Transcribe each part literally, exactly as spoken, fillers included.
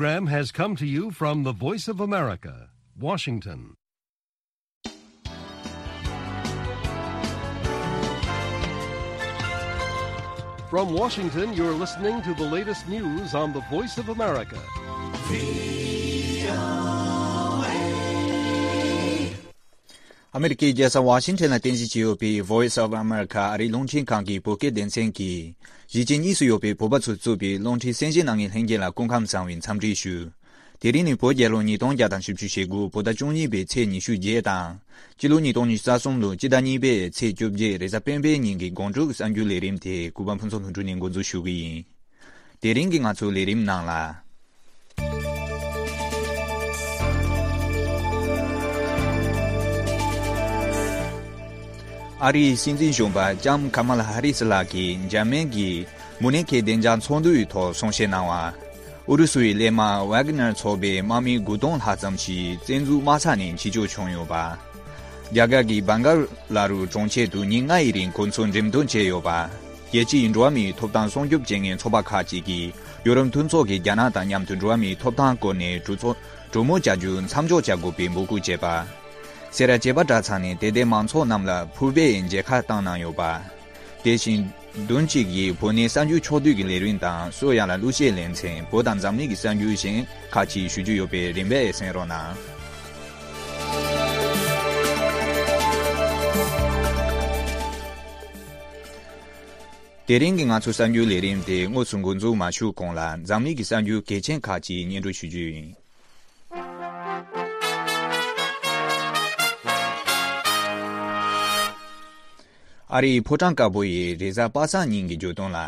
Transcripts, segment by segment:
Program has come to you from the Voice of America, Washington. From Washington, you're listening to the latest news on the Voice of America. ཨ་མེ་རི་ཀའི་རྒྱལ་ས་ཝ་ཤིང་ཊོན་ལ་རྟེན་གཞི་བྱས་ཡོད་པའི་Voice of America ཨ་རིའི་རླུང་འཕྲིན་ཁང་གི་བོད་སྐད་སྡེ་ཚན་གྱིས། གཞིས་བྱེས་གཉིས་སུ་ཡོད་པའི་བོད་པ་ཚོས་གཙོས་པའི་རླུང་འཕྲིན་གསན་བཞེས་གནང་མཁན་ལྷན་རྒྱས་ལ་སྐུ་ཁམས་བཟང་བའི་འཚམས་འདྲི་ཞུ། དེ་རིང་ནི་བོད་རྒྱལ་ལོ་ཉིས་སྟོང་བརྒྱ་དང་བཞི་བཅུ་ཞེ་དགུ་བོད་ཟླ་བཅུ་གཉིས་པའི་ཚེས་ཉི་ཤུ་བརྒྱད་དང་། སྤྱི་ལོ་ཉིས་སྟོང་ཉི་ཤུ་རྩ་གསུམ་ལོའི་སྤྱི་ཟླ་གཉིས་པའི་ཚེས་བཅོ་བརྒྱད་རེས་གཟའ་སྤེན་པའི་ཉིན་གྱི་དགོང་དྲོའི་གསར་འགྱུར་ལས་རིམ་དེ་གུས་པ་ཕུན་ཚོགས་ལྷུན་གྲུབ་ནས་འགོ་འཛུགས་ཞུ་གི་ཡིན། དེ་རིང་གི་ང་ཚོའི་ལས་རིམ་ནང་ལ། ཨ་རིའི་སྲིད་འཛིན་གཞོན་པ་ལྕམ་ཁ་མ་ལ་ཧ་རི་སི་ལགས་ཀྱིས་འཇར་མན་གྱི་མུ་ནེ་ཁའི་བདེ་འཇགས་ཚོགས་འདུའི་ཐོག་གསུང་བཤད་གནང་བ། ཨུ་རུ་སུའི་གླས་དམག་ཝེ་གྷི་ནར་ཚོགས་པའི་དམག་མི་དགུ་སྟོང་ལྷག་ཙམ་ཞིག་བཙན་འཛུལ་དམག་ས་ནས་ཕྱིར་བསྐྱོད་བྱུང་ཡོད་པ། རྒྱ་གར་གྱི་བྷང་ག་ལ་རུ་གྲོང་ཁྱེར་དུ་ཉིན་ལྔ་ཡི་རིང་གོ་མཚོན་འགྲེམས་སྟོན་བྱས་ཡོད་པ། རྒྱལ་སྤྱིའི་འགྲོ་བ་མིའི་ཐོབ་ཐང་སྲུང་སྐྱོབ་བྱེད་མཁན་ཚོགས་པ་ཁག་ཅིག་གིས་ཡུ་རོབ་མཐུན་ཚོགས་ཀྱིས་རྒྱ་ནག་དང་མཉམ་དུ་འགྲོ་བ་མིའི་ཐོབ་ཐང་སྐོར་ནས་གྲོས་ཚོགས་གྲོས་མོལ་བྱ་རྒྱུ་མཚམས་འཇོག་བྱ་དགོས་པའི་འབོད་སྐུལ་བྱས་པ། སེ་ར་བྱེས་པ་གྲྭ་ཚང་ནས་དད་ལྡན་མང་ཚོགས་རྣམས་ལ་ཕུར་པའི་མཇལ་ཁ་བཏང་གནང་ཡོད་པ། དེ་བཞིན་བདུན་གཅིག་གིས་བོད་གནས་གསར་འགྱུར་ཕྱོགས་བསྡུས་ཀྱི་ལས་རིམ་དང་སོ་ཡ་ལ་གླུ་གཞས་ལེན་ཚན། བོད་དང་འཛམ་གླིང་གི་གསར་འགྱུར་གཞན་ཁག་ཅིག་ཞུ་རྒྱུ་ཡོད་པས་རིམ་པས་གསན་རོགས་གནང་། དེ་རིང་གི་ང་ཚོའི་གསར་འགྱུར་ལས་རིམ་དེ་དངོས་སུ་འགོ་འཛུགས་མ་ཞུས་གོང་ལ་འཛམ་གླིང་གི་གསར་འགྱུར་གལ་ཆེན་ཁག་ཅིག་སྙན་སྒྲོན་ཞུ་རྒྱུ་ཡིན། ཨ་རིའི་ཕོ་བྲང་དཀར་པོ་ཡི་རེས་གཟའ་པ་སངས་ཉིན་གྱི་བརྗོད་དོན་ལ།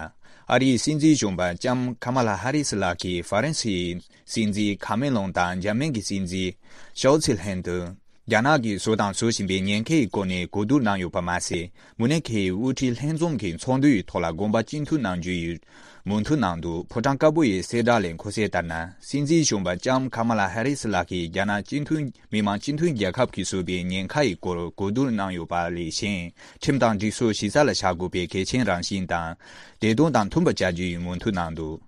ཨ་རིའི་སྲིད་འཛིན་གཞོན་པ་ལྕམ་ཁ་མ་ལ་ཧ་རི་སི་ལགས་ཀྱིས་ཧྥ་རན་སིའི་སྲིད་འཛིན་ཁ་མེ་ལོན་དང་འཇར་མན་གྱི་སྲིད་འཛིན་ཤོལ་ཚི་ལྷན་དུ། རྒྱ་ནག་གིས་བཟོས་དང་བཟོ་བཞིན་པའི་ཉེན་ཁའི་སྐོར་ནས་གོ་བསྡུར་གནང་ཡོད་པ་མ་ཟད། མུ་ནེ་ཁའི་དབུ་ཁྲིད་ལྷན་འཛོམས་ཀྱི་ཚོགས་འདུའི་ཐོག་ལ་དགོངས་པ་གཅིག་མཐུན་གནང་རྒྱུ་ཡི་མོས་མཐུན་གནང་འདུག་ཕོ་བྲང་དཀར་པོ་ཡི་གསལ་བསྒྲགས་ལས་མཁོ་གསལ་ལྟར་ན། སྲིད་འཛིན་གཞོན་པ་ལྕམ་ཁ་མ་ལ་ཧ་རི་སི་ལགས་ཀྱིས་རྒྱ་ནག་སྤྱི་མཐུན་མི་དམངས་སྤྱི་མཐུན་རྒྱལ་ཁབ་ཀྱིས་བཟོས་པའི་ཉེན་ཁ་ཡི་སྐོར་གོ་བསྡུར་གནང་ཡོད་པ་ལས་གཞན། ཁྲིམས་དང་སྒྲིག་སྲོལ་གཞི་རྩ་ལ་བཞག་དགོས་པའི་གལ་ཆེན་རང་བཞིན་དང་། བདེ་དོན་དང་མཐུན་པར་བྱ་རྒྱུ་ཡི་མོས་མཐུན་གནང་འདུག་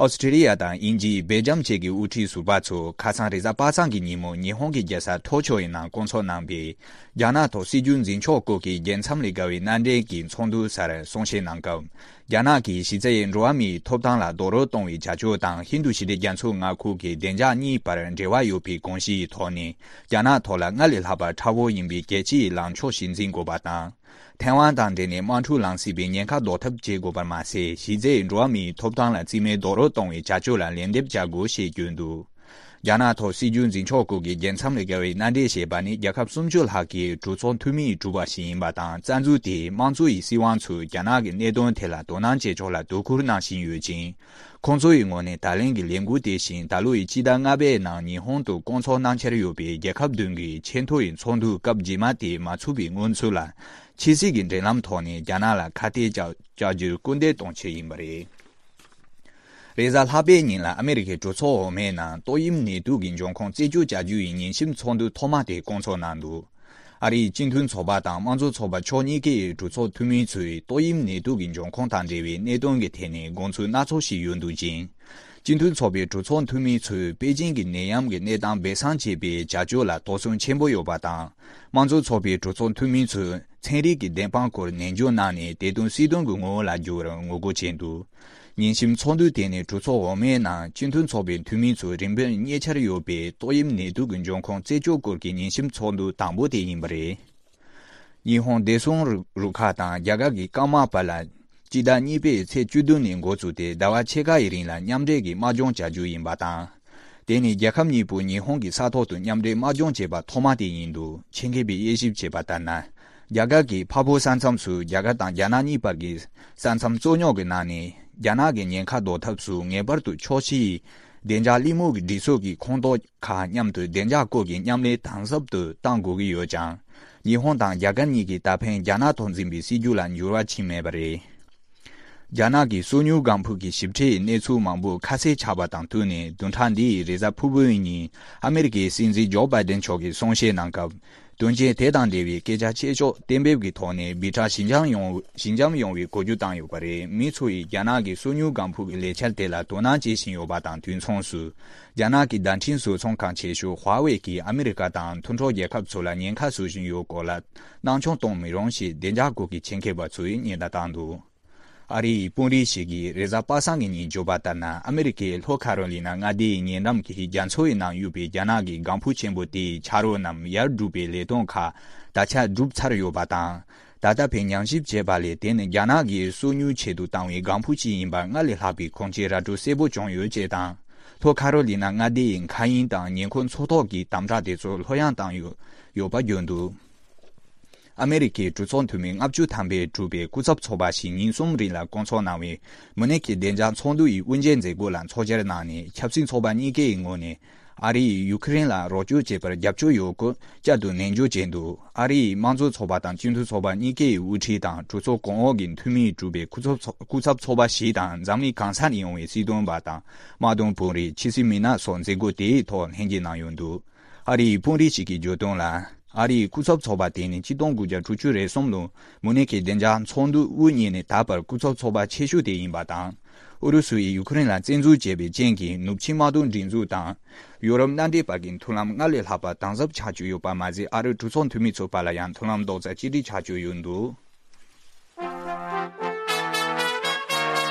ཨོ་སི་ཀྲི་ལི་ཡ་དང་དབྱིན་ཇི། སྦེལ་ཇམ་བཅས་ཀྱི་དབུ་ཁྲིད་ཟུར་པ་ཚོ་ཁ་སང་རེས་གཟའ་པ་སངས་ཀྱི་ཉིན་མོ་ཉི་ཧོང་གི་རྒྱལ་ས་ཐོ་ཅོ་ཡི་ནང་བསྐོང་ཚོགས་གནང་པའི་རྒྱ་ནག་ཐོག་སྲིད་ཇུས་འཛིན་ཕྱོགས་སྐོར་གྱི་རྒྱལ་མཚམས་ལས་བརྒལ་བའི་མནའ་འབྲེལ་གྱི་ཚོགས་འདུ་སར་གསུང་བཤད་གནང་སྐབས། རྒྱ་ནག་གིས་གཞི་རྩའི་འགྲོ་བ་མིའི་ཐོབ་ཐང་ལ་རྡོག་རོལ་གཏོང་བའི་བྱ་སྤྱོད་དང་ཧིན་རྡུ་ཞི་བདེ་རྒྱ་མཚོའི་མངའ་ཁུལ་གྱི་བདེ་འཇགས་གཉིས་བར་འབྲེལ་བ་ཡོད་པའི་དགོངས་གཞིའི་ཐོག་ནས། རྒྱ་ནག་ཐོག་ལ་སྔར་ལས་ལྷག་པར་མཁྲེགས་པོ་ཡིན་པའི་རྒྱལ་སྤྱིའི་ལངས་ཕྱོགས་ཤིག་འཛིན་དགོས་པ་དང་། ཐའེ་ཝན་དང་འབྲེལ་ནས་དམག་འཁྲུག་ལངས་སྲིད་པའི་ཉེན་ཁ་ཟློག་ཐབས་བྱེད་དགོས་པར་མ་ཟད། གཞི་རྩའི་འགྲོ་བ་མིའི་ཐོབ་ཐང་ལ་རྩིས་མེད་རྡོག་རོལ་གཏོང་བའི་བྱ་སྤྱོད་ལ་ལན་འདེབས་བྱ་དགོས་ཞེས་བརྗོད་འདུག་རྒྱ་ནག་ཐོག་སྲིད་ཇུས་འཛིན་ཕྱོགས་སྐོར་གྱི་རྒྱལ་མཚམས་ལས་བརྒལ་བའི་མནའ་འབྲེལ་ཞེས་པ་ནི་རྒྱལ་ཁབ་སུམ་ཅུ་ལྷག་གི་གྲོས་ཚོགས་འཐུས་མིས་གྲུབ་པ་ཞིག་ཡིན་པ་དང་། རྩ་འཛུགས་དེས་དམངས་གཙོ་ཡི་སྲིད་དབང་ཚོས་རྒྱ་ནག་གི་གནད་དོན་ཐད་ལ་དོ་སྣང་བྱེད་ཕྱོགས་ལ་དོ་ཁུར་གནང་བཞིན་ཡོད་ཅིང་། ཁོང་ཚོ་ཡི་ངོས་ནས་ད་ལན་གྱི་ལས་འགུལ་དེ་བཞིན་ད་ལོ་ཡི་སྤྱི་ཟླ་ལྔ་པའི་ནང་ཉི་ཧོང་དུ་བསྐོང་ཚོགས་གནང་འཆར་ཡོད་པའི་རྒྱལ་ཁབ་བདུན་གྱི་ཆེས་མཐོ་ཡི་ཚོགས་འདུ་སྐབས་རྗེས་མ་དེ་མ་ཚུགས་པའི་སྔོན་ཚུད་ལ། ཕྱི་སྲིད་ཀྱི་འབྲེལ་ལམ་ཐོག་ནས་རྒྱ་ནག་ལ་ཁ་གཏད་བཅག་བཅག་རྒྱུར་སྐུལ་འདེད་གཏོང་ཆེད་ཡིན་པ་རེད། རེས་གཟའ་ལྷག་པའི་ཉིན་ལ་ཨ་མེ་རི་ཁའི་གྲོས་ཚོགས་འོག་མའི་ནང་ཏོག་དབྱིབས་ནད་དུག་གི་འབྱུང་ཁུངས་རྩད་གཅོད་བྱ་རྒྱུ་ཡི་ཉིན་གཞིའི་ཚོགས་འདུ་ཐོག་མ་དེ་བསྐོང་ཚོགས་གནང་འདུག་ཨ་རིའི་སྤྱི་མཐུན་ཚོགས་པ་དང་དམངས་གཙོ་ཚོགས་པ་ཕྱོགས་གཉིས་ཀའི་གྲོས་ཚོགས་འཐུས་མི་ཚོས་ཏོག་དབྱིབས་ནད་དུག་གི་འབྱུང་ཁུངས་དང་འབྲེལ་བའི་གནད་དོན་གྱི་ཐད་ནས་དགོངས་ཚུལ་སྣ་ཚོགས་ཤིག་ཡོད་འདུག་ཅིང་། སྤྱི་མཐུན་ཚོགས་པའི་གྲོས་ཚོགས་འཐུས་མི་ཚོས་པེ་ཅིང་གི་ནད་ཡམས་ཀྱི་གནས་སྟངས་སྦས་གསང་བྱེད་པའི་བྱ་སྤྱོད་ལ་དོགས་ཟོན་ཆེན་པོ་ཡོད་པ་དང་། དམངས་གཙོ་ཚོགས་པའི་གྲོས་ཚོགས་འཐུས་མི་ཚོས་ཚན་རིག་གི་བདེན་དཔང་སྐོར་ནན་བརྗོད་གནང་ནས་དེ་དོན་སྲིད་དོན་གྱི་ངོ་བོ་ལ་བསྒྱུར་བར་ངོ་རྒོལ་བྱས་འདུག་ཉིན་གཞིའི་ཚོགས་འདུ་དེ་ནི་གྲོས་ཚོགས་འོག་མའི་ནང་སྤྱི་མཐུན་ཚོགས་པའི་འཐུས་མི་ཚོས་རིམ་པས་རྙེད་འཆར་ཡོད་པའི་ཏོག་དབྱིབས་ནད་དུག་གི་འབྱུང་ཁུངས་རྩད་གཅོད་སྐོར་གྱི་ཉིན་གཞིའི་ཚོགས་འདུ་དང་པོ་དེ་ཡིན་པ་རེད། ཉི་ཧོང་བདེ་སྲུང་རུ་རུ་ཁག་དང་རྒྱ་གར་གྱི་སྐམ་དམག་བར་ལ་སྤྱི་ཟླ་གཉིས་པའི་ཚེས་བཅུ་བདུན་ནས་འགོ་བཙུགས་ཏེ་ཟླ་བ་ཕྱེད་ཀ་ཡི་རིང་ལ་མཉམ་འབྲེལ་གྱི་དམག་སྦྱོང་བྱ་རྒྱུ་ཡིན་པ་དང་། དེ་ནི་རྒྱལ་ཁབ་གཉིས་པོ་ཉི་ཧོང་གི་ས་ཐོག་ཏུ་མཉམ་འབྲེལ་དམག་སྦྱོང་བྱས་པ་ཐོག་མ་དེ་ཡིན་འདུག་ཆེད་མཁས་པས་དབྱེ་ཞིབ་བྱས་པ་ལྟར་ན། རྒྱ་གར་གྱི་འཕགས་བོད་ས་མཚམས་སུ་རྒྱ་གར་དང་རྒྱ་ནག་གཉིས་བར་གྱི་ས་མཚམས་རྩོད་རྙོག་གི་ནང་ནས་རྒྱ་ནག་གི་ཉེན་ཁ་ཟློག་ཐབས་སུ་ངེས་པར་དུ་ཕྱོགས་བཞིའི་བདེ་འཇགས་གླེང་མོལ་གྱི་སྒྲིག་སྲོལ་གྱི་ཁོངས་གཏོགས་ཁག་མཉམ་དུ་བདེ་འཇགས་སྐོར་གྱི་མཉམ་ལས་དམ་ཟབ་ཏུ་གཏང་དགོས་ཀྱི་ཡོད་ཀྱང་། ཉི་ཧོང་དང་རྒྱ་གར་གཉིས་ཀྱིས་ད་ཕན་རྒྱ་ནག་ཐོག་འཛིན་པའི་སྲིད་ཇུས་ལ་འགྱུར་བ་ཕྱིན་མེད་པ་རེད། རྒྱ་ནག་གི་སོ་ཉུལ་ལྒང་ཕུག་གི་ཞིབ་ཕྲའི་གནས་ཚུལ་མང་པོ་ཁ་གསལ་ཆགས་པ་དང་བསྟུན་ནས་བདུན་ཕྲག་འདིའི་རེས་གཟའ་ཕུར་བུའི་ཉིན་ཨ་མེ་རི་ཀའི་སྲིད་འཛིན་ཇོ་བྷའི་ཏན་མཆོག་གིས་གསུང་བཤད་གནང་སྐབས། དོན་རྐྱེན་དེ་དང་འབྲེལ་བའི་སྐད་ཆ་ཆེ་ཕྱོགས་གཏན་འབེབས་ཀྱི་ཐོག་ནས་སྦི་ཊ་ཞི་འཇམ་ཡོང་ཞི་འཇམ་ཡོང་བའི་གོ་རྒྱུ་བཏང་ཡོད་པ་རེད། མི་ཚོ་ཡིས་རྒྱ་ནག་གི་སོ་ཉུལ་ལྒང་ཕུག་གི་ལས་འཆར་དེ་ལ་དོ་སྣང་བྱེད་བཞིན་ཡོད་པ་དང་དུས་མཚུངས་སུ། རྒྱ་ནག་གི་བརྡ་འཕྲིན་བཟོ་ཚོང་ཁང་ཆེ་ཤོས་ཧྭ་ཝེ་གིས་ཨ་མི་རི་ཀ་དང་མཐུན་གྲོགས་རྒྱལ་ཁབ་ཚོ་ལ་ཉེན་ཁ་བཟོ་བཞིན་ཡོད་སྐོར་ལ་སྣང་ཆུང་གཏོང་མི་རུང་ཞེས་བདེ་འཇགས་སྐོར་གྱི་ཆེད་མཁས་པ་ཚོས་ཉེན་བརྡ་བཏང་འདུག་ཨ་རིའི་དཔོན་རིགས་ཤིག་གིས་རེས་གཟའ་པ་སངས་ཀྱི་ཉིན་བརྗོད་པ་ལྟར་ན། ཨ་མི་རི་ཀའི་ལྷོ་ཁ་རོ་ལི་ན་མངའ་སྡེའི་ཉེ་འགྲམ་གྱི་རྒྱ་མཚོ་ཡི་ནང་ཡོད་པའི་རྒྱ་ནག་གི་ལྒང་ཕུག་ཆེན་པོ་དེའི་ཆ་རོགས་རྣམས་ཡར་སྒྲུག་པའི་ལས་དོན་ཁག་ད་ཆ་གྲུབ་ཚར་ཡོད་པ་དང་། ད་ལྟ་བར་ཉམས་ཞིབ་བྱས་པ་ལས། དེ་ནི་རྒྱ་ནག་གིས་སོ་ཉུལ་ཆེད་དུ་བཏང་བའི་ལྒང་ཕུག་ཅིག་ཡིན་པར་སྔར་ལས་ལྷག་པའི་གོང་ཆེན་ར་སྤྲོད་གསལ་པོ་བྱུང་ཡོད་ཅེས་དང་། ལྷོ་ཁ་རོ་ལི་ན་མངའ་སྡེ་ཡི་མཁའ་དབྱིངས་དང་ཉེ་འཁོར་མཚོ་ཐོག་གི་དམ་དྲག་དེ་ཚོ་ལྷོད་ཡངས་བཏང་ཡོད་ཡོད་པ་བརྗོད་འདུག་ཨ་མེ་རི་ཁའི་གྲོས་ཚོགས་འཐུས་མི་ལྔ་བཅུ་ཐམ་པས་གྲུབ་པའི་སྐུ་ཚབ་ཚོགས་པ་ཞིག་ཉིན་གསུམ་རིང་ལ་བསྐོང་ཚོགས་གནང་བའི་མུ་ནེག་གི་བདེ་འཇགས་ཚོགས་འདུ་ཡི་དབུ་འབྱེད་མཛད་སྒོ་ལ་ཚོགས་བཅར་གནང་ནས། ཆབ་སྲིད་ཚོགས་པ་གཉིས་ཀའི་ངོས་ནས་ཨ་རི་ཡིས་ཡུ་ཁུ་རེན་ལ་རོགས་སྐྱོར་བྱེད་པར་རྒྱབ་སྐྱོར་ཡོད་སྐོར་བསྐྱར་དུ་ནན་བརྗོད་བྱས་འདུག་ཨ་རི་ཡི་དམངས་གཙོ་ཚོགས་པ་དང་སྤྱི་མཐུན་ཚོགས་པ་གཉིས་ཀའི་དབུ་ཁྲིད་དང་གྲོས་ཚོགས་གོང་འོག་གི་འཐུས་མིས་གྲུབ་པའི་སྐུ་ཚབ་ཚོགས་སྐུ་ཚབ་ཚོགས་པ་ཞིག་དང་། འཛམ་གླིང་གང་སར་ཡོང་བའི་སྲིད་དོན་པ་དང་། དམག་དོན་དཔོན་རིགས། ཕྱི་སྲིད་མི་སྣ་སོགས་མཛད་སྒོ་དེའི་ཐོག་ལྷན་འབྱེད་གནང་ཡོད་འདུག་ཨ་རིའི་དཔོན་རིགས་ཤིག་གིས་བརྗོད་དོན་ལ། ཨ་རིའི་སྐུ་ཚབ་ཚོགས་པ་དེ་ནི་ཆིག་སྟོང་དགུ་བརྒྱ་དྲུག་ཅུ་རེ་གསུམ་ལོར་མུ་ནེག་གི་བདེ་འཇགས་ཚོགས་འདུ་དབུ་བརྙེས་ནས་ད་བར་སྐུ་ཚབ་ཚོགས་པ་ཆེ་ཤོས་དེ་ཡིན་པ་དང་། ཨུ་རུ་སུ་ཡིས་ཡུ་ཁུ་རེན་ལ་བཙན་འཛུལ་བྱས་པའི་རྐྱེན་གྱིས། ནུབ་ཕྱི་དམག་དོན་སྒྲིག་འཛུགས་དང་ཡུ་རོབ་མནའ་འབྲེལ་བར་གྱི་མཐུན་ལམ་སྔར་ལས་ལྷག་པ་དམ་ཟབ་ཆགས་ཀྱི་ཡོད་པ་མ་ཟད། ཨ་རིའི་གྲོས་ཚོགས་འཐུས་མི་ཚོའི་བར་ལ་ཡང་མཐུན་ལམ་རྡོག་རྩ་གཅིག་སྒྲིལ་ཆགས་ཀྱི་ཡོད་འདུག་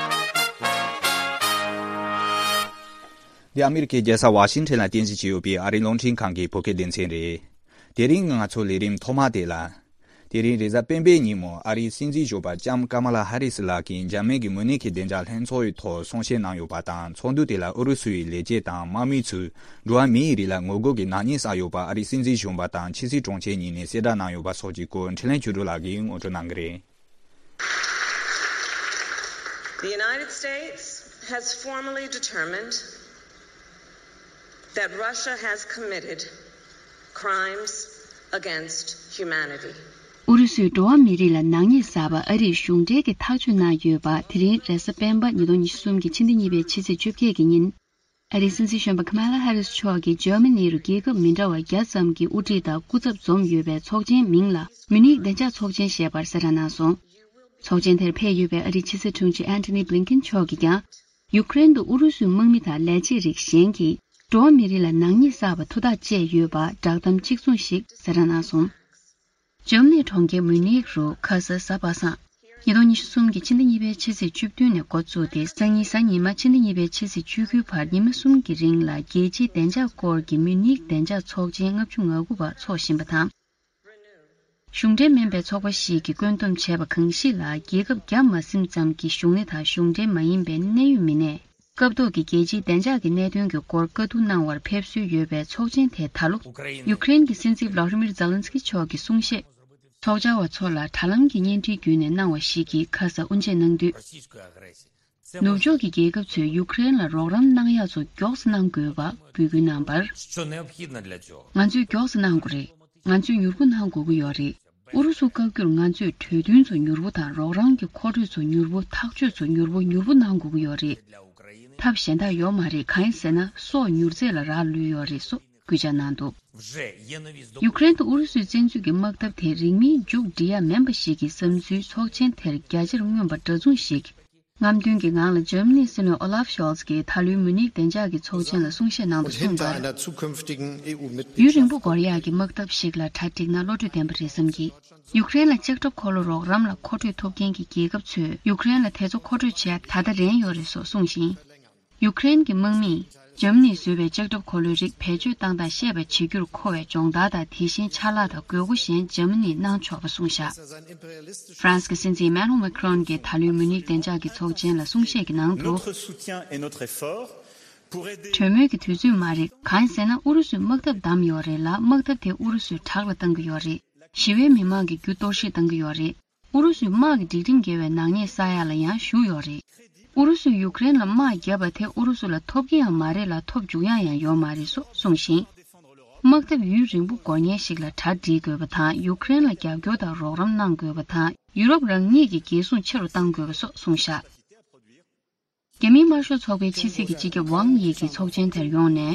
འདི་ཨ་མེ་རི་ཁའི་རྒྱལ་ས་ཝ་ཤིང་ཊོན་ལ་རྟེན་གཞི་བྱས་ཡོད་པའི་ཨ་རིའི་རླུང་འཕྲིན་ཁང་གི་བོད་སྐད་སྡེ་ཚན་རེད། དེ་རིང་ང་ཚོའི་ལས་རིམ་ཐོག་མ་དེ་ལ། དེ་རིང་རེས་གཟའ་སྤེན་པའི་ཉིན་མོ་ཨ་རིའི་སྲིད་འཛིན་གཞོན་པ་ལྕམ་ཀ་མ་ལ་ཧ་རི་སི་ལགས་ཀྱིས་འཇར་མན་གྱི་མུ་ནེག་གི་བདེ་འཇགས་ལྷན་ཚོགས་ཡི་ཐོག་གསུང་བཤད་གནང་ཡོད་པ་དང་། ཚོགས་འདུ་དེ་ལ་ཨུ་རུ་སུ་ཡི་ལས་བྱེད་དང་དམག་མི་ཚོས་འགྲོ་བ་མིའི་རིགས་ལ་ངོ་རྒོལ་གྱི་ནག་ཉེས་བསགས་ཡོད་པ་ཨ་རིའི་སྲིད་འཛིན་གཞོན་པ་དང་ཕྱི་སྲིད་དྲུང་ཆེ་གཉིས་ནས་གསལ་བསྒྲགས་གནང་ཡོད་པ་སོགས་ཀྱི་སྐོར་འཕྲིན་ལས་ཆོས་སྒྲོན་ལགས་ཀྱིས་ངོ་སྤྲོད་གནང་གི་རེད། The United States has formally determined that Russia has committed crimes against humanity. ཨུ་རུ་སུས་འགྲོ་བ་མི་རིགས་ལ་ནག་ཉེས་བསགས་པ་ཨ་རིས་གཞུང་འབྲེལ་གྱིས་ཐག་གཅོད་གནང་ཡོད་པ། དེ་རིང་རེས་གཟའ་སྤེན་པ་ཉིས་སྟོང་ཉི་ཤུ་གསུམ་གྱི་ཕྱི་ཟླ་གཉིས་པའི་ཕྱི་ཚེས་བཅོ་བརྒྱད་ཀྱི་ཉིན། ཨ་རིའི་སྲིད་འཛིན་གཞོན་པ་ཁ་མ་ལ་ཧ་རིས་མཆོག་གིས་འཇར་མ་ནི་རུ་རྒྱལ་ཁབ་མི་འདྲ་བ་བརྒྱ་ཙམ་གྱི་དབུ་ཁྲིད་དང་སྐུ་ཚབ་འཛོམས་ཡོད་པའི་ཚོགས་ཆེན་མིང་ལ་མུ་ནིག་བདེ་འཇགས་ཚོགས་ཆེན་ཞེས་པར་གསལ་བསྒྲགས་གནང་སོང་། ཚོགས་ཆེན་དེར་ཕེབས་ཡོད་པའི་ཨ་རིའི་ཕྱི་སྲིད་དྲུང་ཆེ་ཨན་ཐོ་ནི་བྷི་ལིན་ཀིན་མཆོག་གིས་ཀྱང་། ཡུཀ་རེན་དུ་ཨུ་རུ་སུའི་དམག་མི་དང་ལས་བྱེད་རིགས་གཞན་གྱིས་འགྲོ་བ་མི་རིགས་ལ་ནག་ཉེས་བསགས་པ་མཐོ་ཐག་བཅད་ཡོད་པ་བསྒྲགས་གཏམ་གཅིག་མཚུངས་ཤིག་གསལ་བསྒྲགས་གནང་སོང་། འཇར་མ་ནིའི་གྲོང་ཁྱེར་མུ་ནིག་རུ་ཁ་ས་གཟའ་པ་སངས། ཉིས་སྟོང་ཉི་ཤུ་གསུམ་གྱི་ཕྱི་ཟླ་གཉིས་པའི་ཕྱི་ཚེས་བཅུ་བདུན་ནས་འགོ་བཙུགས་ཏེ། སང་ཉིན་གཟའ་ཉི་མ་ཕྱི་ཟླ་གཉིས་པའི་ཕྱི་ཚེས་བཅུ་དགུའི་བར་ཉི་མ་གསུམ་གྱི་རིང་ལ་རྒྱལ་སྤྱིའི་བདེ་འཇགས་སྐོར་གྱི་མུ་ནིག་བདེ་འཇགས་ཚོགས་ཆེན་ལྔ་བཅུ་ང་དགུ་པ་འཚོགས་བཞིན་པ་དང་། གཞུང་འབྲེལ་མིན་པའི་ཚོགས་པ་ཞིག་གིས་བཀོད་འདོམས་བྱས་པ་གང་ཞིག་ལ། རྒྱལ་ཁབ་བརྒྱ་མ་ཟིན་ཙམ་གྱི་གཞུང་སྣེ་དང་གཞུང་འབྲེལ་མ་ཡིན་པའི་གནད་ཡོད་མི་སྣས། སྐབས་ཐོག་གི་རྒྱལ་སྤྱིའི་བདེ་འཇགས་ཀྱི་གནད་དོན་གྱི་སྐོར་བཀའ་བསྡུར་གནང་བར་ཕེབས་སྲོལ་ཡོད་པའི་ཚོགས་ཆེན་དེ་ད་ལོ། ཡུཀ་རེན་གྱི་སྲིད་འཛིན་ཝ་ལ་ཏི་མིར་ཛེ་ལན་སི་ཀི་མཆོག་གིས་གསུང་བཤད། ཚོགས་བཅར་བ་ཚོ་ལ་དྲ་ལམ་གྱི་བརྙན་འཕྲིན་བརྒྱུད་ནས་གནང་བ་ཞིག་གིས་ཁ་ས་དབུ་འབྱེད་གནང་དུས། ནུབ་ཕྱོགས་ཀྱི་རྒྱལ་ཁབ་ཚོས་ཡུཀ་རེན་ལ་རོགས་རམ་གནང་ཡག་ཚོ་མགྱོགས་སུ་གནང་དགོས་པ་འབོད་སྐུལ་གནང་བར། ང་ཚོས་མགྱོགས་སུ་གནང་དགོས་རེད། ང་ཚོས་མྱུར་པོ་གནང་དགོས་ཀྱི་ཡོད་རེད། ཨུ་རུ་སུ་བཀག་རྒྱུར་ང་ཚོས་གྲོས་མཐུན་ཚོ་མྱུར་པོ་དང་རོགས་རམ་གྱི་མཁོ་སྤྲོད་ཚོ་མྱུར་པོ། ཐག་གཅོད་ཚོ་མྱུར་པོ་མྱུར་པོ་གནང་དགོས་ཀྱི་ཡོད་རེད། ཐབས་གཞན་དག་ཡོད་མ་རེད། གང་ཡིན་ཟེར་ན་སྲོག་མྱུར་ཚད་ལ་རག་ལུས་ཡོད་རེད་སོགས་སྐུལ་ལྕག་གནང་འདུག་ཡུཀ་རེན་དུ་ཨུ་རུ་སུའི་བཙན་འཛུལ་གྱི་དམག་འཐབ་དེ་རིང་མིན་མཇུག་སྒྲིལ་ཡ་མིན་པ་ཞིག་གི་བསམ་ཚུལ་ཚོགས་ཆེན་དེར་རྒྱ་ཆེར་མངོན་པ་འདྲ་མཚུངས་ཤིག་རྔམ་སྟོན་གྱི་ངང་ལ་འཇར་མ་ནིའི་སྲིད་བློན་ཨོ་ལཱབ་ཤོལ་ཚ་གིས་ད་ལོའི་མུ་ནིག་བདེ་འཇགས་ཀྱི་ཚོགས་ཆེན་ལ་གསུང་བཤད་གནང་དུ་གསུངས་པར། ཡུན་རིང་པོ་འགོར་ཡག་གི་དམག་འཐབ་ཞིག་ལ་གྲ་སྒྲིག་ན་བློ་གྲོས་ལྡན་པ་རེད་བསམ་གྱི། ཡུཀ་རེན་ལ་ལྕགས་ཁྲབ་འཁོར་ལོ་རོགས་རམ་ལ་མཁོ་སྤྲོད་ཐོབ་མཁན་གྱི་རྒྱལ་ཁབ་ཚོས་ཡུཀ་རེན་ལ་དེ་ཚོ་མཁོ་སྤྲོད་བྱེད་ཡ་ད་ལྟ་རན་ཡོད་རེད་སོགས་གསུངས་ཤིང་། ཡུཀ་རེན་གྱི་དམག་མིས་འཇར་མ་ནིས་བཟོས་པའི་ལྕགས་ཁྲབ་འཁོར་ལོའི་རིགས་བེད་སྤྱོད་བཏང་སྟངས་ཤེས་པ་བྱེད་རྒྱུར་མཁོ་བའི་སྦྱོང་བརྡར་དང་། དེ་བཞིན་ཆ་ལག་དང་དགོས་མཁོ་གཞན་འཇར་མ་ནིས་གནང་ཆོག་པ་གསུངས་བཞག་ཧྥ་རན་སི་གི་སྲིད་འཛིན་ཨེ་མ་ནུ་ཨེལ་མེ་ཁི་རོན་གྱིས་ད་ལོའི་མུ་ནིག་བདེ་འཇགས་ཀྱི་ཚོགས་ཆེན་ལ་གསུང་བཤད་ཀྱི་ནང་དུ། Notre soutien et notre effort pour aider གྲོས་མོལ་གྱི་དུས་ཚོད་མ་རེད། གང་ཡིན་ཟེར་ན་ཨུ་རུ་སུས་དམག་འཐབ་བདམས་ཡོད་རེད་ལ། དམག་འཐབ་དེ་ཨུ་རུ་སུས་དྲག་ལ་བཏང་གི་ཡོད་རེད། ཞི་བའི་མི་མང་གི་རྒྱུ་གཏོར་བཤིག་བཏང་གི་ཡོད་རེད། ཨུ་རུ་སུས་དམག་གི་སྒྲིག་ཁྲིམས་འགལ་བའི་ནག་ཉེས་བསགས་ཡག་ལ་ཡང་ཞུགས་ཡོད་རེད། ཨུ་རུ་སུས་ཡུཀ་རེན་ལ་དམག་བརྒྱབ་པ་དེ་ཨུ་རུ་སུ་ལ་ཐོབ་ཀྱི་ཡང་མ་རེད་ལ། ཐོབ་འཇུག་ཡག་ཡང་ཡོད་མ་རེད་སོགས་གསུངས་ཤིང་། དམག་འཐབ་ཡུན་རིང་པོ་འགོར་མཁན་ཞིག་ལ་གྲ་སྒྲིག་དགོས་པ་དང་། ཡུཀ་རེན་ལ་རྒྱབ་སྐྱོར་དང་རོགས་རམ་གནང་དགོས་པ་དང་། ཡུ་རོབ་རང་ཉིད་ཀྱི་རྒྱལ་སྲུང་ཆེ་རུ་གཏང་དགོས་པ་སོགས་གསུངས་བཞག་རྒྱ་མིའི་དམར་ཤོག་ཚོགས་པའི་ཕྱི་སྲིད་ཀྱི་སྤྱི་ཁྱབ་ཝང་དབྱི་གིས་ཚོགས་ཆེན་དེར་ཡོང་ནས།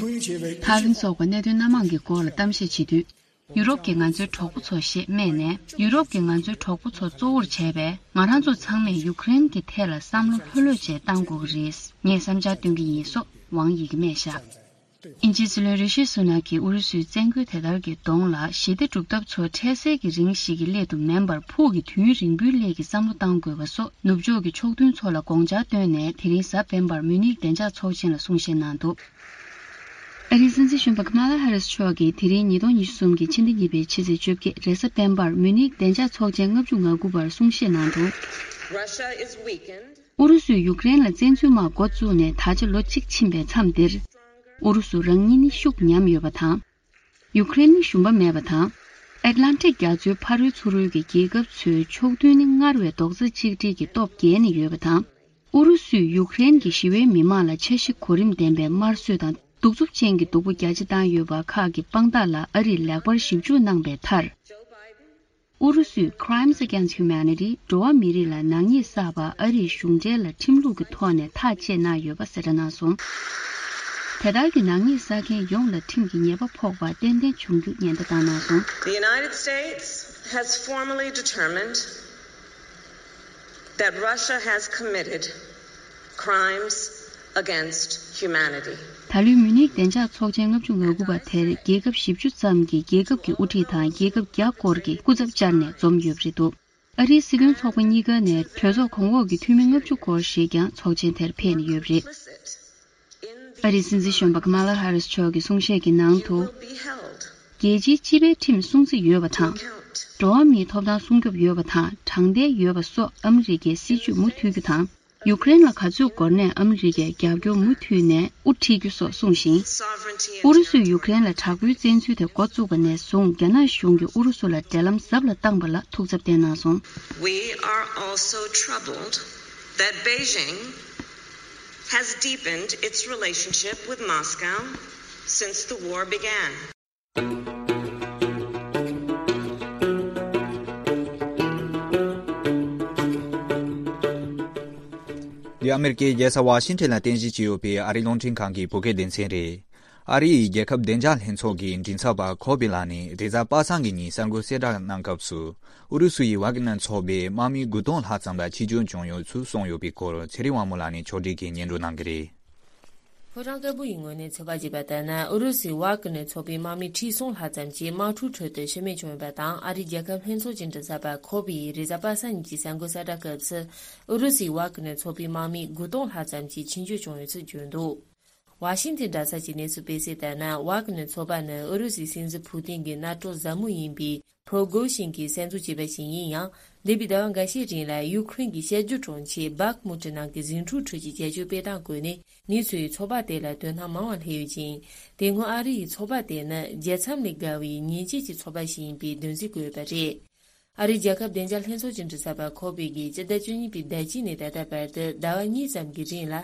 ཐག་རིང་སོགས་པ་གནད་དོན་སྣ་མང་གི་སྐོར་ལ་གཏམ་བཤད་བྱེད་དུས། ཡུ་རོབ་ཀྱིས་ང་ཚོའི་གྲོགས་པོ་ཚོ་ཞེས་སྨྲས་ནས། ཡུ་རོབ་ཀྱིས་ང་ཚོའི་གྲོགས་པོ་ཚོ་གཙོ་བོར་བྱས་པས། ང་རང་ཚོ་ཚང་མས་ཡུ་ཀེ་རེན་གྱི་ཐད་ལ་བསམ་བློ་ལྷོད་ལྷོད་བྱས་བཏང་དགོས་ཀྱི་རེད། ངས་བསམ་འཆར་སྟོན་གྱི་ཡིན་སོགས་ཝང་ཡིས་སྨྲས་བཞག་དབྱིན་ཇིའི་སྲིད་བློན་རི་ཤི་སུ་ནག་གིས་ཨུ་རུ་སུའི་བཙན་རྒོལ་དེ་ལྟར་གྱི་གདོང་ལ་ཞི་བདེ་སྒྲུབ་ཐབས་ཚོ་འཕྲལ་སེལ་གྱི་རིང་ཞིག་གི་སླད་དུ་མིན་པར་ཕུགས་ཀྱི་དུས་ཡུན་རིང་པོའི་སླད་ཀྱི་བསམ་བློ་གཏང་དགོས་པ་སོགས་ནུབ་ཕྱོགས་ཀྱི་ཕྱོགས་མཐུན་ཚོ་ལ་དགོངས་འཆར་བཏོན་ནས། དེ་རིང་གཟའ་སྤེན་པར་མུ་ནིག་བདེ་འཇགས་ཚོགས་ཆེན་ལ་གསུང་བཤད་གནང་འདུག་ཨ་རིའི་སྲིད་འཛིན་གཞོན་པ་ཀ་མ་ལ་ཧ་རིས་མཆོག་གིས་དེ་རིང་ཉིས་སྟོང་ཉི་ཤུ་གསུམ་གྱི་ཕྱི་ཟླ་གཉིས་པའི་ཕྱི་ཚེས་བཅོ་བརྒྱད་རེས་གཟའ་སྤེན་པར་མུ་ནིག་བདེ་འཇགས་ཚོགས་ཆེན་ལྔ་བཅུ་ང་དགུ་པར་གསུང་བཤད་གནང་འདུག Russia is weakened. ཨུ་རུ་སུས་ཡུཀ་རེན་ལ་བཙན་འཛུལ་དམག་འགོ་བཙུགས་ནས་ད་ཆ་ལོ་གཅིག་ཕྱིན་པའི་མཚམས་འདིར། ཨུ་རུ་སུ་རང་ཉིད་ནི་ཤུགས་ཉམས་ཡོད་པ་དང་། ཡུཀ་རེན་ནི་ཞུམ་པ་མེད་པ་དང་། ཨེཊ་ལན་ཊིག་རྒྱ་མཚོའི་ཕ་རོལ་ཚུར་རོལ་གྱི་རྒྱལ་ཁབ་ཚོའི་ཕྱོགས་མཐུན་ནི་སྔར་བས་རྡོག་རྩ་གཅིག་སྒྲིལ་གྱི་སྟོབས་རྒྱས་ནས་ཡོད་པ་དང་། ཨུ་རུ་སུས་ཡུཀ་རེན་གྱི་ཞི་བའི་མི་མང་ལ་འཆར་གཞི་གོ་རིམ་ལྡན་པའི་དམར་གསོད་དང་གདུག་རྩུབ་ཅན་གྱི་སྡུག་པོ་རྒྱ་ཆེ་བཏང་ཡོད་པ་ཁག་གི་དཔང་རྟགས་ལ་ཨ་རིས་ལེགས་པར་ཞིབ་འཇུག་གནང་པའི་མཐར། ཨུ་རུ་སུས་Crimes Against Humanity འགྲོ་བ་མི་རིགས་ལ་ནག་ཉེས་བསགས་པ་ཨ་རིའི་གཞུང་འབྲེལ་ལ་ཁྲིམས་ལུགས་ཀྱི་ཐོག་ནས་ཐག་བཅད་གནང་ཡོད་པ་གསལ་བསྒྲགས་གནང་སོང་། དེ་ལྟར་གྱི་ནག་ཉེས་བསགས་མཁན་ཡོངས་ལ་ཁྲིམས་ཀྱི་ཉེས་པ་ཕོག་པ་ཏན་ཏན་འབྱུང་རྒྱུ་ཉེན་བརྡ་བཏང་གནང་སོང་། The United States has formally determined that Russia has committed crimes against humanity. ད་ལོའི་མུ་ནིག་བདེ་འཇགས་ཚོགས་ཆེན་ལྔ་བཅུ་ང་དགུ་པ་དེར་རྒྱལ་ཁབ་བཞི་བཅུ་ཙམ་གྱི་རྒྱལ་ཁབ་ཀྱི་དབུ་ཁྲིད་དང་རྒྱལ་ཁབ་བརྒྱ་སྐོར་གྱི་སྐུ་ཚབ་བཅར་ནས་འཛོམས་ཡོད་པ་རེད་འདུག་ཨ་རིའི་སྲིད་བློན་ཚོགས་པ་གཉིས་ཀ་ནས་གྲོས་ཚོགས་གོང་འོག་གི་འཐུས་མི་ལྔ་བཅུ་སྐོར་ཞིག་ཀྱང་ཚོགས་ཆེན་དེར་ཕེབས་ནས་ཡོད་པ་རེད། ཨ་རིའི་སྲིད་འཛིན་གཞོན་པ་ཀ་མ་ལ་ཧ་རིས་མཆོག་གི་གསུང་བཤད་ཀྱི་ནང་དུ། རྒྱལ་སྤྱིའི་སྤྱི་པའི་ཁྲིམས་སྲུང་རྩིས་ཡོད་པ་དང་། འགྲོ་བ་མིའི་ཐོབ་ཐང་སྲུང་སྐྱོབ་ཡོད་པ་དང་དྲང་བདེན་ཡོད་པ་སོགས་ཨ་མི་རི་ཀའི་སྲིད་ཇུས་མུ་མཐུད་རྒྱུ་དང་། ཡུཀ་རེན་ལ་ག་ཚོད་འགོར་ནའི་ཨ་མི་རི་ཀས་རྒྱབ་སྐྱོར་མུ་མཐུད་ནས་དབུ་ཁྲིད་རྒྱུ་སོགས་གསུངས་ཤིང་། ཨུ་རུ་སུས་ཡུཀ་རེན་ལ་དྲག་པོའི་བཙན་འཛུལ་དེ་འགོ་བཙུགས་པ་ནས་བཟུང་རྒྱ་ནག་གཞུང་གིས་ཨུ་རུ་སུ་ལ་འབྲེལ་ལམ་ཟབ་ལ་བཏང་པ་ལ་ཐུགས་འཚབ་བསྟན་གནང་སོང་། We are also troubled that Beijing has deepened its relationship with Moscow since the war began. འདི་ཨ་མེ་རི་ཀའི་རྒྱལ་ས་ཝ་ཤིང་ཊོན་ལ་རྟེན་གཞི་བྱས་ཡོད་པའི་ཨ་རིའི་རླུང་འཕྲིན་ཁང་གི་བོད་སྐད་སྡེ་ཚན་རེད། ཨ་རི་ཡི་རྒྱལ་ཁབ་བདེ་འཇགས་ལྷན་ཚོགས་ཀྱི་མགྲིན་ཚབ་པ་ཁོ་པི་ལགས་ནས་རེས་གཟའ་པ་སངས་ཀྱི་ཉིན་གསར་འགོད་གསལ་བསྒྲགས་གནང་སྐབས་སུ། ཨུ་རུ་སུ་ཡི་ཝཱ་ཀི་ནར་ཚོགས་པའི་དམག་མི་དགུ་སྟོང་ལྷག་ཙམ་ལ་འཆི་སྐྱོན་བྱུང་ཡོད་ཚུལ་གསུངས་ཡོད་པའི་སྐོར་ཚེ་རིང་དབང་མོ་ལགས་ནས་ཕྱོགས་སྒྲིག་གིས་སྙན་སྒྲོན་གནང་གི་རེད། ཕོ་བྲང་དཀར་པོ་ཡི་ངོས་ནས་ཚོད་དཔག་བྱས་པ་ལྟར་ན། ཨུ་རུ་སུའི་ཝཱ་ཀི་ནར་ཚོགས་པའི་དམག་མི་ཁྲི་གསུམ་ལྷག་ཙམ་ཞིག་དམག་འཁྲུག་ཁྲོད་དུ་ཤི་རྨས་བྱུང་ཡོད་པ་དང་། ཨ་རིའི་རྒྱལ་ཁབ་ལྷན་ཚོགས་ཀྱི་མགྲིན་ཚབ་པ་ཁོ་པི་ཡིས་རེས་གཟའ་པ་སངས་ཉིན་གྱི་གསར་འགོད་གསལ་བསྒྲགས་སྐབས་སུ། ཨུ་རུ་སུའི་ཝཱ་ཀི་ནར་ཚོགས་པའི་དམག་མི་དགུ་སྟོང་ལྷག་ཙམ་ཞིག་འཆི་སྐྱོན་བྱུང་ཡོད་ཚུལ་བརྗོད་འདུག་ཝ་ཤིང་ཏན་དྲ་ཚགས་ཀྱི་གནས་ཚུལ་སྤེལ་གསལ་ལྟར་ན། ཝཱ་ཀི་ནར་ཚོགས་པ་ནི་ཨུ་རུ་སུའི་སྲིད་འཛིན་ཕུ་ཏིན་གྱི་མནའ་གྲོགས་ཟབ་མོ་ཡིན་པའི་ཕྲོ་གོ་ཤིན་གྱིས་གསར་འཛུགས་བྱས་པ་ཞིག་ཡིན་ཡང་། འདས་པའི་ཟླ་བ་འགའ་ཤས་རིང་ལ་ཡུ་ཁུ་རེན་གྱི་བཤད་རྒྱུད་གྲོང་ཁྱེར་སྦག་མུ་ཏི་ནང་གི་ཟིང་འཁྲུག་ཁྲོད་ཀྱི་བྱ་སྤྱོད་སྤེལ་སྟངས་བཀོད་ནས། མི་ཚོས་ཚོགས་པ་དེ་ལ་དོ་སྣང་མང་བ་སླེབས་ཡོད་ཅིང་། དེ་སྔོན་ཨ་རི་ཡིས་ཚོགས་པ་དེ་ནི་རྒྱལ་མཚམས་ལས་བརྒལ་བའི་ཉེས་ཆད་ཀྱི་ཚོགས་པ་ཞིག་ཡིན་པའི་འདོན་རྩིས་བཀོད་ཡོད་པ་རེད། ཨ་རིའི་རྒྱལ་ཁབ་བདེ་འཇགས་ལྷན་ཚོགས་ཀྱི་མགྲིན་ཚབ་པ་ཁོ་པེ་གིས་སྤྱི་ཟླ་བཅུ་གཉིས་པའི་ཟླ་དཀྱིལ་ནས་ད་ལྟ་བར་དུ་ཟླ་བ་གཉིས་ཙམ་གྱི་རིང་ལ།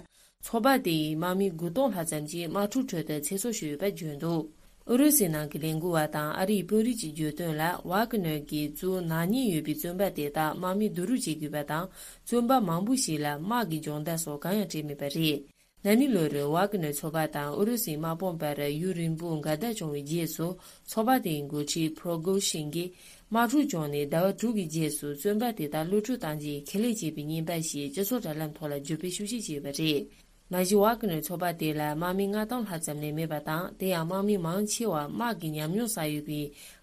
ཚོགས་པ་དེ་ཡི་དམག་མི་དགུ་སྟོང་ལྷག་ཙམ་གྱིས་དམག་འཁྲུག་ཁྲོད་དུ་ཚེ་སྲོག་ཤོར་ཡོད་པ་བརྗོད་འདུག་ཨུ་རུ་སུའི་ནང་གི་ལས་འགུལ་བ་དང་ཨ་རིའི་དཔོན་རིགས་ཀྱིས་བརྗོད་དོན་ལ། ཝཱ་ཀི་ནར་གྱིས་གཙོས་ནག་ཉེས་ཡོད་པའི་བཙོན་པ་དེ་དག་དམག་མིས་བསྡུ་རུབ་བྱེད་དགོས་པ་དང་། བཙོན་པ་མང་པོ་ཞིག་ལ་དམག་གི་སྦྱོང་བརྡར་སོགས་གང་ཡང་སྤྲད་མེད་པ་རེད། ན་ནིང་ལོ་རུ་ཝཱ་ཀི་ནར་ཚོགས་པ་དང་ཨུ་རུ་སུའི་དམག་དཔུང་བར་ཡུན་རིང་པོའི་འགལ་ཟླ་བྱུང་བའི་རྗེས་སུ། ཚོགས་པ་དེའི་འགོ་ཁྲིད་ཕྲོ་གོ་ཤིན་གྱིས། དམག་འཁྲུག་བྱུང་ནས་ཟླ་བ་དྲུག་གི་རྗེས་སུ་བཙོན་པ་དེ་དག་གློད་བཀྲོལ་གཏང་རྒྱུའི་ཁས་ལེན་བྱས་པའི་བརྙན་པར་ཞིག་སྤྱི་ཚོགས་དྲ་ལམ་ཐོག་ལ་བརྒྱུད་སྤེལ་ཤུགས་ཆེ་བྱས་ཡོད་པ་རེད། མ་གཞི་ཝཱ་ཀི་ནར་ཚོགས་པ་དེ་ལ་དམག་མི་ལྔ་སྟོང་ལྷག་ཙམ་ལས་མེད་པ་དང་། དེ་ཡང་དམག་མི་མང་ཆེ་བ་དམག་གི་ཉམས་མྱོང་བསགས་ཡོད་པའི་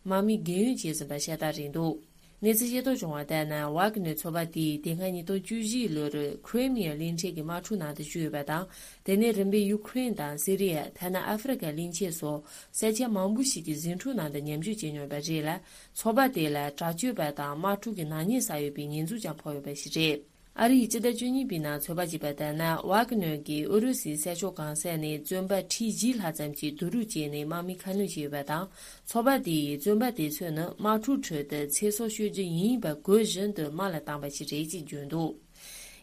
དམག་མི་རྒས་ཡོལ་བྱས་ཟིན་པ་ཤ་སྟག་རེད་འདུག་གནས་ཚུལ་ཤེས་རྟོགས་བྱུང་བ་ལྟར་ན། ཝཱ་ཀི་ནར་ཚོགས་པ་དེས་དེ་སྔ་ཉིས་སྟོང་བཅུ་བཞི་ལོར་ཁི་རི་མི་ཡ་གླིང་ཕྲན་གྱི་དམག་འཁྲུག་ནང་དུ་ཞུགས་ཡོད་པ་དང་། དེ་ནས་རིམ་པས་ཡུ་ཁུ་རེན་དང་སི་རི་ཡ། ཐ་ན་ཨ་ཧྥེ་རི་ཁ་གླིང་ཆེན་སོགས་ས་ཆ་མང་པོ་ཞིག་གི་ཟིང་འཁྲུག་ནང་དུ་ཉམས་ཞིབ་བྱས་མྱོང་བ་རེད་ལ། ཚོགས་པ་དེ་ལ་དྲག་སྤྱོད་པ་དང་དམག་འཁྲུག་གི་ནག་ཉེས་བསགས་ཡོད་པའི་ཉེས་འཛུགས་ཀྱང་ཕོག་ཡོད་པ་ཞིག་རེད། ཨ་རིའི་སྤྱི་ཟླ་བཅུ་གཉིས་པའི་ནང་ཚོད་དཔག་བྱས་པ་ལྟར་ན། ཝཱ་ཀི་ནར་གྱིས་ཨུ་རུ་སུའི་ས་ཕྱོགས་གང་ས་ནས་བཙོན་པ་ཁྲི་བཞི་ལྷག་ཙམ་ཞིག་བསྡུ་རུབ་བྱས་ནས་དམག་མི་ཁ་སྣོན་བྱས་ཡོད་པ་དང་། ཚོགས་པ་དེ་ཡིས་བཙོན་པ་དེ་ཚོ་ནི་དམག་འཁྲུག་ཁྲོད་དུ་ཚེ་སྲོག་ཤོར་རྒྱུ་ཡིན་པ་གོ་བཞིན་དུ་དམག་ལ་བཏང་པ་ཞིག་རེད་ཅེས་བརྗོད་འདུག་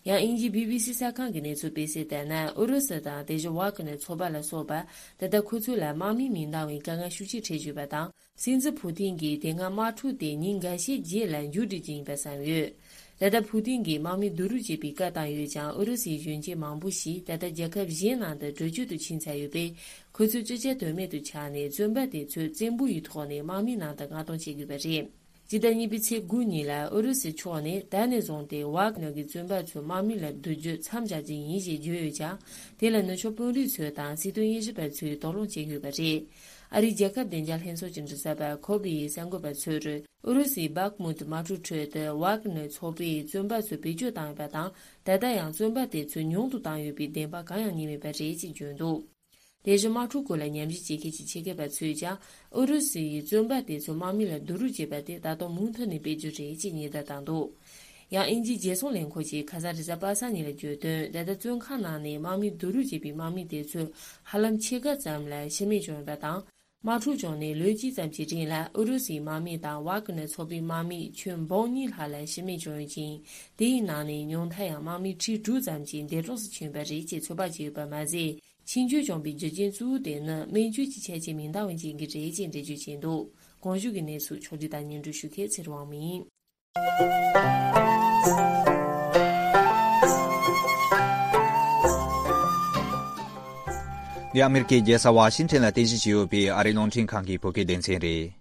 ཡང་དབྱིན་ཇིའི་བྷི་བྷི་སི་གསར་ཁང་གི་གནས་ཚུལ་སྤེལ་གསལ་ལྟར་ན། ཨུ་རུ་སུ་དང་དེ་བཞིན་ཝཱ་ཀི་ནར་ཚོགས་པ་ལ་སོགས་པ། ད་ལྟ་ཁོ་ཚོ་ལ་དམག་མི་མི་འདང་བའི་དཀའ་ངལ་ཤུགས་ཆེ་འཕྲད་བཞིན་པ་དང་། སྲིད་འཛིན་ཕུ་ཏིན་གྱིས་དེ་སྔ་དམག་འཁྲུག་དེ་ཉིན་འགའ་ཤས་རྗེས་ལ་མཇུག་སྒྲིལ་རྒྱུ་ཡིན་པ་བསམ་ཡོད། ད་ལྟ་ཕུའུ་ཏིན་གྱིས་དམག་མི་བསྡུ་རུབ་བྱེད་པའི་བཀའ་བཏང་ཡོད་ཀྱང་། ཨུ་རུ་སུའི་གཞོན་སྐྱེས་མང་པོ་ཞིག་ད་ལྟ་རྒྱལ་ཁབ་གཞན་ནང་དུ་བྲོས་བྱོལ་དུ་ཕྱིན་ཚར་ཡོད་པས། ཁོ་ཚོས་ཅི་བྱ་གཏོལ་མེད་དུ་ཆགས་ནས། བཙོན་པ་དེ་ཚོ་བཙན་པོ་ཡི་ཐོག་ནས་དམག་མིའི་ནང་དུ་མངགས་གཏོང་བྱེད་དགོས་པ་རེད། སྤྱི་ཟླ་གཉིས་པའི་ཚེས་དགུ་ཉིན་ལ་ཨུ་རུ་སུའི་ཕྱོགས་ནས་ད་ནས་བཟུང་སྟེ་ཝག་ནར་གྱི་བཙོན་པ་ཚོའི་དམག་མི་ལ་བསྡུ་རྒྱུ་མཚམས་བཞག་རྒྱུ་ཡིན་ཞེས་བརྗོད་ཡོད་ཀྱང་། དེ་ལ་ནུབ་ཕྱོགས་དཔོན་རིགས་ཚོ་དང་སྲིད་དོན་དབྱེ་ཞིབ་པ་ཚོས་དོགས་སློང་བྱེད་ཀྱི་ཡོད་པ་རེད། ཨ་རིའི་རྒྱལ་ཁབ་བདེ་འཇགས་ལྷན་ཚོགས་ཀྱི་མགྲིན་ཚབ་པ་ཁོ་བི་ཡིས་གསར་འགོད་པ་ཚོར། ཨུ་རུ་སུའི་བྷག་མུད་དམག་འཁྲུག་ཁྲོད་དུ་ཝག་ནར་ཚོགས་པས་བཙོན་པ་ཚོ་བེད་སྤྱོད་བཏང་ཡོད་པ་དང་། ད་ལྟ་ཡང་བཙོན་པ་དེ་ཚོ་ཉུང་དུ་བཏང་ཡོད་པའི་བདེན་པ་གང་ཡང་རྙེད་མེད་པ་རེད་ཅེས་བརྗོད་འདུག་དེ་བཞིན་དམག་འཁྲུག་སྐོར་ལ་ཉམས་ཞིབ་བྱེད་མཁན་གྱི་ཆེད་མཁས་པ་ཚོས་ཀྱང་། ཨུ་རུ་སུ་ཡིས་བཙོན་པ་དེ་ཚོ་དམག་མི་ལ་བསྡུ་རུབ་བྱས་པ་དེ་ད་དུང་མུ་མཐུད་ནས་སྤེལ་རྒྱུ་རེད་ཅེས་ཉེན་བརྡ་བཏང་འདུག་ཡང་དབྱིན་ཇིའི་རྒྱལ་སྲུང་ལས་ཁུངས་ཀྱིས་ཁ་སང་རེས་གཟའ་པ་སངས་ཉིན་ལ་བརྗོད་དོན། ད་ལྟ་བཙོན་ཁང་ནང་ནས་དམག་མི་བསྡུ་རུབ་བྱས་པའི་དམག་མི་དེ་ཚོ་ཧ་ལམ་ཕྱེད་ཀ་ཙམ་ལ་ཤི་རྨས་བྱུང་ཡོད་པ་དང་། དམག་འཁྲུག་བྱུང་ནས་ལོ་གཅིག་ཙམ་གྱི་རིང་ལ་ཨུ་རུ་སུའི་དམག་མི་དང་ཝག་ནར་ཚོགས་པའི་དམག་མི་ཁྱོན་འབུམ་གཉིས་ལྷག་ལ་ཤི་རྨས་བྱུང་ཡོད་ཅིང་། དེའི་ནང་ནས་ཉུང་མཐའ་ཡང་དམག་མི་ཁྲི་དྲུག་ཙམ་ཞིག་འདས་གྲོངས་སུ་ཕྱིན་པ་རེད་ཅེས་ཚོད་དཔག་བྱས་ཡོད་པ་མ་ཟད། ཤི་འགྱུར་བྱུང་བའི་རྒྱུ་རྐྱེན་གཙོ་བོ་དེ་ནི་སྨན་བཅོས་ཀྱི་ཆ་རྐྱེན་མི་འདང་བ་ཅན་གྱིས་རེད་ཅེས་འགྲེལ་བརྗོད་བྱས་འདུག་གོང་ཞུས་ཀྱི་གནས་ཚུལ་ཕྱོགས་བསྒྲིགས་དང་སྙན་སྒྲོན་ཞུ་མཁན་ཚེ་རིང་དབང་མོ་ཡིན། འདི་ཨ་མེ་རི་ཀའི་རྒྱལ་ས་ཝ་ཤིང་ཊོན་ལ་རྟེན་གཞི་བྱས་ཡོད་པའི་ཨ་རིའི་རླུང་འཕྲིན་ཁང་གི་བོད་སྐད་སྡེ་ཚན་རེད།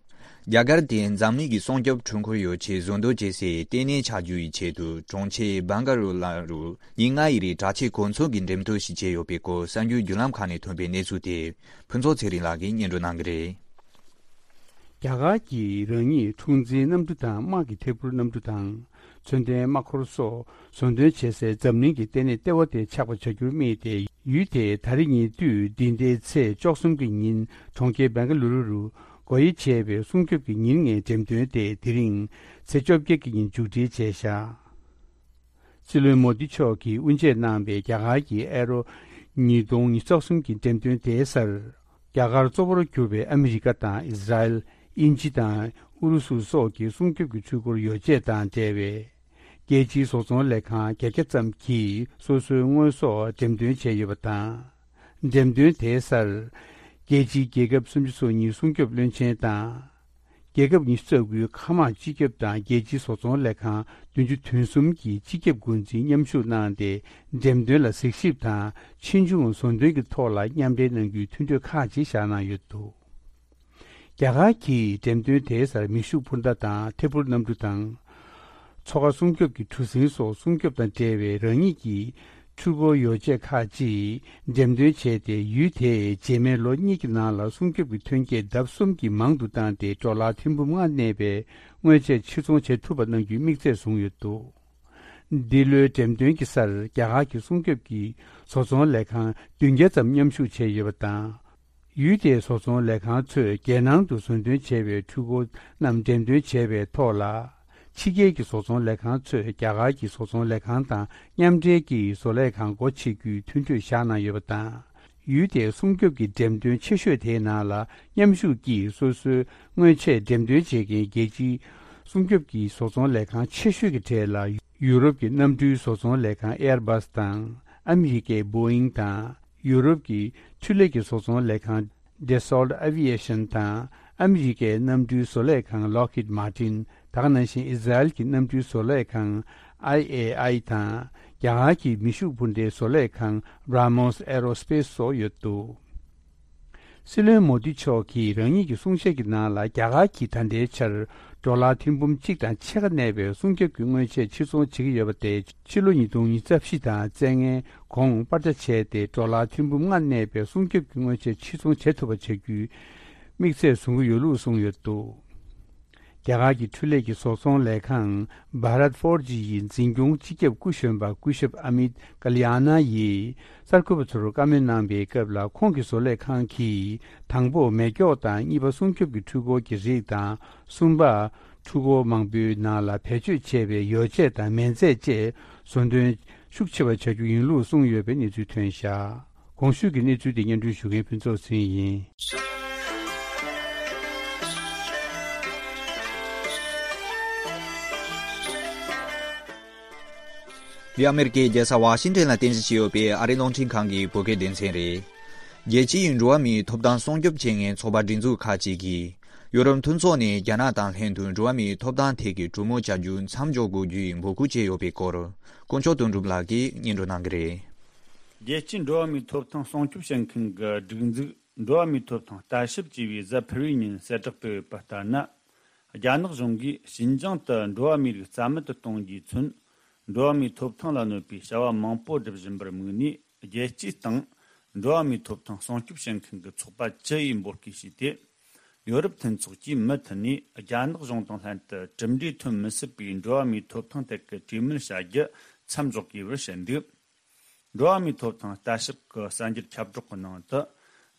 རྒྱ་གར་དེ་འཛམ་གླིང་གི་སྲུང་སྐྱོབ་འཕྲུལ་འཁོར་ཡོ་ཆས་བཟོ་འདོད་བྱེད་སའི་ལྟེ་གནས་ཆགས་རྒྱུ་ཡི་ཆེད་དུ། གྲོང་ཁྱེར་བྷང་ག་ལོར་ལ་རུ་ཉིན་ལྔ་ཡི་རིང་དྲག་ཆས་གོ་མཚོན་གྱི་འགྲེམས་སྟོན་ཞིག་བྱས་ཡོད་པའི་སྐོར་གསར་འགྱུར་བརྒྱུད་ལམ་ཁག་ནས་ཐོན་པའི་གནས་ཚུལ་དེ། ཕུན་ཚོགས་ཚེ་རིང་ལགས་ཀྱིས་སྙན་སྒྲོན་གནང་གི་རེད། རྒྱ་གར་གྱིས་རང་ཉིད་འཁྲུག་འཛིང་གནམ་གྲུ་དང་དམག་གི་ཐད་འཕུར་གནམ་གྲུ་དང་། མཚོན་ལྡན་དམག་འཁོར་སོགས་བཟོ་འདོན་བྱེད་སའི་འཛམ་གླིང་གི་ལྟེ་གནས་ལྟེ་བ་དེ་ཆགས་པ་བྱ་རྒྱུར་དམིགས་ཏེ། ཡུལ་དེས་ད་རེས་ཉེ་དུས་འདི་ཟླའི་ཚེས་བཅུ་གསུམ་གྱི་ཉིན་གྲོང་ཁྱེར་བེང་ག་ལུ་རུ་རུ་སྒོ་དབྱེ་བྱས་པའི་སྲུང་སྐྱོབ་ཀྱི་ཉིན་ལྔའི་འགྲེམས་སྟོན་དེ་དེ་རིང་ཚེས་བཅོ་བརྒྱད་ཀྱི་ཉིན་མཇུག་སྒྲིལ་བྱས་བཞག་སྲིད་བློན་མོ་དི་མཆོག་གིས་དབུ་འབྱེད་གནང་བའི་རྒྱ་གར་གྱི་ཨེ་རོ་ཉིས་སྟོང་ཉི་ཤུ་རྩ་གསུམ་གྱི་འགྲེམས་སྟོན་དེའི་སར། རྒྱ་གར་གཙོ་བོར་གྱུར་པའི་ཨ་མི་རི་ཀ་དང་ཨི་ཟ་རེལ། དབྱིན་ཇི་དང་ཨུ་རུ་སུ་སོགས་ཀྱི་སྲུང་སྐྱོབ་ཀྱི་འཕྲུལ་འཁོར་ཡོ་བྱད་དང་འབྲེལ་བའི་རྒྱལ་སྤྱིའི་བཟོ་ཚོང་ལས་ཁང་བརྒྱད་བརྒྱ་ཙམ་གྱིས་སོ་སོའི་དངོས་ཟོག་འགྲེམས་སྟོན་བྱས་ཡོད་པ་དང་། འགྲེམས་སྟོན་དེའི་སར། རྒྱལ་སྤྱིའི་རྒྱལ་ཁབ་སུམ་ཅུ་སོ་གཉིས་སྲུང་སྐྱོབ་བློན་ཆེན་དང་། རྒྱལ་ཁབ་ཉི་ཤུ་རྩ་དགུའི་མཁའ་དམག་སྤྱི་ཁྱབ་དང་རྒྱལ་སྤྱིའི་བཟོ་ཚོང་ལས་ཁང་བདུན་ཅུ་དོན་གསུམ་གྱི་སྤྱི་ཁྱབ་འགོ་འཛིན་མཉམ་ཞུགས་གནང་སྟེ། འགྲེམས་སྟོན་ལ་གཟིགས་ཞིབ་དང་ཕྱིས་འབྱུང་བཟོ་འདོན་གྱི་ཐོག་ལ་མཉམ་འབྲེལ་གནང་རྒྱུའི་མཐུན་གྲོས་ཁག་ཅིག་བཞག་གནང་ཡོད་འདུག་རྒྱ་གར་གྱིས་འགྲེམས་སྟོན་དེའི་སར་མེ་ཤུགས་འཕུར་མདའ་དང་ཐད་འཕུར་གནམ་གྲུ་དང་། མཚོ་ཁ་སྲུང་སྐྱོབ་ཀྱི་གྲུ་གཟིངས་སོགས་སྲུང་སྐྱོབ་དང་འབྲེལ་བའི་རང་ཉིད་ཀྱི་འཕྲུལ་འཁོར་ཡོ་བྱད་ཁག་ཅིག་འགྲེམས་སྟོན་བྱས་ཏེ། ཡུལ་དེས་རྗེས་མའི་ལོ་གཉིས་ཀྱི་ནང་ལ་སྲུང་སྐྱོབ་ཀྱི་ཐོན་སྐྱེད་ལྡབ་གསུམ་གྱིས་མང་དུ་བཏང་སྟེ། ཌོ་ལར་ཐེར་འབུམ་ལྔ་གནས་པའི་དངོས་ཆས་ཕྱིར་ཚོང་བྱེད་ཐུབ་པ་གནང་རྒྱུའི་དམིགས་ཚད་བཟུང་ཡོད་འདུག་འདི་ལོའི་འགྲེམས་སྟོན་གྱི་སར་རྒྱ་གར་གྱི་སྲུང་སྐྱོབ་ཀྱི་བཟོ་ཚོང་ལས་ཁང་བདུན་བརྒྱ་ཙམ་མཉམ་ཞུགས་བྱས་ཡོད་པ་དང་། ཡུལ་དེའི་བཟོ་ཚོང་ལས་ཁང་ཚོས་རྒྱལ་ནང་དུ་བཟོ་འདོན་བྱས་པའི་འཕྲུལ་འཁོར་རྣམས་འགྲེམས་སྟོན་བྱས་པའི་ཐོག་ལ། ཕྱི་རྒྱལ་གྱི་བཟོ་ཚོང་ལས་ཁང་ཚོས་རྒྱ་གར་གྱི་བཟོ་ཚོང་ལས་ཁང་དང་མཉམ་འབྲེལ་གྱིས་བཟོ་ལས་ཁང་སྒོ་ཕྱེ་རྒྱུའི་མཐུན་གྲོས་བཞག་གནང་ཡོད་པ་དང་། ཡུལ་དེའི་སྲུང་སྐྱོབ་ཀྱི་འགྲེམས་སྟོན་ཆེ་ཤོས་དེའི་ནང་ལ་མཉམ་ཞུགས་ཀྱིས་སོ་སོའི་དངོས་ཆས་འགྲེམས་སྟོན་བྱེད་མཁན་རྒྱལ་སྤྱིའི་སྲུང་སྐྱོབ་ཀྱི་བཟོ་ཚོང་ལས་ཁང་ཆེ་ཤོས་ཀྱི་གྲས་ལ་ཡུ་རོབ་ཀྱི་གནམ་གྲུའི་བཟོ་ཚོང་ལས་ཁང་ཨེར་བྷ་སི་དང་། ཨ་མི་རི་ཀའི་བོ་ཨིང་དང་། ཡུ་རོབ་ཀྱི་འཕྲུལ་ལས་ཀྱི་བཟོ་ཚོང་ལས་ཁང་Dassault Aviation དང་། ཨ་མི་རི་ཀའི་གནམ་གྲུའི་བཟོ་ལས་ཁང་Lockheed Martin། ད་ག་ནང་བཞིན་ཨི་ཟ་རེལ་གྱི་གནམ་གྲུའི་བཟོ་ལས་ཁང་ཨའི་ཨེ་ཨའི་དང་། རྒྱ་གར་གྱི་མེ་ཤུགས་འཕུར་མདའི་བཟོ་ལས་ཁང་Ramos Aerospace སོགས་ཡོད་འདུག་སྲིད་བློན་མོ་དི་མཆོག་གིས་རང་ཉིད་ཀྱི་གསུང་བཤད་ཀྱི་ནང་ལ། རྒྱ་གར་གྱིས་ད་ལྟའི་ཆར་ཌོ་ལར་ཐེར་འབུམ་གཅིག་དང་ཕྱེད་ཀ་གནས་པའི་སྲུང་སྐྱོབ་ཀྱི་དངོས་ཆས་ཕྱིར་ཚོང་བྱེད་ཀྱི་ཡོད་པ་དེ། ཕྱི་ལོ་ཉིས་སྟོང་ཉི་ཤུ་རྩ་བཞི་དང་རྩ་ལྔའི་གོང་པར་ཆ་བྱས་ཏེ། ཌོ་ལར་ཐེར་འབུམ་ལྔ་གནས་པའི་སྲུང་སྐྱོབ་ཀྱི་དངོས་ཆས་ཕྱིར་ཚོང་བྱེད་ཐུབ་པ་བྱ་རྒྱུའི་དམིགས་ཚད་བཟུང་གི་ཡོད་ལུགས་གསུངས་ཡོད་འདུག་རྒྱ་གར་གྱི་འཕྲུལ་ལས་ཀྱི་བཟོ་ཚོང་ལས་ཁང་Bharat Forge ཡི་འཛིན་སྐྱོང་སྤྱི་ཁྱབ་སྐུ་གཞོན་པ་སྐུ་ཞབས་Amit Kalyana ཡིས་གསར་འགོད་པ་ཚོར་བཀའ་མོལ་གནང་པའི་སྐབས་ལ། ཁོང་གི་བཟོ་ལས་ཁང་གིས་དང་པོ་མེ་སྒྱོགས་དང་། གཉིས་པ་སྲུང་སྐྱོབ་ཀྱི་འཕྲུལ་འཁོར་གྱི་རིགས་དང་། གསུམ་པ་འཕྲུལ་འཁོར་མང་པོའི་ནང་ལ་བེད་སྤྱོད་བྱས་པའི་ཡོ་བྱད་དང་མེ་མཛད་བཅས་བཟོ་འདོན་ཤུགས་ཆེ་བ་བྱ་རྒྱུ་ཡིན་ལུགས་གསུངས་ཡོད་པའི་གནས་ཚུལ་ཐོན་བཞག་གོང་ཞུས་ཀྱི་གནས་ཚུལ་དེ་སྙན་སྒྲོན་ཞུ་མཁན་ཕུན་ཚོགས་ཚེ་རིང་ཡིན། འདི་ཨ་མེ་རི་ཀའི་རྒྱལ་ས་ཝ་ཤིང་ཊོན་ལ་རྟེན་གཞི་བྱས་ཡོད་པའི་ཨ་རིའི་རླུང་འཕྲིན་ཁང་གི་བོད་སྐད་སྡེ་ཚན་རེད། རྒྱལ་སྤྱིའི་འགྲོ་བ་མིའི་ཐོབ་ཐང་སྲུང་སྐྱོབ་བྱེད་མཁན་ཚོགས་པ་སྒྲིག་འཛུགས་ཁག་ཅིག་གིས། ཡོ་རོབ་མཐུན་ཚོགས་ནས་རྒྱ་ནག་དང་ལྷན་དུ་འགྲོ་བ་མིའི་ཐོབ་ཐང་ཐད་ཀྱི་གྲོས་མོལ་བྱ་རྒྱུ་མཚམས་འཇོག་དགོས་རྒྱུའི་འབོད་སྐུལ་བྱས་ཡོད་པའི་སྐོར། དཀོན་མཆོག་དོན་གྲུབ་ལགས་ཀྱིས་སྙན་སྒྲོན་གནང་གི་རེད། རྒྱལ་སྤྱིའི་འགྲོ་བ་མིའི་ཐོབ་ཐང་སྲུང་སྐྱོབ་བྱེད་མཁན་གྱི་སྒྲིག་འཛུགས་འགྲོ་བ་མིའི་ཐོབ་ཐང་ལྟ་ཞིབ་ཅེས་པས་གཟའ་ཕུར་བུའི་ཉིན་གསལ་བསྒྲགས་སྤེལ་ཡོད་པ་ལྟར་ན། རྒྱ་ནག་གཞུང་གིས་ཞིན་ཅང་དུ་འགྲོ་བ་མིའི་རིགས་རྩ་མེད་དུ་གཏོང་རྒྱུའི་ཚུན། འགྲོ་བ་མིའི་ཐོབ་ཐང་ལ་གནོད་པའི་བྱ་བ་མང་པོ་སྒྲུབ་བཞིན་པར་དམིགས་ནས། རྒྱལ་སྤྱིའི་སྟེང་འགྲོ་བ་མིའི་ཐོབ་ཐང་སྲུང་སྐྱོབ་བྱེད་མཁན་གྱི་ཚོགས་པ་བཅུ་ཡིས་འབོད་སྐུལ་བྱས་ཏེ། ཡོ་རོབ་མཐུན་ཚོགས་ཀྱིས་མུ་མཐུད་ནས་རྒྱ་ནག་གཞུང་དང་ལྷན་དུ་གྲུབ་འབྲས་ཐོན་མི་སྲིད་པའི་འགྲོ་བ་མིའི་ཐོབ་ཐང་ཐད་ཀྱི་གྲོས་མོལ་བྱ་རྒྱུ་མཚམས་འཇོག་དགོས་པར་བཤད་འདུག་འགྲོ་བ་མིའི་ཐོབ་ཐང་ལྟ་ཞིབ་ཀྱི་གསར་འགྱུར་ཁྱབ་བསྒྲགས་ཀྱི་ནང་དུ།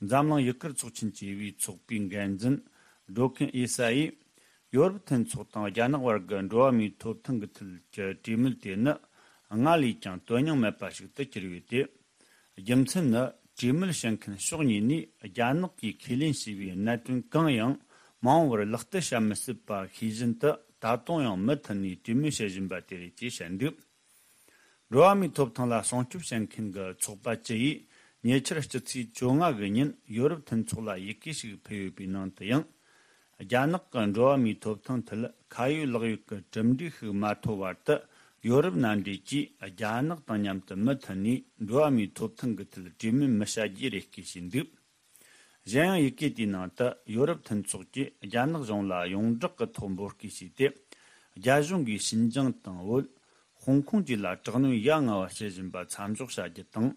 འཛམ་གླིང་ཡུ་གུར་ཚོགས་ཆེན་ཅེས་པའི་ཚོགས་པའི་འགན་འཛིན་ཌོ་ཁིན་ཨེ་ས་ཡིས། ཡོ་རོབ་མཐུན་ཚོགས་དང་རྒྱ་ནག་བར་གྱི་འགྲོ་བ་མིའི་ཐོབ་ཐང་གི་ཐད་ཀྱི་གྲོས་མོལ་དེ་ནི། སྔར་ལས་ཀྱང་དོན་སྙིང་མེད་པ་ཞིག་ཏུ་གྱུར་ཡོད་དེ། རྒྱུ་མཚན་ནི། གྲོས་མོལ་བྱེད་མཁན་ཕྱོགས་གཉིས་ནས་རྒྱ་ནག་གིས་ཁས་ལེན་བྱས་པའི་གནད་དོན་གང་ཡང་མ་འོངས་པར་ལག་བསྟར་བྱ་མི་སྲིད་པ་ཤེས་བཞིན་དུ། ད་དུང་ཡང་མུ་མཐུད་ནས་གྲོས་མོལ་བྱེད་བཞིན་པ་དེ་རེད་ཅེས་བཤད་འདུག་འགྲོ་བ་མིའི་ཐོབ་ཐང་ལ་སྲུང་སྐྱོབ་བྱེད་མཁན་གྱི་ཚོགས་པ་བཅུ་ཡིས་ཉེ་ཆར་སྤྱི་ཚེས་བཅོ་ལྔ་གི་ཉིན་ཡོ་རོབ་མཐུན་ཚོགས་ལ་ཡི་གེ་ཞིག་ཕུལ་ཡོད་པའི་ནང་དུ་ཡང་། རྒྱ་ནག་གི་འགྲོ་བ་མིའི་ཐོབ་ཐང་ཐད་ཁ་ཡོད་ལག་ཡོད་ཀྱི་གྲུབ་འབྲས་ཤིག་མ་ཐོབ་བར་དུ། ཡོ་རོབ་མནའ་འབྲེལ་གྱིས་རྒྱ་ནག་དང་མཉམ་དུ་མུ་མཐུད་ནས་འགྲོ་བ་མིའི་ཐོབ་ཐང་གི་ཐད་གྲོས་མོལ་མི་བྱ་རྒྱུའི་རེ་སྐུལ་བྱས་འདུག་གཞན་ཡང་ཡི་གེ་དེའི་ནང་དུ་ཡོ་རོབ་མཐུན་ཚོགས་ཀྱིས་རྒྱ་ནག་གཞུང་ལ་ཡོངས་བསྒྲགས་ཀྱི་ཐོག་འབོད་སྐུལ་བྱས་ཏེ། རྒྱ་གཞུང་གིས་ཞིན་ཅང་དང་བོད། ཧོང་ཀོང་བཅས་ལ་དྲག་གནོན་ཡ་ང་བ་བྱེད་བཞིན་པ་མཚམས་འཇོག་བྱ་རྒྱུ་དང་།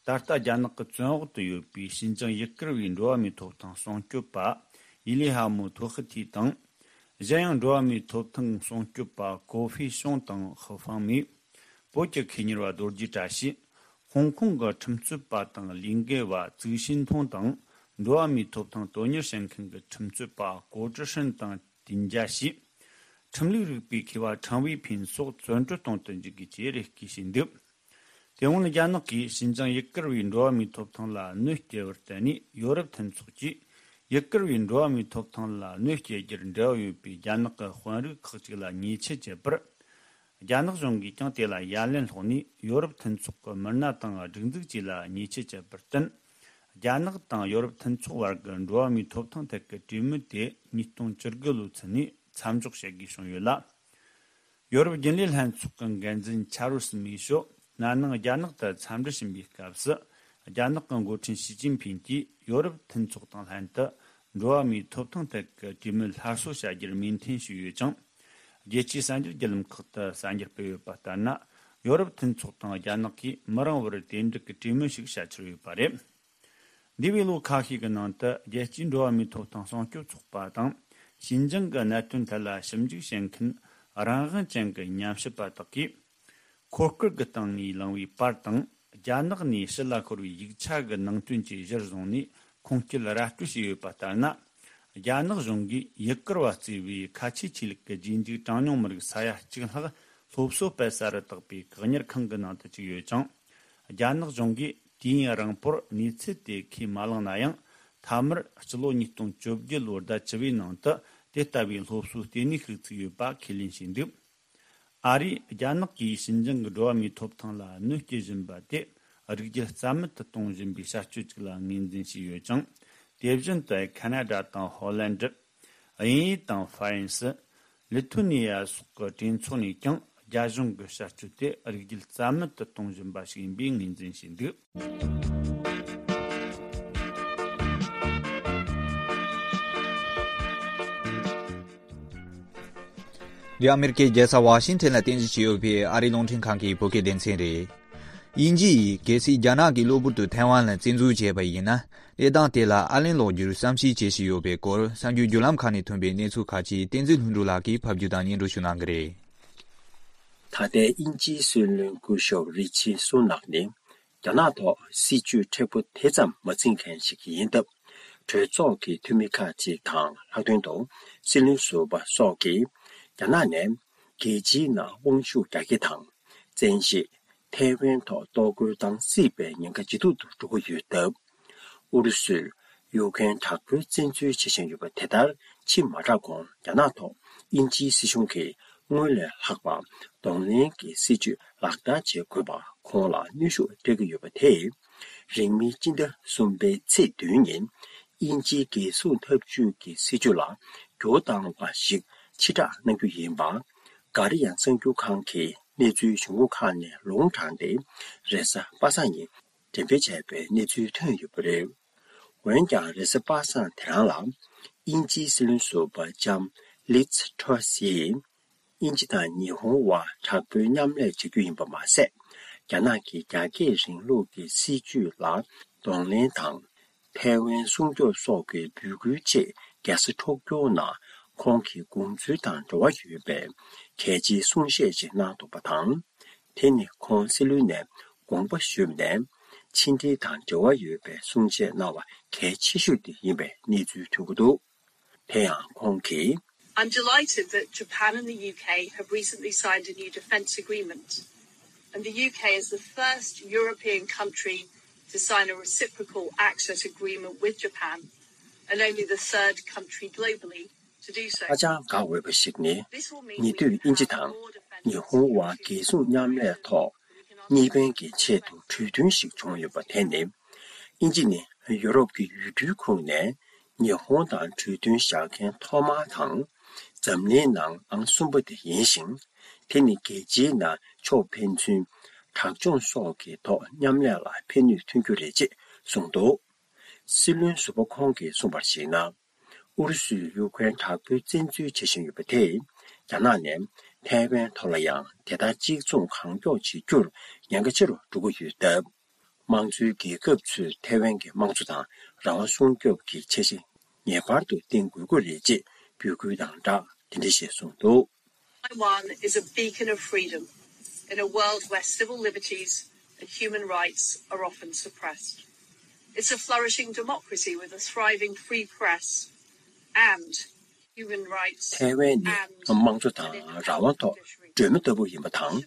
ད་ལྟ་རྒྱ་ནག་གི་བཙོན་འོག་ཏུ་ཡོད་པའི་ཞིན་ཅང་ཡུ་གུར་བའི་འགྲོ་བ་མིའི་ཐོབ་ཐང་སྲུང་སྐྱོབ་པ་ཡི་ལི་ཧ་མོ་ཐོ་ཧི་ཐི་དང་། གཞན་ཡང་འགྲོ་བ་མིའི་ཐོབ་ཐང་སྲུང་སྐྱོབ་པ་ཀོ་ཧྥེ་ཤོང་དང་ཧི་ཧྥང་མི། བོད་ཀྱི་མཁས་གཉེར་བ་རྡོ་རྗེ་བཀྲ་ཤིས། ཧོང་ཀོང་གི་ཁྲིམས་རྩོད་པ་དང་ལས་འགུལ་བ་ཙུའུ་ཤིན་ཐུང་དང་། འགྲོ་བ་མིའི་ཐོབ་ཐང་དོན་གཉེར་བྱེད་མཁན་གྱི་ཁྲིམས་རྩོད་པ་ཀོ་ཀྲི་ཧྲིན་དང་ཏིན་ཅཱ་ཞི། ཁྲིམས་ལུགས་རིག་པའི་མཁས་པ་ཁྲང་ཝེ་ཕིན་སོགས་བཙོན་གྲོལ་གཏོང་དུ་འཇུག་དགོས་ཅེས་རེ་སྐུལ་བྱས་འདུག་དེ་སྔོན་རྒྱ་ནག་གིས་ཞིན་ཅང་ཡུ་གུར་བའི་འགྲོ་བ་མིའི་ཐོབ་ཐང་ལ་གནོད་སྐྱེལ་བར་བརྟེན་ནས། ཡོ་རོབ་མཐུན་ཚོགས་ཀྱིས་ཡུ་གུར་བའི་འགྲོ་བ་མིའི་ཐོབ་ཐང་ལ་གནོད་སྐྱེལ་རྒྱུར་འབྲེལ་བ་ཡོད་པའི་རྒྱ་ནག་གི་དཔོན་རིགས་ཁག་ཅིག་ལ་ཉེས་ཆད་བཅད་པར། རྒྱ་ནག་གཞུང་གིས་ཀྱང་དེ་ལ་ཡ་ལན་སློག་ནས། ཡོ་རོབ་མཐུན་ཚོགས་ཀྱི་མི་སྣ་དང་སྒྲིག་འཛུགས་བཅས་ལ་ཉེས་ཆད་བཅད་པར་བརྟེན། རྒྱ་ནག་དང་ཡོ་རོབ་མཐུན་ཚོགས་བར་གྱི་འགྲོ་བ་མིའི་ཐོབ་ཐང་ཐད་ཀྱི་གྲོས་མོལ་དེ་ཉིས་སྟོང་བཅུ་དགུ་ལོའི་ཚུན་ནས་མཚམས་འཇོག་བྱེད་དགོས་བྱུང་ཡོད་ལ། ཡོ་རོབ་རྒྱུན་ལས་ལྷན་ཚོགས་ཀྱི་འགན་འཛིན་ཆཱ་རུ་སི་མི་ཤོ་ན་ནིང་རྒྱ་ནག་ཏུ་འཚམས་འདྲི་ཕྱིན་པའི་སྐབས་སུ། རྒྱ་ནག་གི་འགོ་ཁྲིད་ཞི་ཅིན་ཕིན་གྱིས་ཡོ་རོབ་མཐུན་ཚོགས་དང་ལྷན་དུ་འགྲོ་བ་མིའི་ཐོབ་ཐང་ཐད་ཀྱི་གྲོས་མོལ་སླར་གསོ་བྱ་རྒྱུར་མོས་མཐུན་ཞུས་ཡོད་ཅིང་། རྒྱལ་སྤྱིའི་གསར་འགྱུར་བརྒྱུད་ལམ་ཁག་ཏུ་གསར་འགྱུར་སྤེལ་ཡོད་པ་ལྟར་ན། ཡོ་རོབ་མཐུན་ཚོགས་དང་རྒྱ་ནག་གིས་མི་རིང་བར་དེ་འབྲེལ་གྱི་གྲོས་མོལ་ཞིག་བྱ་འཆར་ཡོད་པ་རེད། འདས་པའི་ལོ་ཁ་ཤས་ཀྱི་ནང་དུ་རྒྱལ་སྤྱིའི་འགྲོ་བ་མིའི་ཐོབ་ཐང་སྲུང་སྐྱོབ་ཚོགས་པ་དང་། ཞིན་ཅང་གི་གནད་དོན་ཐད་ལ་ཞིབ་འཇུག་བྱེད་མཁན་རང་དབང་ཅན་གྱི་ཉམས་ཞིབ་པ་དག་གིས། འཁོར་སྐར་གྱི་སྟེང་ནས་ལངས་པའི་པར་དང་། རྒྱ་ནག་ནས་ཕྱི་ལ་ཤོར་བའི་ཡིག་ཆ་གི་ནང་དོན་བཅས་གཞིར་བཟུང་ནས་ཁུངས་སྐྱེལ་ར་སྤྲོད་བྱས་ཡོད་པ་ལྟར་ན། རྒྱ་ནག་གཞུང་གིས་ཡུ་གུར་བ་གཙོས་པའི་ཁ་ཆེའི་ཆོས་ལུགས་ཀྱི་རྗེས་འཇུག་གྲངས་ཉུང་མི་རིགས་ས་ཡ་གཅིག་ལྷག་སློབ་གསོ་སྤེལ་ས་རུ་བཏགས་པའི་བཀག་ཉར་ཁང་གི་ནང་དུ་བཅུག་ཡོད་ཅིང་། རྒྱ་ནག་གཞུང་གིས་དུས་ཡུན་རིང་པོར་གནས་ཚུལ་དེ་ཁས་མ་བླངས་ན་ཡང་། མཐའ་མར་སྤྱི་ལོ་ཉིས་སྟོང་བཅོ་བརྒྱད་ལོའི་ཟླ་བཅུ་པའི་ནང་དུ་དེ་ལྟ་བུའི་སློབ་གསོའི་ལྟེ་གནས་ཤིག་བཙུགས་ཡོད་པ་ཁས་ལེན་བྱས་འདུག་ཨ་རིས་རྒྱ་ནག་གིས་ཞིན་ཅང་གི་འགྲོ་བ་མིའི་ཐོབ་ཐང་ལ་གནོད་སྐྱེལ་བཞིན་པ་དེ་རིགས་རྒྱུད་རྩ་མེད་དུ་གཏོང་བཞིན་པའི་བྱ་སྤྱོད་ཅིག་ལ་ངོས་འཛིན་བྱས་ཡོད་ཅིང་། དེ་བཞིན་དུ་ཁ་ན་ཌ་དང་ཧོ་ལན་ཌི། དབྱིན་ཡུལ་དང་ཧྥ་རན་སི། ལི་ཐུ་ནི་ཡ་སོགས་ཀྱི་གྲོས་ཚོགས་ནས་ཀྱང་རྒྱ་གཞུང་གི་བྱ་སྤྱོད་དེ་རིགས་རྒྱུད་རྩ་མེད་དུ་གཏོང་བཞིན་པ་ཞིག་ཡིན་པའི་ངོས་འཛིན་བྱས་འདུག་འདི་ཨ་མེ་རི་ཀའི་རྒྱལ་ས་ཝ་ཤིང་ཐན་ལ་རྟེན་གཞི་བྱས་ཡོད་པའི་ཨ་རིའི་རླུང་འཕྲིན་ཁང་གི་བོད་སྐད་སྡེ་ཚན་རེད། དབྱིན་ཇི་ཡིས་གལ་སྲིད་རྒྱ་ནག་གིས་གློ་བུར་དུ་ཐའེ་ཝན་ལ་བཙན་འཛུལ་བྱས་པ་ཡིན་ན། གནས་སྟངས་དེ་ལ་ཨ་ལན་སློག་རྒྱུར་བསམ་ཤེས་བྱེད་བཞིན་ཡོད་པའི་སྐོར། གསར་འགྱུར་བརྒྱུད་ལམ་ཁག་ནས་ཐོན་པའི་གནས་ཚུལ་ཁག་ཅིག་བསྟན་འཛིན་ལྷུན་གྲུབ་ལགས་ཀྱིས་ཕབ་སྒྱུར་དང་སྙན་སྒྲོན་ཞུ་གནང་གི་རེད། ད་ལྟའི་དབྱིན་ཇིའི་སྲིད་བློན་སྐུ་ཞབས་རི་ཆི་སུ་ནག་ནི། རྒྱ་ནག་ཐོག་སྲིད་ཇུས་མཁྲེགས་པོ་དེ་ཙམ་མ་འཛིན་མཁན་ཞིག་ཡིན་སྟབས། གྲོས་ཚོགས་ཀྱི་འཐུས་མི་ཁག་ཅིག་དང་ལྷག་དོན་དུ་སྲིད་བློན་ཟུར་པ་སོགས་ཀྱིས་རྒྱ་ནག་ནས་རྒྱལ་སྤྱིའི་ནང་དབང་ཤུགས་རྒྱ་སྐྱེད་དང་། བཙན་ཤེད། ཐའེ་ཝན་ཐོག་གཏོར་རྒོལ་བཏང་སྲིད་པའི་ཉེན་ཁ་ཇེ་སྡུག་ཏུ་འགྲོ་གི་ཡོད་སྟབས། ཨུ་རུ་སུས་ཡུཀ་རེན་དྲག་པོའི་བཙན་འཛུལ་བྱེད་བཞིན་ཡོད་པ་དེ་ལྟར་ཕྱིན་མ་དྲགས་གོང་རྒྱ་ནག་ཐོག་དབྱིན་ཇིའི་སྲིད་གཞུང་གིས་སྔོན་ལས་ལྷག་པ་གདོང་ལེན་གྱི་སྲིད་ཇུས་ལག་བསྟར་བྱེད་དགོས་པ་ཁོང་ལ་གནོན་ཤུགས་སྤྲད་ཀྱི་ཡོད་པ་དེས། རིང་མིན་སྤྱི་ཟླ་གསུམ་པའི་ཚེས་བདུན་ཉིན། དབྱིན་ཇིའི་རྒྱལ་སྲུང་འཐབ་ཇུས་ཀྱི་སྲིད་ཇུས་ལ་འགྱུར་བཏང་བ་ཞིག་ཕྱིར་བསྒྲགས་གནང་རྒྱུ་ཡིན་པ། Guardian་གསར་འགྱུར་ཁང་གིས་གནས་ཚུལ་གཞུང་གྲོགས་ཁག་ནས་ལུང་དྲངས་ཏེ། རེས་གཟའ་པ་སངས་ཉིན་འགྲེམས་སྤེལ་བྱས་པའི་གནས་ཚུལ་ཐོན་ཡོད་པ་རེད། འོན་ཀྱང་རེས་གཟའ་པ་སངས་དེ་རང་ལ། དབྱིན་ཇིའི་སྲིད་བློན་ཟུར་པ་ལྕམ་ལིཛ་ཊོ་སི་ཡིས། དབྱིན་ཇི་དང་ཉི་ཧོང་དབར་དྲག་པོའི་མཉམ་ལས་བྱ་རྒྱུ་ཡིན་པ་མ་ཟད། རྒྱ་ནག་གི་རྒྱ་སྐྱེད་རིང་ལུགས་ཀྱི་སྲིད་ཇུས་ལ་གདོང་ལེན་དང་། ཐའེ་ཝན་སྲུང་སྐྱོབ་སོགས་ཀྱི་འབོད་སྐུལ་ཆེད་རྒྱལ་ས་ཊོ་ཀྱོ་ནང་ཁོང་གི་དགོངས་ཚུལ་དང་འབྲེལ་བ་ཡོད་པའི་གལ་ཆེའི་གསུང་བཤད་ཅིག་གནང་འདུག་པ་དང་། དེ་ནི་ཁོང་སྲིད་བློན་ནས་དགོངས་པ་ཞུས་ནས། ཕྱི་འབྲེལ་དང་འབྲེལ་བ་ཡོད་པའི་གསུང་བཤད་གནང་བ་གལ་ཆེ་ཤོས་དེ་ཡིན་པའི་གནས་ཚུལ་ཐོན་གྱི་འདུག་དེ་ཡང་ཁོང་གིས། I'm delighted that Japan and the U K have recently signed a new defence agreement, and the U K is the first European country to sign a reciprocal access agreement with Japan, and only the third country globally to do so. ཧ་ཅང་དགའ་འོས་པ་ཞིག་ནི། This will mean ཉེ་དུས་དབྱིན་ཇི་དང་ཉི་ཧོང་དབར་རྒྱལ་སྲུང་མཉམ་ལས་ཐོག་གཉིས་ཕན་གྱི་ཆེད་དུ་གྲོས་མཐུན་ཞིག་བྱུང་ཡོད་པ་དེ་ནི། དབྱིན་ཇི་ནི་ཡུ་རོབ་ཀྱི་ཡུལ་གྲུའི་ཁོངས་ནས་ཉི་ཧོང་དང་གྲོས་མཐུན་བཞག་མཁན་ཐོག་མ་དང་། འཛམ་གླིང་ནང་ཨང་གསུམ་པ་དེ་ཡིན་ཞིང་། དེ་ནི་རྒྱལ་སྤྱིའི་ནང་ཕྱོགས་ཕན་ཚུན་དྲག་སྦྱོང་སོགས་ཀྱི་ཐོག་མཉམ་ལས་ལ་ཕན་ནུས་ཐོན་རྒྱུ་རེད་ཅེས་གསུངས་འདུག་སྲིད་བློན་ཟུར་པ་ཁོང་གིས་གསུངས་པར་གཞིགས་ན། ཨུ་རུ་སུས་ཡུ་ཀེ་རེན་དྲག་པོའི་བཙན་འཛུལ་བྱེད་བཞིན་ཡོད་པ་དེས། རྒྱ་ནག་ནས་ཐའེ་ཝན་ཐོག་ལ་ཡང་དེ་ལྟར་གཅིག་མཚུངས་གང་མགྱོགས་བྱེད་རྒྱུར་ཉེན་ཁ་ཆེ་རུ་འགྲོ་གི་ཡོད་སྟབས། དམངས་གཙོའི་རྒྱལ་ཁབ་ཚོས་ཐའེ་ཝན་གྱི་དམངས་གཙོ་དང་རང་དབང་སྲུང་སྐྱོབ་ཀྱི་འཆར་གཞི་ངེས་པར་དུ་བཏིང་དགོས་ཀྱི་རེད་ཅེས་འབོད་སྐུལ་དང་སྦྲགས་དེ་འདྲ་ཞིག་གསུངས་འདུག Taiwan is a beacon of freedom in a world where civil liberties and human rights are often suppressed. It's a flourishing democracy with a thriving free press and human rights. ཐའེ་ཝན་ནི་དམངས་གཙོ་དང་རང་དབང་ཐོག་སྒྲོན་མེ་ལྟ་བུ་ཡིན་པ་དང་།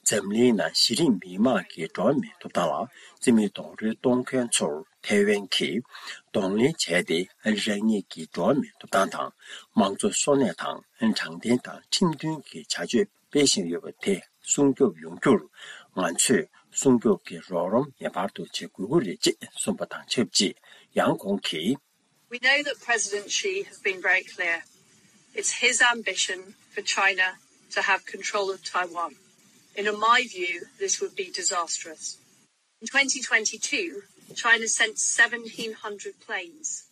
འཛམ་གླིང་ནང་གཞི་རིམ་མི་དམངས་ཀྱི་འགྲོ་བ་མིའི་ཐོབ་ཐང་ལ་རྩིས་མེད་རྡོག་རོལ་གཏོང་མཁན་ཚོར། ཐའེ་ཝན་གྱིས་གདོང་ལེན་བྱས་ཏེ། རང་ཉིད་ཀྱི་འགྲོ་བ་མིའི་ཐོབ་ཐང་དང་། དམངས་གཙོ་སྲུང་སྐྱོབ་དང་། དྲང་བདེན་དང་ཁྲིམས་མཐུན་གྱི་བྱ་སྤྱོད་སྤེལ་བཞིན་ཡོད་པ་དེ་སྲུང་སྐྱོབ་ཡོང་རྒྱུར། ང་ཚོས་སྲུང་སྐྱོབ་ཀྱི་རོགས་རམ་ངེས་པར་དུ་བྱེད་དགོས་ཀྱི་རེད་ཅེས་གསུངས་པ་དང་ཆབས་ཅིག་ཡང་ཁོང་གིས། We know that President Xi has been very clear. It's his ambition for China to have control of Taiwan. And in my view, this would be disastrous. In twenty twenty-two, China sent seventeen hundred planes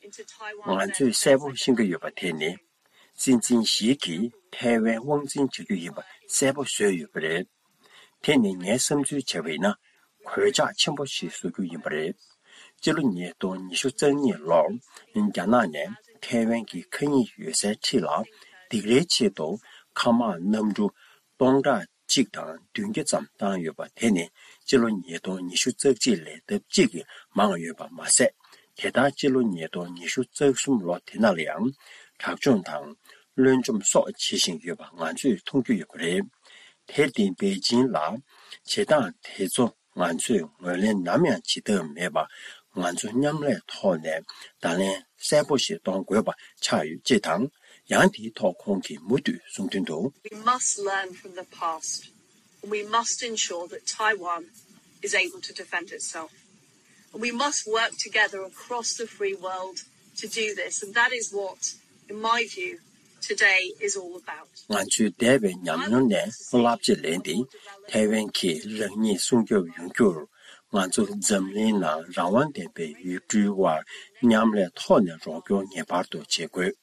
into Taiwan. ང་ཚོས་གསལ་པོ་ཤེས་ཀྱི་ཡོད་པ་དེ་ནི། སྲིད་འཛིན་ཞི་གིས་ཐའེ་ཝན་དབང་འཛིན་བྱ་རྒྱུ་ཡིན་པ་གསལ་པོ་བཟོས་ཡོད་པ་རེད། དེ་ནི་ངའི་བསམ་ཚུལ་བྱས་པ་ཡིན་ན། གོད་ཆག་ཆེན་པོ་ཞིག་བཟོ་རྒྱུ་ཡིན་པ་རེད། སྤྱི་ལོ་ཉིས་སྟོང་ཉི་ཤུ་རྩ་གཉིས་ལོར། རྒྱ་ནག་ནས་ཐའེ་ཝན་གྱི་མཁའ་དབྱིངས་ཡོད་སའི་འཁྲིས་ལ། སྡིགས་རའི་ཆེད་དུ་མཁའ་དམག་གནམ་གྲུ་སྟོང་ཕྲག་གཅིག་དང་བདུན་བརྒྱ་ཙམ་བཏང་ཡོད་པ་དེ་ནི། སྤྱི་ལོ་ཉིས་སྟོང་ཉི་ཤུ་རྩ་གཅིག་ལས་ལྡབ་གཅིག་གིས་མང་ཡོད་པ་མ་ཟད། དེ་ལྟར་སྤྱི་ལོ་ཉིས་སྟོང་ཉི་ཤུ་རྩ་གསུམ་ལོ་དེ་ནང་ལ་ཡང་། དྲག་སྦྱོང་དང་། བློན་འཇོམས་སོགས་བྱེད་བཞིན་ཡོད་པ་ང་ཚོས་མཐོང་རྒྱུ་ཡོད་པ་རེད། དེར་བརྟེན་པེ་ཅིན་ལ། བྱེད་སྟངས་དེ་ཚོ་ང་ཚོས་ངོས་ལེན་ནམ་ཡང་བྱེད་ཐབས་མེད་པ། ང་ཚོ་མཉམ་ལས་ཐོག་ནས་བརྡ་ལན་གསལ་པོ་ཞིག་གཏོང་དགོས་པ་ཆགས་ཡོད་ཅེས་དང་། ཡང་དེའི་ཐོག་ཁོང་གིས་མུ་མཐུད་གསུངས་དོན་དུ། We must learn from the past, and we must ensure that Taiwan is able to defend itself. And we must work together across the free world to do this, and that is what, in my view, today is all about. ང་ཚོས་འདས་པའི་ཉམས་མྱོང་ནས་བསླབ་བྱ་ལེན་ཏེ། ཐའེ་ཝན་གྱིས་རང་ཉིད་སྲུང་སྐྱོབ་ཡོང་རྒྱུར། ང་ཚོ་འཛམ་གླིང་ནང་རང་དབང་ལྡན་པའི་ཡུལ་གྲུའི་དབར་མཉམ་ལས་ཐོག་ནས་རོགས་སྐྱོར་ངེས་པར་དུ་བྱེད་དགོས།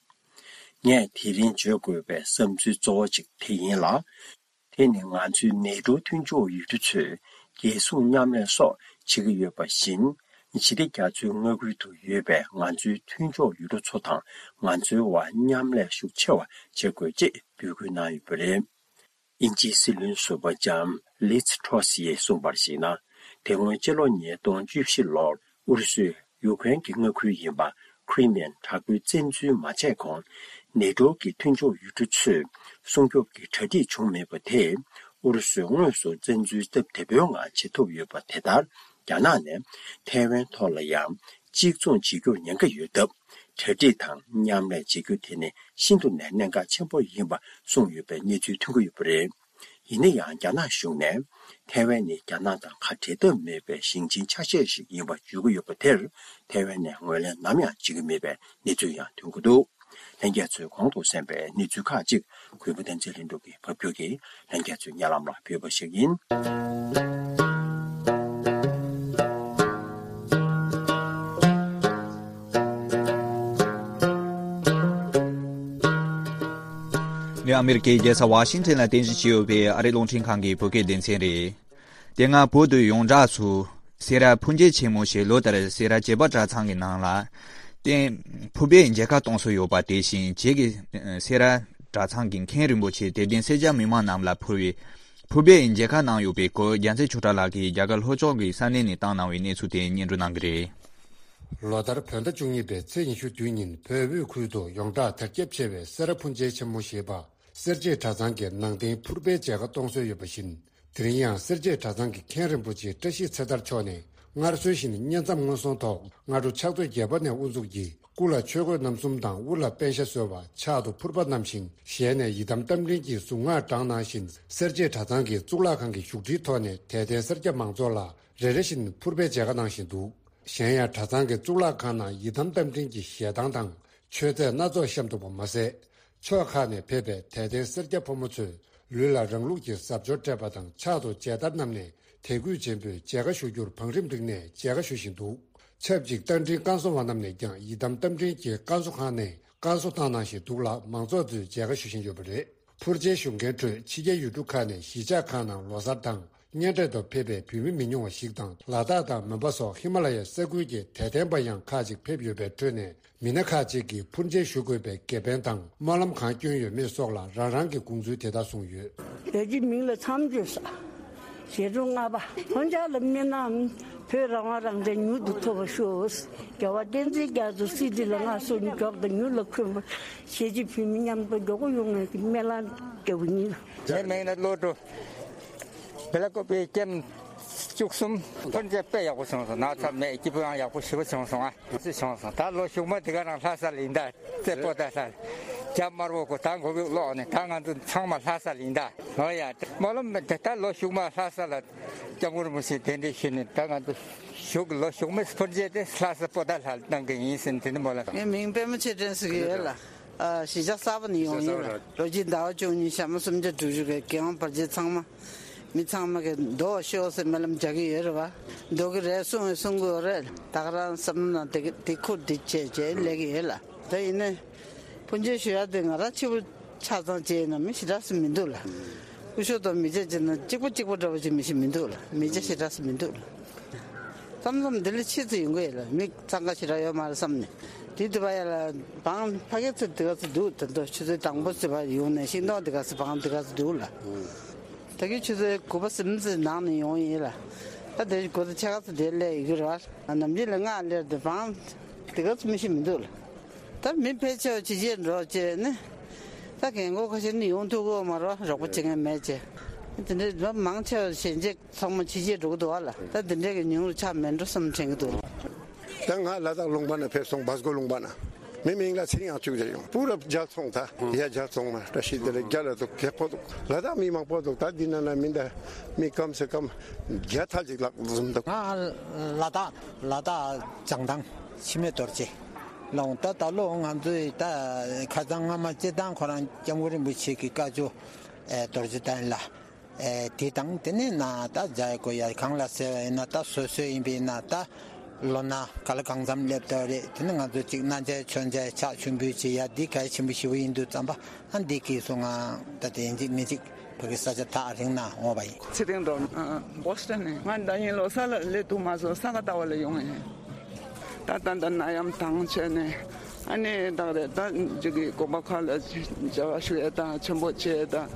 ངས་དེ་རིང་བརྗོད་དགོས་པའི་བསམ་ཚུལ་གཙོ་བོ་གཅིག་དེ་ཡིན་ལ། དེ་ནི་ང་ཚོའི་ནེ་ཏྲོ་མཐུན་ཕྱོགས་ཡུལ་གྲུ་ཚོས་རྒྱལ་སྲུང་མཉམ་ལས་སོགས་བྱེད་ཀྱི་ཡོད་པ་བཞིན། ཞི་བདེ་རྒྱ་མཚོའི་མངའ་ཁུལ་དུ་ཡོད་པའི་ང་ཚོའི་མཐུན་ཕྱོགས་ཡུལ་གྲུ་ཚོ་དང་ང་ཚོའི་དབར་མཉམ་ལས་ཤུགས་ཆེ་བ་བྱེད་དགོས་ཅེས་འབོད་སྐུལ་གནང་ཡོད་པ་རེད། དབྱིན་ཇིའི་སྲིད་བློན་ཟུར་པ་ལྕམ་ལིཛ་ཊྲོ་སི་ཡིས་གསུངས་པར་གཞིགས་ན། དེ་སྔོན་སྤྱི་ལོ་ཉིས་སྟོང་བཅུ་བཞི་ལོར་ཨུ་རུ་སུས་ཡུཀ་རེན་གྱི་མངའ་ཁུལ་ཡིན་པ་ཁི་རི་མི་ཡན་དྲག་པོའི་བཙན་འཛུལ་མ་བྱས་གོང་། ནེ་ཏྲོ་གི་མཐུན་ཕྱོགས་ཡུལ་གྲུ་ཚོས་སྲུང་སྐྱོབ་ཀྱི་གྲ་སྒྲིག་བྱུང་མེད་པ་དེས། ཨུ་རུ་སུས་དངོས་སུ་བཙན་འཛུལ་སྟབས་བདེ་པོའི་ངང་བྱེད་ཐུབ་ཡོད་པ་དེ་ལྟར། རྒྱ་ནག་ནས་ཐའེ་ཝན་ཐོག་ལ་ཡང་གཅིག་མཚུངས་བྱེད་རྒྱུར་ཉེན་ཁ་ཡོད་སྟབས། གྲ་སྒྲིག་དང་མཉམ་ལས་བྱེད་རྒྱུ་དེ་ནི་ཤིན་ཏུ་ནས་གནད་འགག་ཆེན་པོ་ཡིན་པ་གསུངས་ཡོད་པའི་གནས་ཚུལ་ཐོན་གྱི་ཡོད་པ་རེད། ཡིན་ན་ཡང་རྒྱ་ནག་གཞུང་ནས་ཐའེ་ཝན་ནི་རྒྱ་ནག་དང་ཁ་བྲལ་ཐབས་མེད་པའི་ཞིང་ཆེན་ཆ་ཤས་ཤིག་ཡིན་པ་བརྗོད་ཀྱི་ཡོད་པ་དེར་ཐའེ་ཝན་ནས་ངོས་ལེན་ནམ་ཡང་བྱེད་ཀྱི་མེད་པའི་གནས་ཚུལ་ཡང་ཐོན་གྱི་འདུག་ལྷན་རྒྱས་ཚོས་གོང་དུ་གསན་པའི་གནས་ཚུལ་ཁག་ཅིག་གུས་པ་བསྟན་འཛིན་ལྷུན་གྲུབ་ཀྱིས་ཕབ་སྒྱུར་གྱིས་ལྷན་རྒྱས་ཚོའི་སྙན་ལམ་ལ་ཕུལ་བ་ཞིག་ཡིན། ནི་ཨ་མེ་རི་ཀའི་རྒྱལ་ས་ཝ་ཤིང་ཊོན་ལ་རྟེན་གཞི་བྱས་ཡོད་པའི་ཨ་རིའི་རླུང་འཕྲིན་ཁང་གི་བོད་སྐད་སྡེ་ཚན་རེད། དེ་སྔ་བོད་དུ་ཡོངས་གྲགས་སུ་སེ་ར་ཕུར་མཇལ་ཆེན་མོ་ཞེས་ལོ་ལྟར་སེ་ར་བྱེས་པ་གྲྭ་ཚང་གི་ནང་ལ་རྟེན་ཕུར་པའི་མཇལ་ཁ་གཏོང་སྲོལ་ཡོད་པ་དེ་བཞིན་བྱེས་ཀྱི་སེ་ར་གྲྭ་ཚང་གི་མཁན་རིན་པོ་ཆེ་དད་ལྡན་སེར་སྐྱ་མི་མང་རྣམས་ལ་ཕུར་བའི་ཕུར་པའི་མཇལ་ཁ་གནང་ཡོད་པའི་སྐོར་རྒྱལ་མཚན་ཆོས་གྲགས་ལགས་ཀྱིས་རྒྱ་གར་ལྷོ་ཕྱོགས་ཀྱི་ས་གནས་ནས་བཏང་གནང་བའི་གནས་ཚུལ་དེ་སྙན་སྒྲོན་གནང་གི་རེད། ལོ་ལྟར་བོད་ཟླ་བཅུ་གཉིས་པའི་ཚེས་ཉི་ཤུ་བདུན་ཉིན་བོད་དབུས་ཁུལ་དུ་ཡོངས་གྲགས་དར་ཁྱབ་ཆེ་བའི་སེ་ར་ཕུར་མཇལ་ཆེན་མོ་ཞེས་པ། སེར་བྱེས་གྲྭ་ཚང་གི་ནང་རྟེན་ཕུར་པའི་མཇལ་ཁ་གཏོང་སྲོལ་ཡོད་པ་བཞིན། དེ་རིང་ཡང་སེར་བྱེས་གྲྭ་ཚང་གི་མཁན་རིན་པོ་ཆེ་བཀྲ་ཤིས་ཚེ་དར་མཆོག་ནས་སྔར་སྲོལ་བཞིན་བསྙེན་མཚམས་སྔོན་སོང་ཐོག་སྔ་དྲོ་ཕྱག་ཚོད་བརྒྱད་པ་ནས་དབུ་འཛུགས་ཀྱིས་སྐུ་ལ་ཆོས་གོས་རྣམ་གསུམ་དང་དབུ་ལ་པཎ་ཞྭ་གསོལ་བ། ཕྱག་ཏུ་ཕུར་པ་བསྣམས་ཤིང་ཞལ་ནས་ཡི་དམ་རྟ་མགྲིན་གྱི་གཟུངས་སྔགས་བགྲངས་གནང་བཞིན། སེར་བྱེས་གྲྭ་ཚང་གི་གཙུག་ལག་ཁང་གི་བཞུགས་ཁྲིའི་ཐོག་ནས་དད་ལྡན་སེར་སྐྱ་མང་ཚོགས་ལ་རེ་རེ་བཞིན་ཕུར་པའི་མཇལ་ཁ་གནང་བཞིན་འདུག་གཞན་ཡང་གྲྭ་ཚང་གི་གཙུག་ལག་ཁང་ནང་ཡི་དམ་རྟ་མགྲིན་གྱི་ཞལ་ཐང་དང་མཆོད་རྫས་སྣ་ཚོགས་བཤམས་འདུག་པ་མ་ཟད། ཕྱོགས་ཁག་ནས་ཕེབས་པའི་དད་ལྡན་སེར་སྐྱ་ཕོ་མོ་ཚོས་ལུས་ལ་རང་ལུགས་ཀྱི་གཟབ་མཆོར་སྤྲས་པ་དང་ཕྱག་ཏུ་མཇལ་དར་བསྣམས་ནས་དད་གུས་ཆེན་པོས་མཇལ་ཁ་ཞུ་རྒྱུར་བང་རིམ་བསྒྲིགས་ནས་མཇལ་ཁ་ཞུ་བཞིན་འདུག་ཆབས་ཅིག་རྟ་མགྲིན་བཀའ་ཟུར་བ་རྣམས་ནས་ཀྱང་ཡི་དམ་རྟ་མགྲིན་གྱི་བཀའ་ཟུར་ཁང་ནས་བཀའ་གསོ་བཏང་གནང་བཞིན་འདུག་ལ། མང་ཚོགས་ཚོས་མཇལ་ཁ་ཞུ་བཞིན་ཡོད་པ་རེད། ཕུར་མཇལ་ཞུ་མཁན་ཁྲོད་ཕྱི་རྒྱལ་ཡུལ་གྲུ་ཁག་ནས་གཞིས་ཆགས་ཁག་ནང་ལོ་གསར་དང་གཉེན་འཕྲད་དུ་ཕེབས་པའི་བོད་མི་མི་ཉུང་བ་ཞིག་དང་། ལ་དྭགས་དང་མོན་པ་སོགས་ཧི་མ་ལ་ཡའི་ས་ཁུལ་གྱི་དད་ལྡན་པ་ཡང་ཁག་ཅིག་ཕེབས་ཡོད་པའི་ཁྲོད་ནས། མི་སྣ་ཁག་ཅིག་གིས་ཕུར་མཇལ་ཞུ་དགོས་པའི་དགེ་ཕན་དང་སྨོན་ལམ་གང་བསྐྱོན་ཡོད་མེད་སོགས་ལ་རང་རང་གི་དགོངས་ཚུལ་དེ་ལྟར་གསུངས་ཡོད། བོད་ཀྱི་མིང་ལ་མཚམས་སྦྱོར་ས། ཞལ་འདྲོན་ལྔ་པ། ལྷོ་མཇལ་ལ་སྨོན་ལམ། བོད་རང་དབང་རང་བཙན་མྱུར་དུ་ཐོབ་པར་ཤོག་རྒྱལ་བ་བསྟན་འཛིན་རྒྱ་མཚོ་སྲིད་ཁྲི་ལ་མངའ་གསོལ་མགྱོགས་དང་མྱུར་ལ་འཁོན་པར། གཞིས་བྱེས་བོད་མི་མཉམ་དུ་མགྱོགས་པོ་ཡོང་བའི་སྨོན་ལམ་རྒྱག་པ་ཡིན། ངའི་མིང་ནི་བློ་གྲོས། བེ་ལ་ཀོ་པའི་ཀེམ་བཅུ་གསུམ་ཕུར་མཇལ་དཔེ་ཡག་པོ་བྱུང་སོང་། ནག་ཚ་མེད། སྐྱིད་པོ་ཡང་ཡག་པོ་ཞེ་པོ་བྱུང་སོང་ཨ། ཅི་བྱུང་སོང་། ད་ལོ་གཞུག་མ་དེ་ག་རང་ལྷ་ས་ལ་ཡིན་ད། རྩེ་པོ་ད་ལྷ། རྒྱ་དམར་པོ་གོ་ད་མགོ་བོ་ཀློག་ནས་ད་ང་ཚོ་ཚང་མ་ལྷ་ས་ལ་ཡིན་ད། ཨོ་ཡ། སྨོན་ལམ་དེ་ད་ལོ་གཞུག་མ་ལྷ་ས་ལ་སྐྱབས་མགོན་རིན་པོ་ཆེ་གདན་འདྲེན་ཞུས་ནས་ད་ང་ཚོ་གཞུག་ལོ་གཞུག་མའི་ཕུར་མཇལ་དེ་ལྷ་ས་པོ་ད་ལྷ་གནང་གི་ཡིན་ཟེར་ནས་དེ་འདྲ་སྨོན་ལམ། ངའི་མིང་པད་མ་ཆོས་སྒྲོན་ཟེར་གྱི་ཡོད་ལ། ཨ། གཞིས་ཆགས་གསར་པ་ནས་ཡོང་ཡིན་ལ། ལོ་གཅིག་ཟླ་བ་བཅུ་གཉིས་ཞག་མ་སུམ་བརྒྱ་དྲུག་ཅུ་གི་རྒན་དབང་བར་ཆད་ཚང་མ། མི་ཚང་མ་གི་འདུག་ཤོག་ཟེར་སྨོན་ལམ་རྒྱག་གི་ཡོད་རེད་བ། འདུག་གི་རེད་གསུང་བས་གསུང་གི་ཡོད་རེད། ད་ག་རང་བསམ་བློ་ནང་དེ་དེ་ཁུར་དེ་བྱས་བྱས་ལས་ཀྱི་ཡོད་ལ། ད་ཡིན་ནའི། ཕུར་མཇལ་ཞུ་ཡ་དེ་ང་རང་ཕྱི་པོ་ཆ་ཚང་བྱས་ཡིན་ན་མི་ཞེ་དྲག་སུ་མི་འདུག་ལ། སྐུ་ཞབས་དང་མི་ཚེ་བྱས་ན་གཅིག་པ་གཅིག་པ་འདྲ་བོ་ཅིག་མི་ཞིག་མི་འདུག་ལ། མི་ཚེ་ཞེ་དྲག་སུ་མི་འདུག་ལ། མཚམས་མཚམས་འདི་ལ་ཕྱིས་སུ་ཡོང་གི་ཡོད་ལ། མི་འཚང་ཁ་ཞེ་དྲག་ཡོད་མ་རེད་བསམ་ནས། དེ་དུས་བ་ཡ་ལ་བང་ཕ་གི་ཚུར་དེ་ག་ཚོད་འདུག་ད་དུང་ཆུ་ཚོད་དང་པོ་ཚོད་བ་ཡོང་ནས་ཤིང་ཏོག་དེ་ག་ཚོད་བང་དེ་ག་ཚོད་འདུག་ལ། ད་གི་ཆུ་ཚོད་དགུ་པ་ཟིན་ཙམ་ནང་ནས་ཡོང་ཡིན་ལ། ད་དེ་དགུ་ཚོད་ཕྱེད་ཀ་ཚོད་དེ་སླེབས་ཡོད་གི་རེད་བ། ནམ་རྒྱུན་ལ་སྔ་སླེབས་དུས་བང་དེ་ག་ཚོད་མི་ཤེས་མི་འདུག་ལ། ད་མི་ཕལ་ཆེ་བ་ཕྱི་རྒྱལ་འགྲོ་བྱས་ནས། ད་རྒན་གོག་ཁ་ཤས་ནི་ཡོང་ཐུབ་ཀྱི་ཡོད་མ་རེད་བ། རོགས་པ་བྱེད་མཁན་མེད་བྱས། དེ་འདྲའི་མང་ཆེ་བ་ཞལ་འབྱེད་ཚང་མ་ཕྱི་རྒྱལ་འགྲོ་གི་འདུག་བ་ལ། ད་དེ་འདྲའི་གི་ཉུང་རུ་ཆགས་མེད་འགྲོ་བསམ་དྲན་གྱི་འདུག་ད་ང་ལ་དྭགས་ལུང་པ་ནས་ཕེབས་སོང་། བྷ་སྒོ་ལུང་པ་ནས། མི་མིང་ལ་ཚེ་རིང་དབྱངས་ཕྱུག་རེད་ཡོང་། པུ་རབ་རྒྱལ་ཚོང་ད། ཡ་རྒྱལ་ཚོང་མ་བཀྲ་ཤིས་བདེ་ལེགས་རྒྱལ་ལ་འདུག་རྒྱལ་ཁོ་འདུག་ལ་དྭགས་མི་མང་པོ་འདུག་ད་འདི་ན་ན་མི་འདའ་མི་ཀམ་སེ་ཀམ་བརྒྱ་ཐལ་ཅིག་ལྷག་འཛོམས་འདུག་ང་ལ་དྭགས་ལ་དྭགས་བྱང་ཐང་འཆི་མེད་རྡོ་རྗེ་ལ་འོང་། ད་ད་ལོ་ང་ཚོའི་ད་ཁ་སང་སྔ་མ་སྤྱི་བཏང་ཁོ་རང་སྐྱབས་མགོན་རིན་པོ་ཆེ་གི་བཀའ་ཆོས་རྡོ་རྗེ་གདན་ལ། ཨེ། དེ་དང་དེ་ནས་ན་ད་མཇལ་དགོས་ཡ་གང་ལ་ཟེར་བ་ཡིན་ན་ད་སོ་སོ་ཡིན་པས་ན་ད་ལོ་ན་ག་ལ་གང་འཚམ་སླེབས་འདུག་རེད། དེ་ནས་ང་ཚོ་གཅིག་གནང་མཇལ་མཆོད་མཇལ་ཕྱག་མཆོད་འབུལ་བྱེད་ཡ་འདི་གལ་ཆེན་པོ་ཞེ་པོ་ཡིན་དུས་ཙམ་པ་ཨ་འདི་གིས་སོང་ང་ད་དེ་ཡིན་གཅིག་མིན་གཅིག་ཕ་གི་ས་ཆ་ཐག་རིང་ན་འོང་བ་ཡིན། ཚེ་རིང་འགྲོ། ཨ། བོ་སི་ཊོན་ནས། ང་ཟླ་ཉིན་ལོ་གསར་ལ་སླེབས་འདུག་མ་བཟོ་ས་ག་ལྟ་བ་ལ་ཡོང་ཡིན། ད་ད་ད་ནད་ཡམས་དང་བྱས་ནས་ཨ་ནི་ད་རེད། ད་ཅིག་གི་དགོན་པ་ཁག་ལ་མཇལ་བ་ཞུ་ཡས་དང་ཆེན་པོ་བྱེད་ཡས་དང་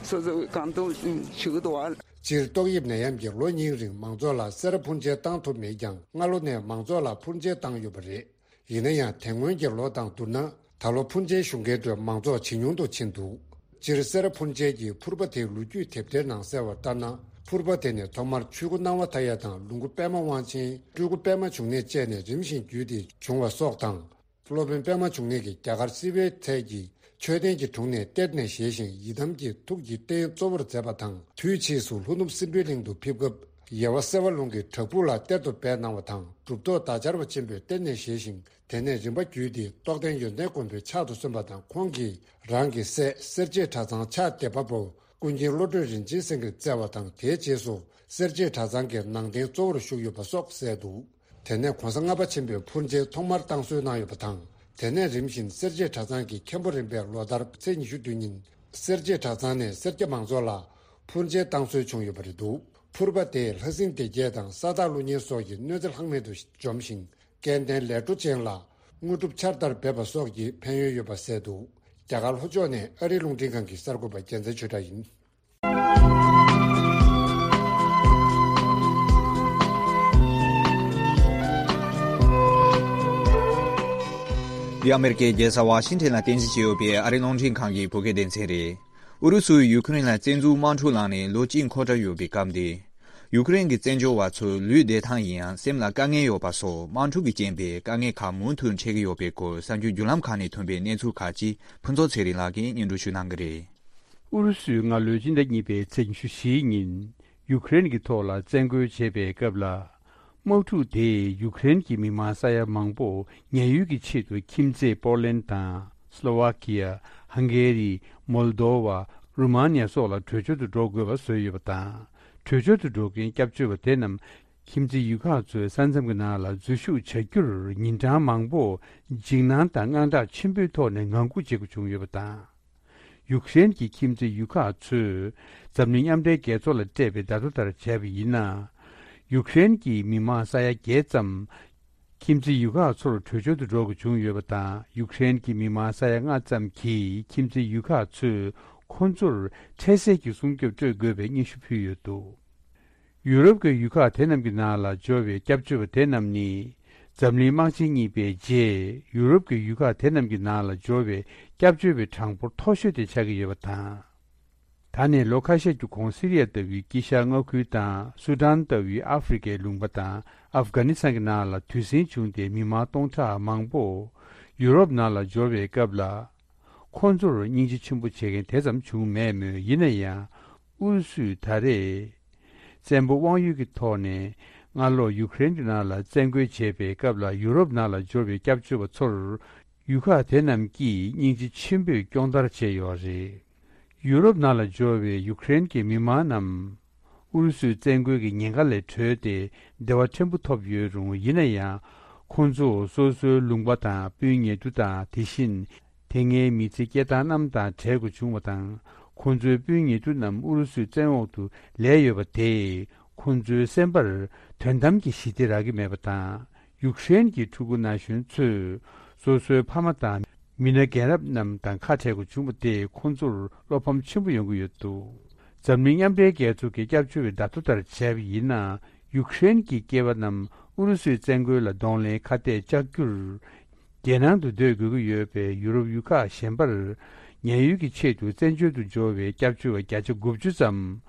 སོ་སོ་གང་ཐུབ་ཞུ་གི་འདུག་བ། སྤྱིར་ཏོག་དབྱིབས་ནད་ཡམས་ཀྱིས་ལོ་གཉིས་རིང་མང་ཚོགས་ལ་སེ་ར་ཕུར་མཇལ་བཏང་ཐུབ་མེད་ཀྱང་སྔ་ལོ་ནས་མང་ཚོགས་ལ་ཕུར་མཇལ་བཏང་ཡོད་པ་རེད། ཡིན་ན་ཡང་དེ་སྔོན་གྱི་ལོ་དང་བསྡུར་ན་ད་ལོ་ཕུར་མཇལ་ཞུ་མཁན་ཁྲོད་མང་ཚོགས་ཇེ་ཉུང་དུ་ཕྱིན་འདུག་སྤྱིར་སེ་ར་ཕུར་མཇལ་གྱི་ཕུར་པ་དེའི་ལོ་རྒྱུས་དེབ་ཐེར་ནང་གསལ་བར་ལྟར་ན། ཕུར་པ་དེ་ནི་ཐོག་མར་ཆོས་སྐུ་སྣང་བ་མཐའ་ཡས་དང་ལོངས་སྐུ་པད་མ་དབང་ཆེན། སྤྲུལ་སྐུ་པད་མ་འབྱུང་གནས་བཅས་ནས་རིམ་བཞིན་བརྒྱུད་དེ་བྱུང་བ་སོགས་དང་། སློབ་དཔོན་པད་མ་འབྱུང་གནས་ཀྱིས་རྒྱ་གར་སིལ་བྷེའི་ཐད་ཀྱི་ མཆོད་རྟེན་གྱི་དྲུང་ནས་གཏེར་ནས་བཞེས་ཤིང་ཡི་དམ་གྱི་ཐུགས་ཀྱི་རྟེན་གཙོ་བོར་མཛད་པ་དང་། དུས་ཕྱིས་སུ་ལྷོ་ནུབ་སྲིན་པོའི་གླིང་དུ་ཕེབས་སྐབས་ཡེ་བ་སེ་བ་ལུང་གི་བྲག་ཕུག་ལ་གཏེར་དུ་སྦས་གནང་བ་དང་། གྲུབ་ཐོབ་བདག་ཆར་པ་ཆེན་པོས་གཏེར་ནས་བཞེས་ཤིང་། དེ་ནས་རིམ་པ་བརྒྱུད་དེ་རྟོགས་ལྡན་ཡོན་ཏན་མགོན་པོའི་ཕྱག་ཏུ་སོན་པ་དང་། ཁོང་གིས་རང་གི་སྲས་སེར་བྱེས་གྲྭ་ཚང་ཕྱག་འདེབས་པ་པོ་ཀུན་མཁྱེན་བློ་གྲོས་རིན་ཆེན་སེང་གེར་བསྩལ་བ་དང་། དེའི་རྗེས་སུ་སེར་བྱེས་གྲྭ་ཚང་གི་ནང་རྟེན་གཙོ་བོར་བཞུགས་ཡོད་པ་སོགས་གསལ་འདུག། དེ་ནས་གོང་ས་ལྔ་པ་ཆེན་པོས་འཕུར་མཇལ་ཐོག་མར་བཏང་སྲོལ་གནང་ཡོད་པ་དང་། དེ་ནས་རིམ་བཞིན་སེར་བྱེས་གྲྭ་ཚང་གི་མཁན་པོ་རིམ་པས་ལོ་ལྟར་ཚེས་ཉི་ཤུ་བདུན་ཉིན་སེར་བྱེས་གྲྭ་ཚང་ནས་སེར་སྐྱ་མང་ཚོགས་ལ་འཕུར་མཇལ་བཏང་སྲོལ་བྱུང་ཡོད་པ་རེད་འདུག། འཕུར་པ་དེས་ལྷ་སྲིན་སྡེ་བརྒྱད་དང་ས་བདག་ཀླུ་གཉན་སོགས་ཀྱི་གནོད་འཚེ་ལྷག་མེད་དུ་འཇོམས་ཤིང་། སྐལ་ལྡན་ལས་འཕྲོ་ཅན་ལ་དངོས་གྲུབ་ཆར་ལྟར་འབེབས་པ་སོགས་ཀྱི་ཕན་ཡོན་ཡོད་པ་གསལ་འདུག། རྒྱ་གར་ལྷོ་ཕྱོགས་ནས་ཨ་རིའི་རླུང་འཕྲིན་ཁང་གི་གསར་འགོད་པ་རྒྱལ་མཚན་ཆོས་གྲགས་ཡིན། འདི་ཨ་མེ་རི་ཀའི་རྒྱལ་ས་ཝ་ཤིང་ཊོན་ལ་རྟེན་གཞི་བྱས་ཡོད་པའི་ཨ་རིའི་རླུང་འཕྲིན་ཁང་གི་བོད་སྐད་སྡེ་ཚན་རེད། ཨུ་རུ་སུས་ཡུ་ཁུ་རེན་ལ་བཙན་འཛུལ་དམག་འཁྲུག་བསླངས་ནས་ལོ་གཅིག་འཁོར་གྲབས་ཡོད་པའི་སྐབས་འདི། ཡུ་ཁུ་རེན་གྱི་བཙན་བྱོལ་བ་ཚོ་ལུས་བསྡད་ཐང་ཡིན་ཡང་སེམས་ལ་དཀའ་ངལ་ཡོད་པ་སོགས་དམག་འཁྲུག་གི་རྐྱེན་པས་དཀའ་ངལ་ཁག་མུ་མཐུད་འཕྲད་ཀྱི་ཡོད་པའི་སྐོར་གསར་འགྱུར་བརྒྱུད་ལམ་ཁག་ནས་ཐོན་པའི་གནས་ཚུལ་ཁག་ཅིག་ཕུན་ཚོགས་ཚེ་རིང་ལགས་ཀྱིས་སྙན་སྒྲོན་ཞུ་གནང་གི་རེད། ཨུ་རུ་སུས་སྔ་ལོའི་སྤྱི་ཟླ་གཉིས་པའི་ཚེས་ཉི་ཤུ་བཞིའི་ཉིན། ཡུ་ཁུ་རེན་གྱི་ཐོག་ལ་བཙན་རྒོལ་བྱས་པའི་སྐབས་ལ། དམག་འཁྲུག་དེས་ཡུ་ཁུ་རེན་གྱི་མི་མང་ས་ཡ་མང་པོ་ཉེན་གཡོལ་གྱི་ཆེད་དུ་ཁྱིམ་མཚེས་པོ་ལན་དང་། སློ་ཝ་ཀི་ཡ། ཧང་གེ་རི། མོལ་དོ་བ། རུ་མ་ནི་ཡ་སོགས་ལ་བྲོས་བྱོལ་དུ་འགྲོ་དགོས་པ་བཟོས་ཡོད་པ་དང་། བྲོས་བྱོལ་དུ་འགྲོ་མཁན་སྐྱབས་བཅོལ་བ་དེ་རྣམས་ཁྱིམ་མཚེས་ཡུལ་ཁག་ཚོའི་ས་མཚམས་ཀྱི་ནང་ལ་འཛུལ་ཞུགས་བྱ་རྒྱུར་ཉིན་གྲངས་མང་པོ་འཇིགས་སྣང་དང་དངངས་སྐྲག་ཆེན་པོའི་ཐོག་ནས་ངང་སྒུག་བྱེད་དགོས་བྱུང་ཡོད་པ་དང་། ཡུཀ་རེན་གྱི་ཁྱིམ་མཚེས་ཡུལ་ཁག་ཚོས་འཛམ་གླིང་མཉམ་འབྲེལ་རྒྱལ་ཚོགས་ལ་སྤྲད་པའི་བརྡ་ཐོ་ལྟར་བྱས་པ་ཡིན་ན། ཡུཀ་རེན་གྱི་མི་མང་ས་ཡ་བརྒྱད་ཙམ་ཁྱིམ་མཚེས་ཡུལ་ཁག་ཚོར་བྲོས་བྱོལ་དུ་འགྲོ་དགོས་བྱུང་ཡོད་པ་དང་། ཡུཀ་རེན་གྱི་མི་མང་ས་ཡ་ལྔ་ཙམ་གྱིས་ཁྱིམ་མཚེས་ཡུལ་ཁག་ཚོས་ཁོང་ཚོར་འཕྲལ་སེལ་གྱི་སྲུང་སྐྱོབ་སྤྲོད་དགོས་པའི་སྙན་ཞུ་ཕུལ་ཡོད་འདུག། ཡུ་རོབ་ཀྱི་ཡུལ་ཁག་དེ་རྣམས་ཀྱི་ནང་ལ་འབྱོར་བའི་སྐྱབས་བཅོལ་བ་དེ་རྣམས་ནི། འཛམ་གླིང་དམག་ཆེན་གཉིས་པའི་རྗེས་ཡུ་རོབ་ཀྱི་ཡུལ་ཁག་དེ་རྣམས་ཀྱི་ནང་ལ་འབྱོར་བའི་སྐྱབས་བཅོལ་བའི་གྲངས་འབོར་མཐོ་ཤོས་དེ་ཆགས་ཀྱི་ཡོད་པ་དང་། ད་ནས་ལོ་ཁ་ཤས་ཀྱི་གོང་སི་རི་ཡ་ལྟ་བུའི་དཀྱིལ་ཤར་མངའ་ཁུལ་དང་སུ་ཌན་ལྟ་བུའི་ཨ་ཧྥེ་རི་ཁའི་ལུང་པ་དང་ཨབ་གྷ་ནི་སི་ཐན་གྱི་ནང་ལ་དུས་ཟིང་བྱུང་སྟེ་མི་མང་སྟོང་ཕྲག་མང་པོ་ཡུ་རོབ་ནང་ལ་འབྱོར་བའི་སྐབས་ལ། ཁོང་ཚོར་སྙིང་རྗེ་ཆེན་པོ་བྱེད་མཁན་དེ་ཙམ་བྱུང་མེད་མོད། ཡིན་ན་ཡང་། ཨུ་རུ་སུས་ད་རེས་བཙན་པོ་དབང་ཡོད་ཀྱི་ཐོག་ནས་སྔ་ལོགས་ཡུཀ་རེན་གྱི་ནང་ལ་བཙན་རྒོལ་བྱས་པའི་སྐབས་ལ་ཡུ་རོབ་ནང་ལ་འབྱོར་བའི་སྐྱབས་བཅོལ་བ་ཚོར་ཡུལ་ཁག་དེ་རྣམས་ཀྱིས་སྙིང་རྗེ་ཆེན་པོས་སྐྱོང་བརྡར་བྱས་ཡོད་རེད། ཡུ་རོབ་ནང་ལ་འབྱོར་བའི་ཡུཀ་རེན་གྱི་མི་མང་རྣམས་ཨུ་རུ་སུའི་བཙན་རྒོལ་གྱི་ཉེན་ཁ་ལས་གྲོལ་ཏེ་བདེ་བ་ཕྲན་བུ་ཐོབ་ཡོད་རུང་། ཡིན་ན་ཡང་ཁོང་ཚོ་སོ་སོའི་ལུང་པ་དང་སྤུན་ཉེ་དུ་དང་། དེ་བཞིན་དེ་སྔའི་མི་ཚེ་སྐྱེལ་སྟངས་རྣམས་དང་བྲལ་དགོས་བྱུང་བ་དང་། ཁོང་ཚོའི་སྤུན་ཉེ་དུ་རྣམས་ཨུ་རུ་སུའི་བཙན་འོག་ཏུ་ལུས་ཡོད་པ་དེས་ཁོང་ཚོའི་སེམས་པར་དོན་དམ་གྱི་ཞི་བདེ་རག་གི་མེད་པ་དང་། ཡུཀ་རེན་གྱི་ཕྲུ་གུ་ན་གཞོན་ཚོས་སོ་སོའི་ཕ་མ་དང་མི་སྣ་རྒན་རབས་རྣམས་དང་ཁ་བྲལ་དགོས་བྱུང་བ་དེས་ཁོང་ཚོར་བློ་ཕམ་ཆེན་པོ་ཡོང་གི་ཡོད་འདུག། འཛམ་གླིང་མཉམ་འབྲེལ་རྒྱལ་ཚོགས་ཀྱི་སྐྱབས་བཅོལ་བའི་བརྡ་ཐོ་ལྟར་བྱས་པ་ཡིན་ན། ཡུཀ་རེན་གྱི་སྐྱེས་པ་རྣམས་ཨུ་རུ་སུའི་བཙན་རྒོལ་ལ་གདོང་ལེན་ཁ་གཏད་བཅག་རྒྱུར། རྒྱལ་ནང་དུ་སྡོད་དགོས་ཀྱི་ཡོད་པས། ཡུ་རོབ་ཡུལ་ཁག་གཞན་པར་ཉེན་གཡོལ་གྱི་ཆེད་དུ་བཙན་བྱོལ་དུ་འབྱོར་བའི་སྐྱབས་བཅོལ་བ་བརྒྱ་ཆ་དགུ་བཅུ་ཙམ་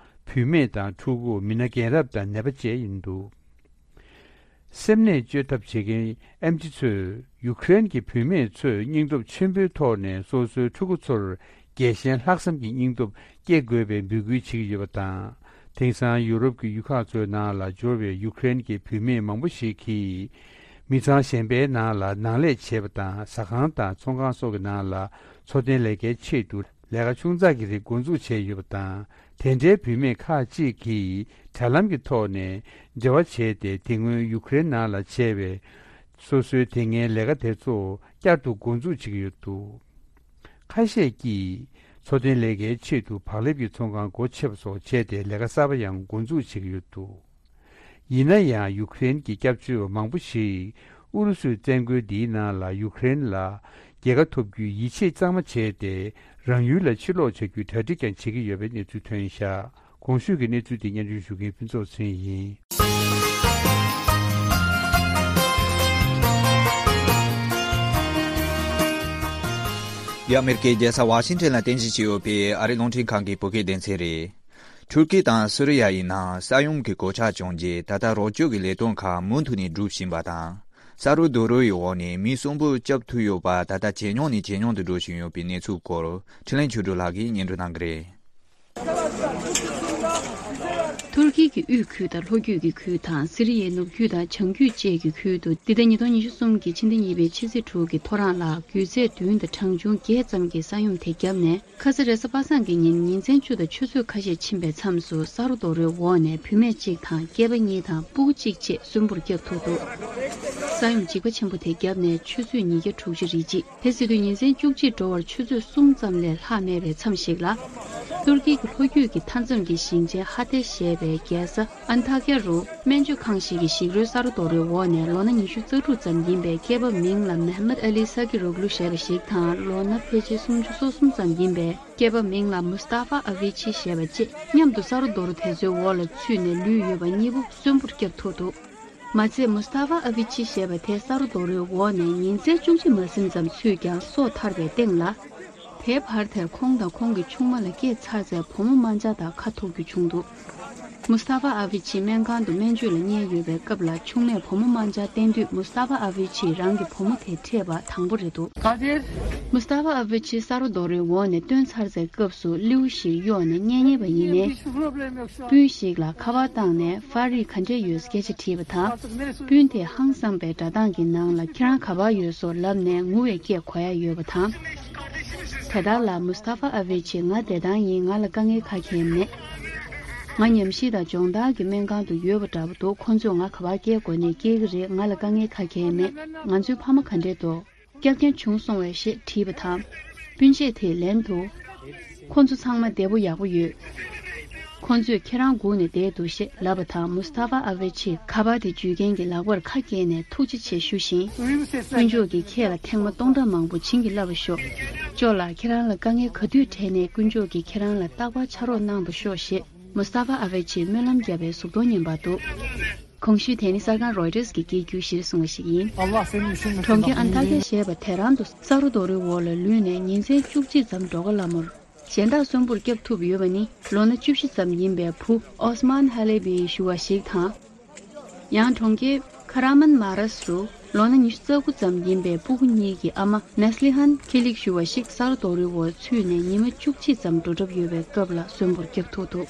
བུད་མེད་དང་ཕྲུ་གུ། མི་སྣ་རྒན་རབས་དང་ནད་པ་བཅས་ཡིན་འདུག། སེམས་ནད་བཅོས་ཐབས་བྱེད་མཁན་ཨེམ་ཆི་ཚོས་ཡུཀ་རེན་གྱི་བུད་མེད་ཚོས་སྙིང་སྟོབས་ཆེན་པོའི་ཐོག་ནས་སོ་སོའི་ཕྲུ་གུ་ཚོར་རྒྱལ་ཞེན་ལྷག་བསམ་གྱི་སྙིང་སྟོབས་སྐྱེ་དགོས་པའི་འབོད་སྐུལ་བྱེད་ཀྱི་ཡོད་པ་དང་། དེང་སང་ཡུ་རོབ་ཀྱི་ཡུལ་ཁག་ཚོའི་ནང་ལ་འབྱོར་བའི་ཡུཀ་རེན་གྱི་བུད་མེད་མང་པོ་ཞིག་གིས། མི་ཚང་གཞན་པའི་ནང་ལ་ནང་ལས་བྱེད་པ་དང་། ཟ་ཁང་དང་ཚོང་ཁང་སོགས་ཀྱི་ནང་ལ་འཚོ་རྟེན་ལས་ཀའི་ཆེད་དུ་ལས་ཀ་ཆུང་ཙག་གི་རིགས་འགོ་འཛུགས་བྱས་ཡོད་པ་དང་། དེ་འདྲའི་བུད་མེད་ཁག་ཅིག་གིས་དྲ་ལམ་གྱི་ཐོག་ནས་འབྲེལ་བ་བྱས་ཏེ། དེ་སྔོན་ཡུཀ་རེན་ནང་ལ་བྱས་པའི་སོ་སོའི་དེ་སྔའི་ལས་ཀ་དེ་ཚོ་བསྐྱར་དུ་འགོ་འཛུགས་བྱེད་ཀྱི་ཡོད་འདུག། ཁ་ཤས་ཀྱིས་འཚོ་རྟེན་ལས་ཀའི་ཆེད་དུ་བག་ལེབ་ཀྱི་ཚོང་ཁང་སྒོ་ཕྱེ་བ་སོགས་བྱས་ཏེ། ལས་ཀ་གསར་པ་ཡང་འགོ་འཛུགས་བྱེད་ཀྱི་ཡོད་འདུག། ཡིན་ན་ཡང་ཡུཀ་རེན་གྱི་སྐྱབས་བཅོལ་བ་མང་པོ་ཞིག་ཨུ་རུ་སུའི་བཙན་རྒོལ་འདིའི་ནང་ལ་ཡུཀ་རེན་ལ་རྒྱལ་ཁ་ཐོབ་རྒྱུའི་ཡིད་ཆེས་གཙང་མ་བྱས་ཏེ། རང་ཡུལ་ལ་ཕྱིར་ལོག་བྱ་རྒྱུའི་གྲ་སྒྲིག་ཀྱང་བྱེད་ཀྱི་ཡོད་པའི་གནས་ཚུལ་ཐོན་བཞག། གོང་ཞུས་ཀྱི་གནས་ཚུལ་དེ་སྙན་སྒྲོན་ཞུ་མཁན་ཕུན་ཚོགས་ཚེ་རིང་ཡིན། འདི་ཨ་མེ་རི་ཀའི་རྒྱལ་ས་ཝ་ཤིང་ཊོན་ལ་རྟེན་གཞི་བྱས་ཡོད་པའི་ཨ་རིའི་རླུང་འཕྲིན་ཁང་གི་བོད་སྐད་སྡེ་ཚན་རེད། ཐུར་ཀི་དང་སུ་རི་ཡ་ཡི་ནང་ས་ཡོམ་གྱི་གོད་ཆག་བྱུང་རྗེས། ད་ལྟ་རོགས་སྐྱོབ་ཀྱི་ལས་དོན་ཁག་མུ་མཐུད་ནས་སྒྲུབ་བཞིན་པ་དང་། ས་རུ་རྡོ་རོའི་འོག་ནས་མི་གསོན་པོར་བསྐྱབས་ཐུབ་ཡོད་པ། ད་ལྟ་ཇེ་ཉུང་ནས་ཇེ་ཉུང་དུ་འགྲོ་བཞིན་ཡོད་པའི་གནས་ཚུལ་སྐོར་འཕྲིན་ལས་ཆོས་སྒྲོན་ལགས་ཀྱིས་སྙན་སྒྲོན་གནང་གི་རེད། ཐུར་ཀི་གི་དབུས་ཁུལ་དང་ལྷོ་རྒྱུད་ཀྱི་ཁུལ་དང་སི་རི་ཡའི་ནུབ་རྒྱུད་དང་བྱང་རྒྱུད་བཅས་ཀྱི་ཁུལ་དུ་འདི་ཟླ་ཉིས་སྟོང་ཉི་ཤུ་གསུམ་གྱི་ཕྱི་ཟླ་གཉིས་པའི་ཕྱི་ཚེས་དྲུག་གི་ཐོ་རངས་ལ་རྒྱུད་ཚད་བདུན་དང་གྲངས་ཆུང་བརྒྱད་ཙམ་གྱི་ས་ཡོམ་དེ་བརྒྱབ་ནས། ཁ་ས་རེས་གཟའ་པ་སངས་ཀྱི་ཉིན་ཉིན་མཚན་བཅུ་དང་ཆུ་ཚོད་ཁ་ཤས་ཕྱིན་པའི་མཚམས་སུ་ས་རུ་རྡོ་རོའི་འོག་ནས་བུད་མེད་གཅིག་དང་སྐྱེས་པ་གཉིས་དང་སྤུ་གུ་གཅིག་བཅས་གསོན་པོར་བསྐྱབས་ཐུབ་འདུག་ས་ཡོམ་འཇིགས་པ་ཆེན་པོ་དེ་བརྒྱབ་ནས་ཆུ་ཚོད་ཉིས་བརྒྱ་དྲུག་ཅུ་རེ་གཅིག་དེ་སྲིད་དུས་ཉིན་མཚན་བཅུ་གཅིག་འགྲོ་བར་ཆུ་ཚོད་གསུམ་ཙམ་ལས་ལྷག་མེད་པའི་མཚམས་ཤིག་ལ། ཏུར་ཀི་གི་ལྷོ་རྒྱུད་ཀྱི་མཐའ་མཚམས་ཀྱི་ཞིང་ཆེན་ཧ་ཏེ་ཞེས་པའི་རྒྱལ་ས་ཨན་ཐ་ཀྱ་རུ་སྨན་བཅོས་ཁང་ཞིག་གི་ཞིག་རོའི་ས་རུ་རྡོ་རོའི་འོག་ནས་ལོ་ན་ཉི་ཤུ་རྩ་དྲུག་ཙམ་ཡིན་པའི་སྐྱེས་པ་མིང་ལ་མེ་ཧ་མད་ཨ་ལི་ས་ཀི་རོག་ལུ་ཞེས་པ་ཞིག་དང་། ལོ་ན་ཕལ་ཆེར་སུམ་ཅུ་སོ་གསུམ་ཙམ་ཡིན་པའི་སྐྱེས་པ་མིང་ལ་མུ་སྟ་ཧྥ་ཨ་ཝི་ཆི་ཞེས་པ་བཅས་མཉམ་དུ་ས་རུ་རྡོ་རོ་དེ་ཚོའི་འོག་ལ་ཚུད་ནས་ལུས་ཡོད་པ་གཉིས་པོ་གསོན་པོར་བསྐྱབས་ཐུབ་འདུག་མ་ཚད་མུ་སྟ་ཧྥ་ཨ་ཝི་ཆི་ཞེས་པ་དེ་ས་རུ་རྡོ་རོའི་འོག་ནས་ཉིན་མཚན་བཅུ་གཅིག་མ་ཟིན་ཙམ་ཚུད་ཀྱང་སྲོག་ཐར་བའི་སྟེང་ལ། དེའི་བར་དེར་ཁོང་དང་ཁོང་གི་ཆུང་མ་ལ་སྐྱེས་ཚར་ཚད་བུ་མོ་དམར་འབྱར་དང་ཁ་ཐུག་རྒྱུ་བྱུང་འདུག་མུ་སྟ་ཧྥ་ཨ་ཝི་ཆི་སྨན་ཁང་དུ་སྨན་བཅོས་ལ་གཉེར་ཡོད་པའི་སྐབས་ལ་ཆུང་མས་བུ་མོ་དམར་འབྱར་བསྟེན་དུས་མུ་སྟ་ཧྥ་ཨ་ཝི་ཆིས་རང་གི་བུ་མོ་དེ་འཕྲད་པ་དང་པོ་རེད་འདུག་མུ་སྟ་ཧྥ་ཨ་ཝི་ཆི་ས་རུ་རྡོ་རོའི་འོག་ནས་བཏོན་ཚར་སའི་སྐབས་སུ་སླེའུ་ཞིག་གཡོགས་ནས་གཉེན་ཉེ་བ་ཡིན་ནས། སྤུན་ཞིག་ལ་ཁ་པར་བཏང་ནས་ཧྥ་རིག་ག་འདྲས་ཡོད་སྐད་ཆ་དྲིས་པ་དང་། སྤུན་དེས་ཧང་སངས་པའི་སྒྲ་གདངས་ཀྱི་ནང་ལ་ཁྱེད་རང་ག་པར་ཡོད་སོགས་ལབ་ནས་ངུ་བའི་སྐད་གོ་ཡ་ཡོད་པ་དང་། དེ་དག་ལ་མུ་སྟ་ཧྥ་ཨ་ཝེ་ཆི་ང་བདེ་ཐང་ཡིན། ང་ལ་དཀའ་ངལ་ག་གེ་མེད། ང་ཉམས་ཞིབ་དང་སྦྱོང་བརྡར་གྱི་སྨན་ཁང་དུ་ཡོད་པ་འདྲ་པོ་འདུག་ཁོ་ཚོས་ང་ག་པར་སྐྱེལ་དགོས་ནས་སྐྱེལ་གྱི་རེད། ང་ལ་དཀའ་ངལ་ག་གེ་མེད། ང་ཚོའི་ཕ་མ་ག་འདྲས་འདུག་སྐྱབས་མཁན་བྱུང་སོང་བས་ཞེས་དྲིས་པ་དང་། སྤུན་མཆེད་དེས་ལན་དུ། ཁོ་ཚོ་ཚང་མ་བདེ་པོ་ཡག་པོ་ཡོད། ཁོ་ཚོས་ཁྱེད་རང་སྒུག་ནས་བསྡད་འདུག་ཞེས་ལབ་པ་དང་མུ་སྟ་ཧྥ་ཨ་ཝེ་ཆིས་ཁ་པར་དེ་འཇུས་མཁན་གྱི་ལག་པར་ཁ་བཀལ་ནས་ཐུགས་རྗེ་ཆེ་ཞུ་བཞིན། དཀོན་མཆོག་གིས་ཁྱེད་ལ་ཐེངས་མ་སྟོང་ཕྲག་མང་པོ་བྱིན་གྱིས་བརླབས་པར་ཤོག་ཅོ་ལགས་ཁྱེད་རང་ལ་དཀའ་ངལ་ག་དུས་འཕྲད་ནའི་དཀོན་མཆོག་གིས་ཁྱེད་རང་ལ་རྟག་པར་ཕྱག་རོགས་གནང་དུ་ཤོག་ཞེས་མུ་སྟ་ཧྥ་ཨ་ཝེ་ཆིས་སྨོན་ལམ་བརྒྱབ་པའི་གཟུགས་མཐོང་ཉན་པར་འདུག་གོང་ཞུས་དེ་ནི་གསར་ཁང་རོའི་ཊར་གྱིས་སྐད་སྒྱུར་གཞིར་བཟུང་བ་ཞིག་ཡིན། གྲོང་ཁྱེར་ཨན་ཏཱ་ཀྱ་ཞེས་པ་དེ་རང་དུ་ས་རུ་རྡོ་རོའི་འོག་ལ་ལུས་ནས་ཉིན་མཚན་བཅུ་གཅིག་ཙམ་འགྲོ་ག་སླ་མོར་གཞན་དག་གསོན་པོར་བསྐྱབས་ཐུབ་ཡོད་པ་ནི་ལོ་ན་བཅུ་བཞི་ཙམ་ཡིན་པའི་བུ་ཨོ་སི་མཱན་ཧ་ལེ་བིས་ཞུ་བ་ཞིག་དང་། ཡང་གྲོང་ཁྱེར་ཁ་ར་མན་མ་རཱས་སུ་ལོ་ན་ཉི་ཤུ་རྩ་དགུ་ཙམ་ཡིན་པའི་སྤུ་གུ་གཉིས་ཀྱི་ཨ་མ་ནེ་སི་ལི་ཧན་ཁི་ལིག་ཞུ་བ་ཞིག་ས་རུ་རྡོ་རོའི་འོག་ཚུད་ནས་ཉི་མ་བཅུ་གཅིག་ཙམ་འགྲོ་གྲབས་ཡོད་པའི་སྐབས་ལ་གསོན་པོར་བསྐྱབས་ཐུབ་འདུག་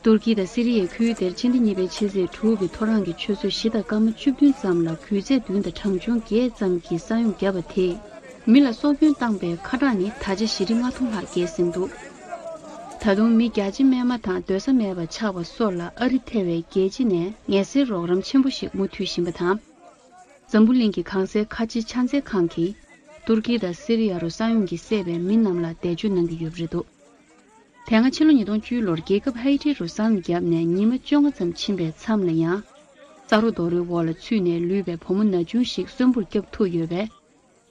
ཏུར་ཀི་དང་སི་རི་ཡའི་ཁུལ་དེར་ཕྱི་ཟླ་གཉིས་པའི་ཕྱི་ཚེས་དྲུག་གི་ཐོ་རངས་ཀྱི་ཆུ་ཚོད་བཞི་དང་སྐར་མ་བཅུ་བདུན་ཙམ་ལ་རྒྱུད་ཚད་བདུན་དང་གྲངས་ཆུང་བརྒྱད་ཙམ་གྱི་ས་ཡོམ་བརྒྱབ་པ་དེས་མི་ལ་སྲོག་སྐྱོན་བཏང་པའི་ཁ་གྲངས་ནི་ད་ཆ་བཞི་ཁྲི་ལྔ་སྟོང་ལྷག་བརྒལ་ཟིན་འདུག་ད་དུང་མི་བརྒྱ་ཆ་མེད་མ་དང་སྡོད་ས་མེད་པ་ཆགས་པ་སོགས་ལ་ཨ་རི་ཐེ་བའི་རྒྱལ་སྤྱི་ནས་ངལ་སེལ་རོགས་རམ་ཆེན་པོ་ཞིག་མུ་མཐུད་བཞིན་པ་དང་། འཛམ་བུ་གླིང་གི་གང་སའི་ཁ་ཆེ་ཕྱག་འཚལ་ཁང་གིས་ཏུར་ཀི་དང་སི་རི་ཡ་རུ་ས་ཡོམ་གྱིས་བསད་པའི་མི་རྣམས་ལ་འདས་མཆོད་གནང་གི་ཡོད་པ་རེད་འདུག་དེ་སྔ་ཕྱི་ལོ་ཉིས་སྟོང་བཅུ་ལོར་རྒྱལ་ཁབ་ཧའི་ཊི་རུ་ས་ཡོམ་བརྒྱབ་ནས་ཉི་མ་བཅོ་ལྔ་ཙམ་ཕྱིན་པའི་མཚམས་ལ་ཡང་། ས་རུ་རྡོ་རོའི་འོག་ལ་ཚུད་ནས་ལུས་པའི་བུ་མོ་ན་ཆུང་ཞིག་གསོན་པོར་བསྐྱབས་ཐུབ་ཡོད་པས།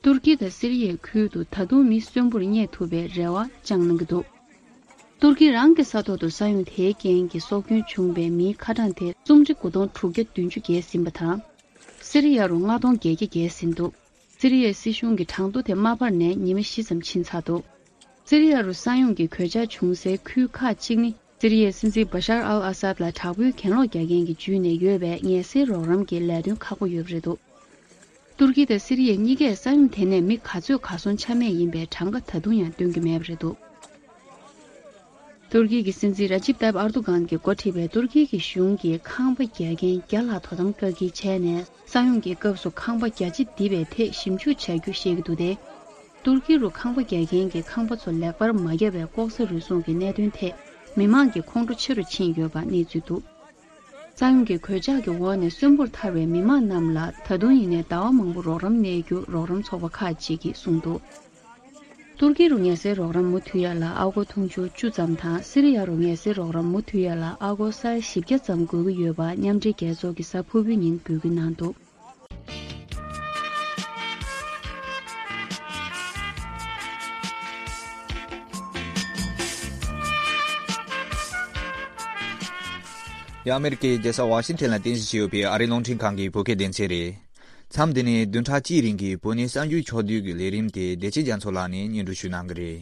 ཏུར་ཀི་དང་སི་རི་ཡའི་ཁུལ་དུ་ད་དུང་མི་གསོན་པོར་རྙེད་ཐུབ་པའི་རེ་བ་བཅངས་གནང་གི་འདུག་ཏུར་ཀི་རང་གི་ས་ཐོག་ཏུ་ས་ཡོམ་དེའི་རྐྱེན་གྱིས་སྲོག་སྐྱོན་བྱུང་བའི་མིའི་ཁ་གྲངས་དེ་སུམ་ཁྲི་དགུ་སྟོང་དྲུག་བརྒྱ་བདུན་ཅུ་བརྒལ་ཟིན་པ་དང་། སི་རི་ཡ་རུ་ལྔ་སྟོང་བརྒྱད་བརྒྱ་བརྒལ་ཟིན་འདུག་སི་རི་ཡའི་སྲིད་གཞུང་གི་གྲངས་ཐོ་དེ་མ་པར་ནས་ཉི་མ་བཞི་ཙམ་ཕྱིན་ཚར་འདུག་སི་རི་ཡ་རུ་ས་ཡོམ་གྱི་གོད་ཆག་བྱུང་སའི་ཁུལ་ཁག་གཅིག་ནི་སི་རི་ཡའི་སྲིད་འཛིན་བ་ཤར་ཨལ་ཨ་སཱད་ལ་དྲག་པོའི་གྱེན་ལོག་རྒྱག་མཁན་གྱིས་འཇུས་ནས་ཡོད་པས་ངལ་སེལ་རོགས་རམ་གྱི་ལས་དོན་ཁག་པོ་ཡོད་པ་རེད་འདུག་ཏུར་ཀི་དང་སི་རི་ཡ་གཉིས་ཀས་ས་ཡོམ་དེ་ནས་མི་ག་ཚོད་གར་སོང་ཆ་མེད་ཡིན་པའི་གྲངས་ཀ་ད་དུང་ཡང་སྟོན་གྱི་མེད་པ་རེད་འདུག་ཏུར་ཀི་གི་སྲིད་འཛིན་ར་ཇིབ་ཏཱིབ་ཨར་དུ་གྷན་གྱིས་འགོ་ཁྲིད་པའི་ཏུར་ཀི་གི་གཞུང་གིས་ཁང་པ་རྒྱག་མཁན་བརྒྱ་ལྷག་དོ་དམ་བཀག་སྐྱིལ་བྱས་ནས་ས་ཡོམ་གྱི་སྐབས་སུ་ཁང་པ་རྒྱ་ཆེ་འདི་པའི་ཐད་ཞིབ་འཇུག་བྱ་རྒྱུ་བཤད་ཀྱི་འདུག་སྟེ། ཏུར་ཀི་རུ་ཁང་པ་རྒྱག་མཁན་གྱི་ཁང་པ་ཚོ་ལེགས་པར་མ་བརྒྱབ་པའི་ལྐོག་ཟ་རུལ་སུངས་ཀྱི་གནད་དོན་ཐད་མི་མང་གི་ཁོང་ཁྲོ་ཆེ་རུ་ཕྱིན་ཡོད་པ་གནས་ཚུལ་འདུག་ས་ཡོམ་གྱི་གོད་ཆག་གི་འོག་ནས་གསོན་པོར་ཐར་བའི་མི་མང་རྣམས་ལ་ད་དུང་ཡིན་ནའི་ཟླ་བ་མང་པོ་རོགས་རམ་གནས་རྒྱུ་རོགས་རམ་ཚོགས་པ་ཁག་ཅིག་གིས་གསུངས་འདུག་ཏུར་ཀི་རུ་ངལ་སེལ་རོགས་རམ་མུ་མཐུད་ཡ་ལ་ཨ་སྒོར་དུང་ཕྱུར་བཅུ་ཙམ་དང་སི་རི་ཡ་རུ་ངལ་སེལ་རོགས་རམ་མུ་མཐུད་ཡ་ལ་ཨ་སྒོར་ས་ཡ་བཞི་བརྒྱ་ཙམ་དགོས་ཀྱི་ཡོད་པ་མཉམ་འབྲེལ་རྒྱལ་ཚོགས་ཀྱི་གཟའ་ཕུར་བུའི་ཉིན་འབོད་སྐུལ་གནང་འདུག་འདི་ཨ་མེ་རི་ཀའི་རྒྱལ་ས་ཝ་ཤིང་ཊོན་ལ་རྟེན་གཞི་བྱས་ཡོད་པའི་ཨ་རིའི་རླུང་འཕྲིན་ཁང་གི་བོད་སྐད་སྡེ་ཚན་རེད། མཚམས་འདི་ནས་བདུན་ཕྲག་གཅིག་རིང་གི་བོད་ནས་གསར་འགྱུར་ཕྱོགས་བསྡུས་ཀྱི་ལས་རིམ་དེ་བདེ་ཆེན་རྒྱ་མཚོ་ལགས་ནས་སྙན་སྒྲོན་ཞུ་གནང་གི་རེད།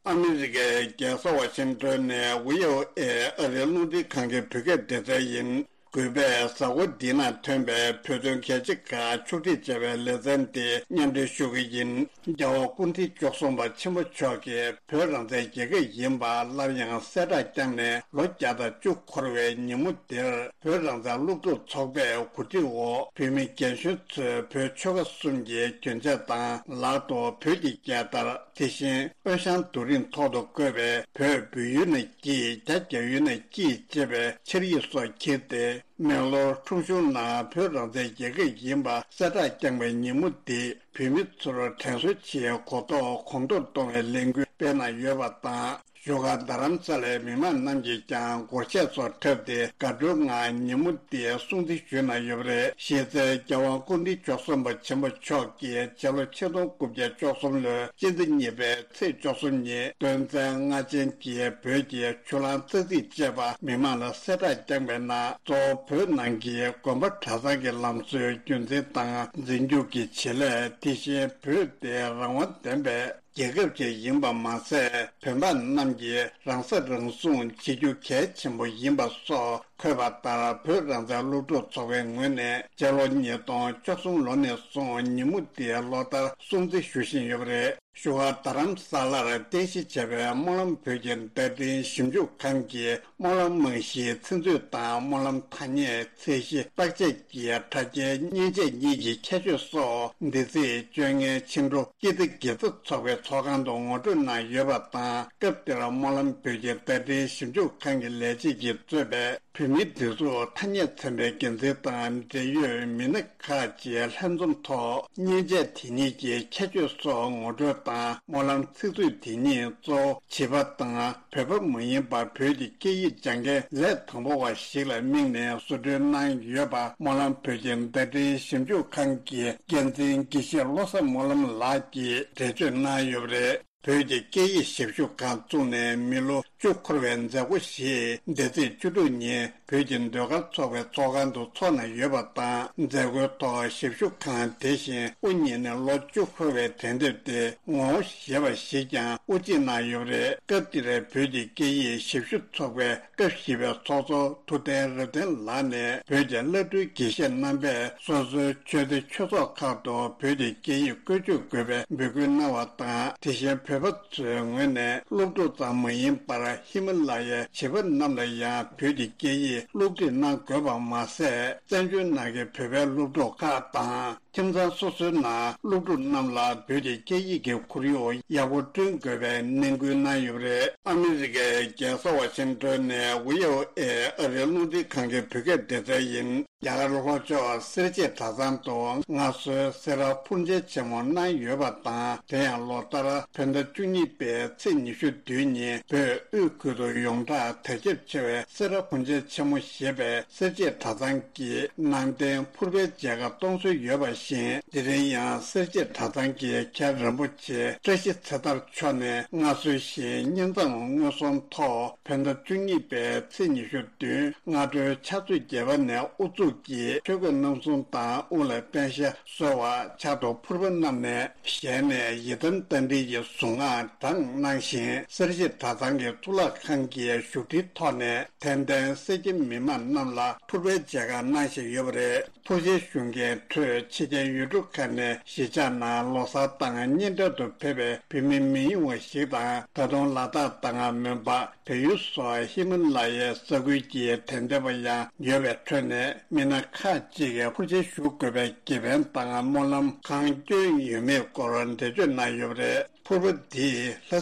ཨ་མེ་རི་ཀའི་རྒྱལ་ས་ཝ་ཤིང་ཊོན་ནས་བྷི་ཨོ་ཨེ་ཨ་རིའི་རླུང་འཕྲིན་ཁང་གི་བོད་སྐད་སྡེ་ཚན་ཡིན། གུས་པས་གཟའ་འཁོར་འདི་ན་ཐོན་པའི་བོད་དོན་གལ་ཆེ་ཁག་ཕྱོགས་སྒྲིག་བྱ་བའི་ལེ་ཚན་འདི་སྙན་སྒྲོན་ཞུ་གི་ཡིན། རྒྱལ་བ་སྐུ་ཕྲེང་བཅུ་གསུམ་པ་ཆེན་པོ་མཆོག་གིས་བོད་རང་བཙན་རྒྱལ་ཁབ་ཡིན་པ་སླར་ཡང་གསལ་བསྒྲགས་བསྐྱངས་ནས་ལོ་བརྒྱ་དང་བཅུ་འཁོར་བའི་ཉིན་མོ་འདིར། བོད་རང་བཙན་སློབ་ཕྲུག་ཚོགས་པས་གོ་སྒྲིག་འོག་བོད་མི་རྒན་གཞོན་ཚོས་བོད་ཆོལ་ཁ་གསུམ་གྱི་གྱོན་ཆས་དང་ལག་ཏུ་བོད་ཀྱི་རྒྱལ་དར། དེ་བཞིན་དབོན་ཞང་རྡོ་རིང་ཐོག་ཏུ་བཀོད་པའི་བོད་བོད་ཡུལ་ན་སྐྱིད། རྒྱ་རྒྱ་ཡུལ་ན་སྐྱིད་ཅེས་པའི་འཆར་ཡིག་སོགས་འཁྱེར་ཏེ། མེག་ལོར་ཁྲོམ་གཞུང་ནང་བོད་རང་བཙན་རྒྱལ་ཁབ་ཡིན་པ་གསལ་བསྒྲགས་བསྐྱངས་པའི་ཉིན་མོ་འདི་བོད་མི་ཚོར་དྲན་གསོའི་ཆེད་གོ་རྟོགས་གོང་མཐོར་གཏོང་བའི་ལས་འགུལ་སྤེལ་གནང་ཡོད་པ་དང་། བཞུགས་སྒར་རྡ་རམ་ས་ལའི་མི་མང་རྣམས་ཀྱིས་ཀྱང་སྒོར་གཞས་སོགས་འཁྲབ་སྟེ་དགའ་སྤྲོའི་ངང་ཉིན་མོ་འདི་སྲུང་བརྩི་ཞུས་གནང་ཡོད་པ་རེད། གཞི་རྩའི་རྒྱལ་དབང་སྐུ་ཕྲེང་བཅུ་གསུམ་པ་ཆེན་པོ་མཆོག་གིས་སྤྱི་ལོ་ཆིག་སྟོང་དགུ་བརྒྱ་བཅུ་གསུམ་ལོའི་སྤྱི་ཟླ་གཉིས་པའི་ཚེས་བཅུ་གསུམ་ཉིན་དོན་ཚན་ལྔ་ཅན་གྱི་བོད་ཀྱི་ཆུ་གླང་ཙག་ཙིག་ཅེས་པ་མི་མང་ལ་གསལ་བསྒྲགས་བསྐྱངས་པའི་ནང་གཙོ་བོ་བོད་ནང་གི་དགོན་པ་གྲྭ་ཚང་གི་ལམ་སྲོལ་རྒྱུན་འཛིན་དང་འཛིན་སྐྱོང་གི་བྱེད་ལས། དེ་བཞིན་བོད་དེ་རང་དབང་ལྡན་པའི་རྒྱལ་ཁབ་ཅིག་ཡིན་པ་མ་ཟད། བོད་འབངས་རྣམས་ཀྱིས་རང་ས་རང་སྲུང་བྱེད་རྒྱུ་གལ་ཆེན་པོ་ཡིན་པ་སོགས་འཁོད་པ་ལྟར། བོད་རང་བཙན་སློབ་ཕྲུག་ཚོགས་པའི་ངོས་ནས་སྤྱི་ལོ་ཉིས་སྟོང་བཅུ་གསུམ་ལོ་ནས་བཟུང་ཉིན་མོ་འདིའི་ལོ་ལྟར་སྲུང་བརྩི་ཞུ་བཞིན་ཡོད་པ་རེད། བཞུགས་སྒར་རྡ་རམ་ས་ལར་རྟེན་གཞི་བྱས་པའི་སྨོན་ལམ་བོད་ཀྱི་བརྡ་འཕྲིན་ཞིབ་འཇུག་ཁང་གིས་སྨོན་ལམ་རྨང་གཞིའི་ཚིག་མཛོད་དང་སྨོན་ལམ་ཐ་སྙད། ཚད་གཞི་བརྟག་དཔྱད་ཀྱི་དྲ་རྒྱའི་མཉེན་ཆས་གཉིས་ཀྱི་ཁྱད་ཆོས་སོགས་འདི་ཚེས་བཅོ་ལྔའི་ཕྱི་དྲོ་སྐྱིད་ལྡེ་དགེ་རྩ་ཚོགས་པའི་ཚོགས་ཁང་དུ་ངོ་སྤྲོད་གནང་ཡོད་པ་དང་། སྐབས་དེར་སྨོན་ལམ་བོད་ཀྱི་བརྡ་འཕྲིན་ཞིབ་འཇུག་ཁང་གི་ལས་བྱེད་ཀྱིས་གཙོས་པའི་བོད་མིའི་སྒྲིག་འཛུགས་ཐ་སྙད་ཚན་པའི་འགན་འཛིན་དང་འབྲེལ་ཡོད་མི་སྣ་ཁག་ཅིག་ལྷན་འཛོམས་ཐོག་མཉེན་ཆས་དེ་ཉིད་ཀྱི་ཁྱད་ཆོས་སོགས་ངོ་སྤྲོད་དང་། སྨོན་ལམ་ཚིག་མཛོད་དེ་ཉིད་གཙོ་བོ་བྱིས་པ་དང་། བོད་པ་མ་ཡིན་པ་བོད་ཀྱི་སྐད་ཡིག་སྦྱང་མཁན་ལས་དང་པོ་བ་ཞིག་ལ་དམིགས་ནས་བཟོ་སྐྲུན་གནང་ཡོད་པ་སྨོན་ལམ་བོད་ཀྱི་བརྡ་འཕྲིན་ཞིབ་འཇུག་ཁང་གི་འགན་འཛིན་དགེ་བཤེས་བློ་བཟང་སྨོན་ལམ་ལགས་ཀྱིས་འགྲེལ་བརྗོད་གནང་ཡོད་པ་རེད། བོད་ཀྱི་སྐད་ཡིག་ཞིབ་འཇུག་ཁང་བཙུགས་ནས་མི་ལོ་བཅུ་འཁོར་བའི་མཛད་སྒོ་ཞིག་འདི་ཚེས་བཅུ་དྲུག་ཉིན་བོད་ཀྱི་ཟློས་གར་ཚོགས་པའི་ཚོགས་ཁང་དུ་འཚོགས་གནང་ཡོད་པ་དང་། མཛད་སྒོའི་ཐོག་ཞིབ་འཇུག་ཁང་དེ་བཞིན་དབུ་བརྙེས་ནས་ལོ་བཅུ་འཁོར་བའི་དྲན་རྟེན་དེ་ངོ་བོ་ཞེས་པ་ཞིག་ཀྱང་དབུ་འབྱེད་གནང་ཡོད་པ་རེད། སྐབས་དེར་བོད་ཀྱི་སྐད་ཡིག་ཞིབ་ཞུ་ཚོགས་པའི་སྐབས་བཞི་པའི་ཚོགས་གཙོ་ཐུབ་བསྟན་རབ་བརྟན་ལགས་ནས་བོད་ཀྱི་བླ་སྤྲུལ་དགེ་བཤེས་རྣམ་པས་སོ་སོའི་ཆོས་སྡེ་ཆོས་ཚོགས་ཁག་ཏུ་བོད་ཀྱི་སྐད་ཡིག་བཀོལ་སྤྱོད་དགོས་པའི་འབོད་སྐུལ་གནང་བ་དང་། དེ་བཞིན་བོད་པ་ཚོའི་ངོས་ནས་སློབ་ཕྲུག་ཙམ་མ་ཡིན་པར་ཧི་མ་ལ་ཡའི་བྱིས་པ་རྣམས་ལ་ཡང་བོད་ཀྱི་སྐད་ཡིག་སློབ་ཁྲིད་གནང་དགོས་པ་མ་ཟད། བཙན་བྱོལ་ནང་གི་བོད་པའི་སློབ་ཕྲུག་ཁག་དང་། ཁྱིམ་ཚང་སོ་སོའི་ནང་སློབ་ཕྲུག་རྣམས་ལ་བོད་ཀྱི་སྐད་ཡིག་གི་ཁོར་ཡུག་ཡག་པོ་བསྐྲུན་དགོས་པའི་ནན་སྐུལ་གནང་ཡོད་པ་རེད། ཨ་མི་རི་ཀའི་རྒྱལ་ས་ཝ་ཤིང་ཏོན་ནས་བྷི་ཨོ་ཨེ་ཨ་རིའི་རླུང་འཕྲིན་ཁང་གི་བོད་སྐད་སྡེ་ཚན་ཡིན། རྒྱ་གར་ལྷོ་ཕྱོགས་སེར་བྱེས་གྲྭ་ཚང་དུ་སྔར་སྲོལ་སེ་ར་འཕུར་མཇལ་ཆེན་མོ་གནང་ཡོད་པ་དང་། དེ་ཡང་ལོ་ལྟར་བོད་ཟླ་བཅུ་གཉིས་པའི་ཚེས་ཉི་ཤུ་བདུན་ཉིན་བོད་དབུས་ཁུལ་དུ་ཡོངས་གྲགས་དར་ཁྱབ་ཆེ་བའི་སེ་ར་འཕུར་མཇལ་ཆེན་མོ་ཞེས་པའི་སེར་བྱེས་གྲྭ་ཚང་གིས་ནང་རྟེན་ཕུར་པའི་མཇལ་ཁ་གཏོང་སྲོལ་ཡོད་པ་བཞིན། དེ་རིང་ཡང་སེར་བྱེས་གྲྭ་ཚང་གི་མཁན་རིན་པོ་ཆེ་བཀྲ་ཤིས་ཚེ་ཐར་མཆོག་ནས་སྔར་སྲོལ་བཞིན་བསྙེན་མཚམས་མངོན་སུམ་ཐོག་བོད་ཟླ་བཅུ་གཉིས་པའི་ཚེས་ཉི་ཤུ་བདུན་སྔ་དྲོའི་ཕྱག་ཚོད་བརྒྱད་པ་ནས་དབུ་འཛུགས་ཀྱིས་ཆོས་གོས་རྣམ་གསུམ་དང་དབུ་ལ་པད་ཤག་གསོལ་བ། ཕྱག་ཏུ་ཕུར་པ་བསྣམས་ནས་ཞལ་ནས་ཡི་དམ་རྟ་མགྲིན་གྱི་གཟུངས་སྔགས་བགྲངས་གནང་ཞིང་། སེར་བྱེས་གྲྭ་ཚང་གི་གཙུག་ལག་ཁང་གི་བཞུགས་ཁྲིའི་ཐོག་ནས་དད་ལྡན་སེར་སྐྱ་མི་མང་རྣམས་ལ་ཕུར་པའི་མཇལ་ཁ་གནང་བཞིན་ཡོད་པ་རེད། ཕུར་མཇལ་ཞུ་མཁན་ཁྲོད་ཕྱི་རྒྱལ་ཡུལ་གྲུ་ཁག་ནས་གཞིས་ཆགས་ནང་ལོ་གསར་དང་གཉེན་འཕྲད་དུ་ཕེབས་པའི་བོད་མི་མི་ཉུང་བ་ཞིག་དང་། ད་དུང་ལ་དྭགས་དང་མོན་པ། བལ་ཡུལ་སོགས་ཧི་མ་ལ་ཡའི་ས་ཁུལ་གྱི་དད་ལྡན་པ་ཡང་ཡོད་པའི་ཁྲོད་ནས། མི་སྣ་ཁག་ཅིག་གིས་ཕུར་མཇལ་ཞུ་དགོས་པའི་དགེ་ཕན་དང་སྨོན་ལམ་གང་བསྐྱོན་ཡོད་མེད་སྐོར་འགྲེལ་བརྗོད་གནང་ཡོད་པ་རེད། ཕུར་པ་འདིས་ལྷ་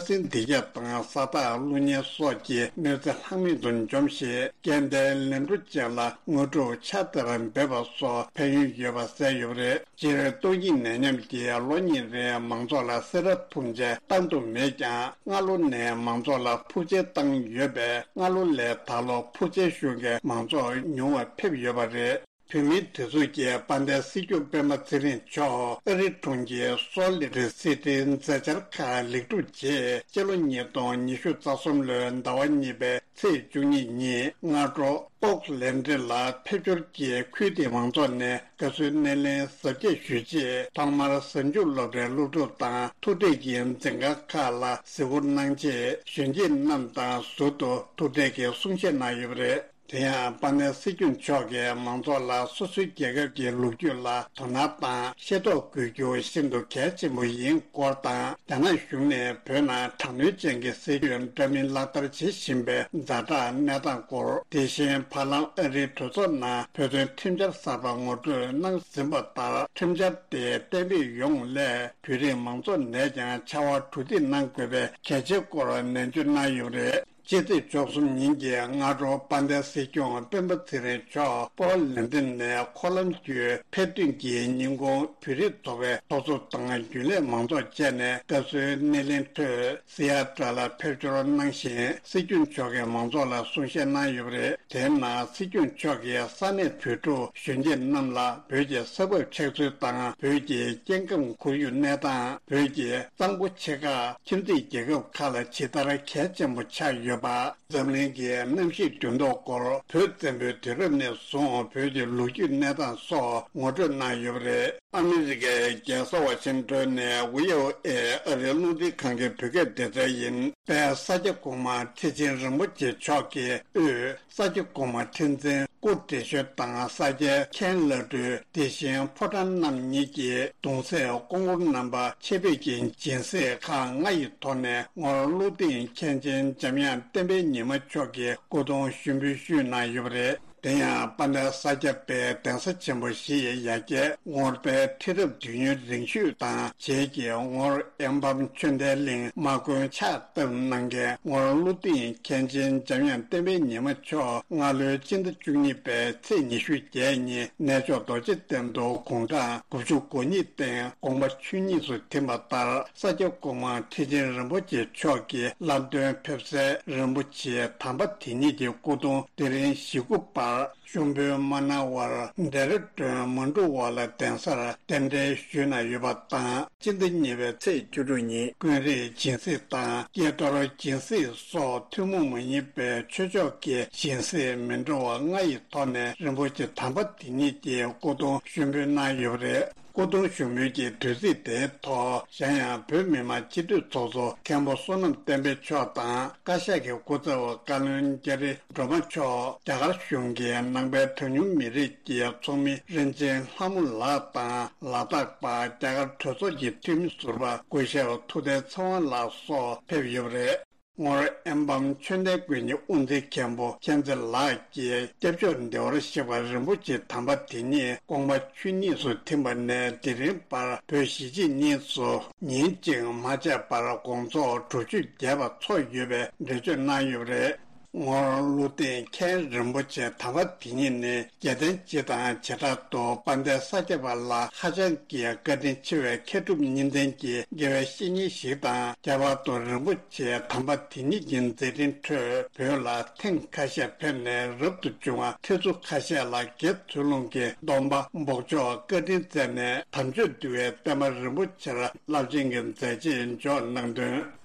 སྲིན་སྡེ་བརྒྱད་དང་ས་བདག་ཀླུ་གཉན་སོགས་ཀྱི་གནོད་འཚེ་ལྷག་མེད་དུ་འཇོམས་ཤིང་། སྐལ་ལྡན་ལན་གྲུ་ཅན་ལ་དངོས་གྲུབ་ཕྱག་དར་འབེབས་པ་སོགས་ཕན་ཡོན་ཡོད་པ་གསལ་ཡོད་པ་རེད། སྤྱིར་སྟོང་ཉིད་ནད་ཉམས་ཀྱིས་ལོ་གཉིས་རིང་མང་ཚོགས་ལ་སེ་ར་ཕུར་མཇལ་བཏང་ཐུབ་མེད་ཀྱང་། སྔ་ལོ་ནས་མང་ཚོགས་ལ་ཕུར་མཇལ་བཏང་ཡོད་པས། སྔ་ལོ་ལས་ད་ལོ་ཕུར་མཇལ་ཞུ་མཁན་མང་ཚོགས་ཉུང་བ་ཕེབས་ཡོད་པ་རེད། བོད་མིའི་སྒྲིག་འཛུགས་ཀྱི་དཔལ་ལྡན་སྲིད་སྐྱོང་སྤེན་པ་ཚེ་རིང་མཆོག་ཨ་རིའི་གྲོང་ཁྱེར་སོལ་ལེ་ཀི་སི་ཊིའི་མཛད་འཆར་ཁག་ལེགས་གྲུབ་རྗེས། སྤྱི་ལོ་ཉིས་སྟོང་ཉི་ཤུ་རྩ་གསུམ་ལོའི་ཟླ་བ་གཉིས་པའི་ཚེས་བཅུ་གཉིས་ཉིན་སྔ་དྲོ་ཨོག་ལན་ཌི་ལ་ཕེབས་འབྱོར་གྱིས་ཁུལ་དེའི་མང་ཚོགས་ནས་དགའ་བསུའི་སྣེ་ལེན་གཟབ་རྒྱས་ཞུས་རྗེས། ཐོག་མར་གཟའ་མཇུག་སློབ་གྲྭའི་སློབ་ཕྲུག་དང་ཐུག་འཕྲད་ཀྱི་འཛིན་ཁང་ཁག་ལ་གཟིགས་སྐོར་གནང་རྗེས། གཞོན་སྐྱེས་རྣམས་དང་ཟུར་དུ་ཐུག་འཕྲད་ཀྱི་གསུང་བཤད་གནང་ཡོད་པ་རེད། དེ་ཡང་དཔལ་ལྡན་སྲིད་སྐྱོང་མཆོག་གིས་མང་ཚོགས་ལ་སོ་སོའི་རྒྱལ་ཁབ་ཀྱི་ལོ་རྒྱུས་ལ་དོ་སྣང་དང་ཤེས་རྟོགས་དགོས་རྒྱུ་ཤིན་ཏུ་གལ་ཆེན་པོ་ཡིན་སྐོར་དང་། རྒྱ་ནག་གཞུང་ནས་བོད་ནང་དྲག་གནོན་ཅན་གྱི་སྲིད་ཇུས་འདྲ་མིན་ལག་བསྟར་བྱེད་བཞིན་པའི་ཛ་དྲག་གནས་སྟངས་སྐོར། དེ་བཞིན་བར་ལམ་ཨ་རིའི་གྲོས་ཚོགས་ནང་བོད་དོན་ཁྲིམས་འཆར་གསར་པ་ངོ་སྤྲོད་གནང་ཟིན་པ་ལྟར། ཁྲིམས་འཆར་དེ་གཏན་འབེབས་ཡོང་སླད་བོད་རིགས་མང་ཚོགས་ནས་ཀྱང་ཕྱར་བ་གྲུ་འདེགས་གནང་དགོས་པའི་གལ་ཆེའི་སྐོར་ནན་བརྗོད་གནང་ཡོད་པ་རེད། ཕྱི་ཚེས་བཅུ་གསུམ་ཉིན་གྱི་སྔ་དྲོ་དཔལ་ལྡན་སྲིད་སྐྱོང་སྤེན་པ་ཚེ་རིང་མཆོག་པོ་ལན་ཏིན་ནས་འཁོར་ལམ་བརྒྱུད་ཕེབས་ཐོན་གྱི་ཉིན་གུང་བོད་རིགས་ཚོགས་པའི་ཚོགས་གཙོ་དང་རྒྱུན་ལས་མང་ཚོགས་བཅས་ནས་བཀའ་ཟུར་སྣེ་ལེན་ཁྲོད་སི་ཡ་ཊ་ལ་ཕེབས་འབྱོར་གནང་ཞིང་། སྲིད་སྐྱོང་མཆོག་གིས་མང་ཚོགས་ལ་གསུང་བཤད་གནང་ཡོད་པ་རེད། དེའི་ནང་སྲིད་སྐྱོང་མཆོག་གིས་ས་གནས་བོད་ཕྲུག་གཞོན་སྐྱེས་རྣམས་ལ་བོད་ཀྱི་ས་བབ་ཆགས་ཚུལ་དང་། བོད་ཀྱི་སྐྱེ་ཁམས་ཁོར་ཡུག་གནས་སྟངས། བོད་ཀྱི་གཙང་པོ་ཆེ་ཁག་ཁྱིམ་མཚེས་རྒྱལ་ཁབ་ཁག་ལ་ཇི་ལྟར་གལ་ཆེན་པོ་ཆགས་ཡོད་པ། འཛམ་གླིང་གི་གནམ་གཤིས་འགྱུར་ལྡོག་སྐོར། བོད་བཙན་པོའི་དུས་རབས་ནས་བཟུང་བོད་ཀྱི་ལོ་རྒྱུས་གནས་སྟངས་སོགས་ངོ་སྤྲོད་གནང་ཡོད་པ་རེད། ཨ་མི་རི་ཀའི་རྒྱལ་ས་ཝ་ཤིང་ཏོན་ནས་བྷི་ཨོ་ཨེ་ཨ་རིའི་རླུང་འཕྲིན་ཁང་གི་བོད་སྐད་སྡེ་ཚན་ཡིན། དཔལ་ས་སྐྱ་གོང་མ་ཁྲི་ཆེན་རིན་པོ་ཆེ་མཆོག་གིས་དབུས་ས་སྐྱ་གོང་མ་ཁྲི་འཛིན་སྐུ་བགྲེས་གཞོན་དང་ས་སྐྱའི་མཁན་བླ་སྤྲུལ། དེ་བཞིན་ཕོ་བྲང་རྣམ་གཉིས་ཀྱི་གདུང་སྲས་སྐུ་འཁོར་རྣམ་པ་ཆེད་ཕེབས་ཀྱི་སྦྱིན་སྲེག་ཁག་ལྔ་ཡི་ཐོག་ནས་ངོར་བློ་གདེང་མཁན་ཆེན་འཇམ་དབྱངས་བསྟན་པའི་ཉི་མ་མཆོག་གི་སྐུ་གདུང་ཞུགས་འབུལ་ཞུས་གནང་ཡོད་པ་རེད། དེ་ཡང་དཔལ་ལྡན་ས་སྐྱ་པའི་གདན་ས་ཆེན་པོ་བཞི་ཡི་ཡ་གྱལ་ངོར་པའི་ཁྲི་རབས་དུས་ཡུན་རིང་ཤོས་དང་རྗེས་ཀྱི་ངོར་ཨེམ་བམ་ཆོས་ལྡན་གླིང་དམག་དཔོན་ཕྱག་བཏབ་གནང་མཁན་ངོར་བློ་གདེང་མཁན་ཆེན་འཇམ་དབྱངས་བསྟན་པའི་ཉི་མ་མཆོག་སྔ་ལོའི་སྤྱི་ཟླ་བཅུ་གཉིས་པའི་ཚེས་ཉི་ཤུ་བརྒྱད་ཉིན་གནས་མཆོག་རྡོ་རྗེ་གདན་དུ་དགུང་གྲངས་དགུ་བཅུ་གོ་གཉིས་སྟེང་དགོངས་པ་ཆོས་ཉིད་དུ་ཐིམ་པ་ལྟར། ས་སྐྱ་གོང་མ་ཁྲི་ཆེན་རིན་པོ་ཆེ་མཆོག་གི་བླ་གདན་ཕེབས་སའི་རིན་པོ་ཆེ་དམ་པ་དེ་ཉིད་ཀྱི་སྐུ་གདུང་དེ་རིང་བཞི་དགུ་བར་ཤོང་བུ་མ་གནང་བར་ལྡེ་ར་ལྡུན་མ་འགྲོ་བ་ལ་གདན་སར་རྟེན་འབྲེལ་ཞུས་གནང་ཡོད་པ་དང་། སྤྱི་ཟླ་གཉིས་པའི་ཚེས་བཅུ་དྲུག་ཉིན་ཀུན་རིག་སྦྱིན་སྲེག་དང་དཀྱིལ་གཏོར་སྦྱིན་སྲེག་སོགས་ཐུན་མོང་མ་ཡིན་པའི་ཆོས་ཕྱོགས་ཀྱི་སྦྱིན་སྲེག་མི་འདྲ་བ་ལྔ་ཡི་ཐོག་ནས་རིན་པོ་ཆེ་དམ་པ་དེ་ཉིད་ཀྱི་སྐུ་གདུང་ཞུགས་འབུལ་གནང་ཡོད་པ་རེད། སྐུ་གདུང་ཞུགས་འབུལ་གྱི་དུས་ཚིགས་དེའི་ཐོག་གཞན་ཡང་བོད་མི་མང་སྤྱི་འཐུས་ཚོགས་གཙོ་མཁན་པོ་བསོད་ནམས་བསྟན་འཕེལ་མཆོག་དང་། བཀའ་ཤག་གི་སྐུ་ཚབ་བཀའ་བློན་རྒྱ་རི་སྒྲོལ་མ་མཆོག་རྒྱ་གར་གཞུང་གི་ནང་པའི་གྲངས་ཉུང་མི་རིགས་ཀྱི་ཚོགས་མི་རིན་ཆེན་ལྷ་མོ་ལགས་དང་། ལ་དྭགས་པ་རྒྱ་གར་གྲོས་ཚོགས་ཀྱི་འཐུས་མི་ཟུར་པ་སྐུ་ཞབས་ཐུབ་བསྟན་ཚེ་དབང་ལགས་སོགས་ཕེབས་ཡོད་པ་རེད། ངོར་ཨེམ་བམ་ཆོས་ལྡན་དགོན་གྱི་དབུ་འཛིན་མཁན་པོ་མཁྱེན་བརྩེ་ལགས་ཀྱིས་སྐྱབས་མཆོག་བདེ་བར་གཤེགས་པ་རིན་པོ་ཆེ་དམ་པ་དེ་ཉིད་དགོངས་པ་ཆོས་ཉིད་དུ་ཐིམ་པ་ནས་དེ་རིང་བར་བོད་གཞིས་བྱེས་གཉིས་སུ་ཉིན་གཅིག་མ་ཆད་པར་དགོང་ཚོགས་དྲུག་ཅུ་བརྒྱད་པ་ཚོགས་ཡོད་པའི་འགྲེལ་བརྗོད་གནང་ཡོད་པ་རེད། ངོར་ཀླུ་སྡིངས་མཁན་རིན་པོ་ཆེ་དམ་པ་དེ་ཉིད་ནི་རྒྱལ་བསྟན་སྤྱི་དང་བྱེ་བྲག་ཏུ་དཔལ་ལྡན་ས་སྐྱ་པ་ལ་ཧ་ཅང་གི་བཀའ་དྲིན་ཆེ་བའི་མཁས་གྲུབ་གཉིས་ལྡན་གྱི་དགེ་བའི་བཤེས་གཉེན་ཞིག་དང་། ཁྱད་པར་དུ་རིན་པོ་ཆེ་དམ་པ་དེ་ཉིད་ཀྱི་མཛད་འཕྲིན་ཁྲོད་བོད་ལ་ཐེངས་ཁ་ཤས་ཕེབས་ནས་རབ་ཏུ་བྱུང་བ་ཁྲི་ཚོ་ཁ་ཤས་ལ་དགེ་ཚུལ་སློང་གི་སྡོམ་པ་འབོགས་ཆོག་བཀའ་དྲིན་སྩལ་ནས་དམ་ཆོས་འདུལ་བའི་བསྟན་པ་རིན་པོ་ཆེར་རླབས་ཆེན་གྱི་མཛད་རྗེས་འཇོག་གནང་དོན།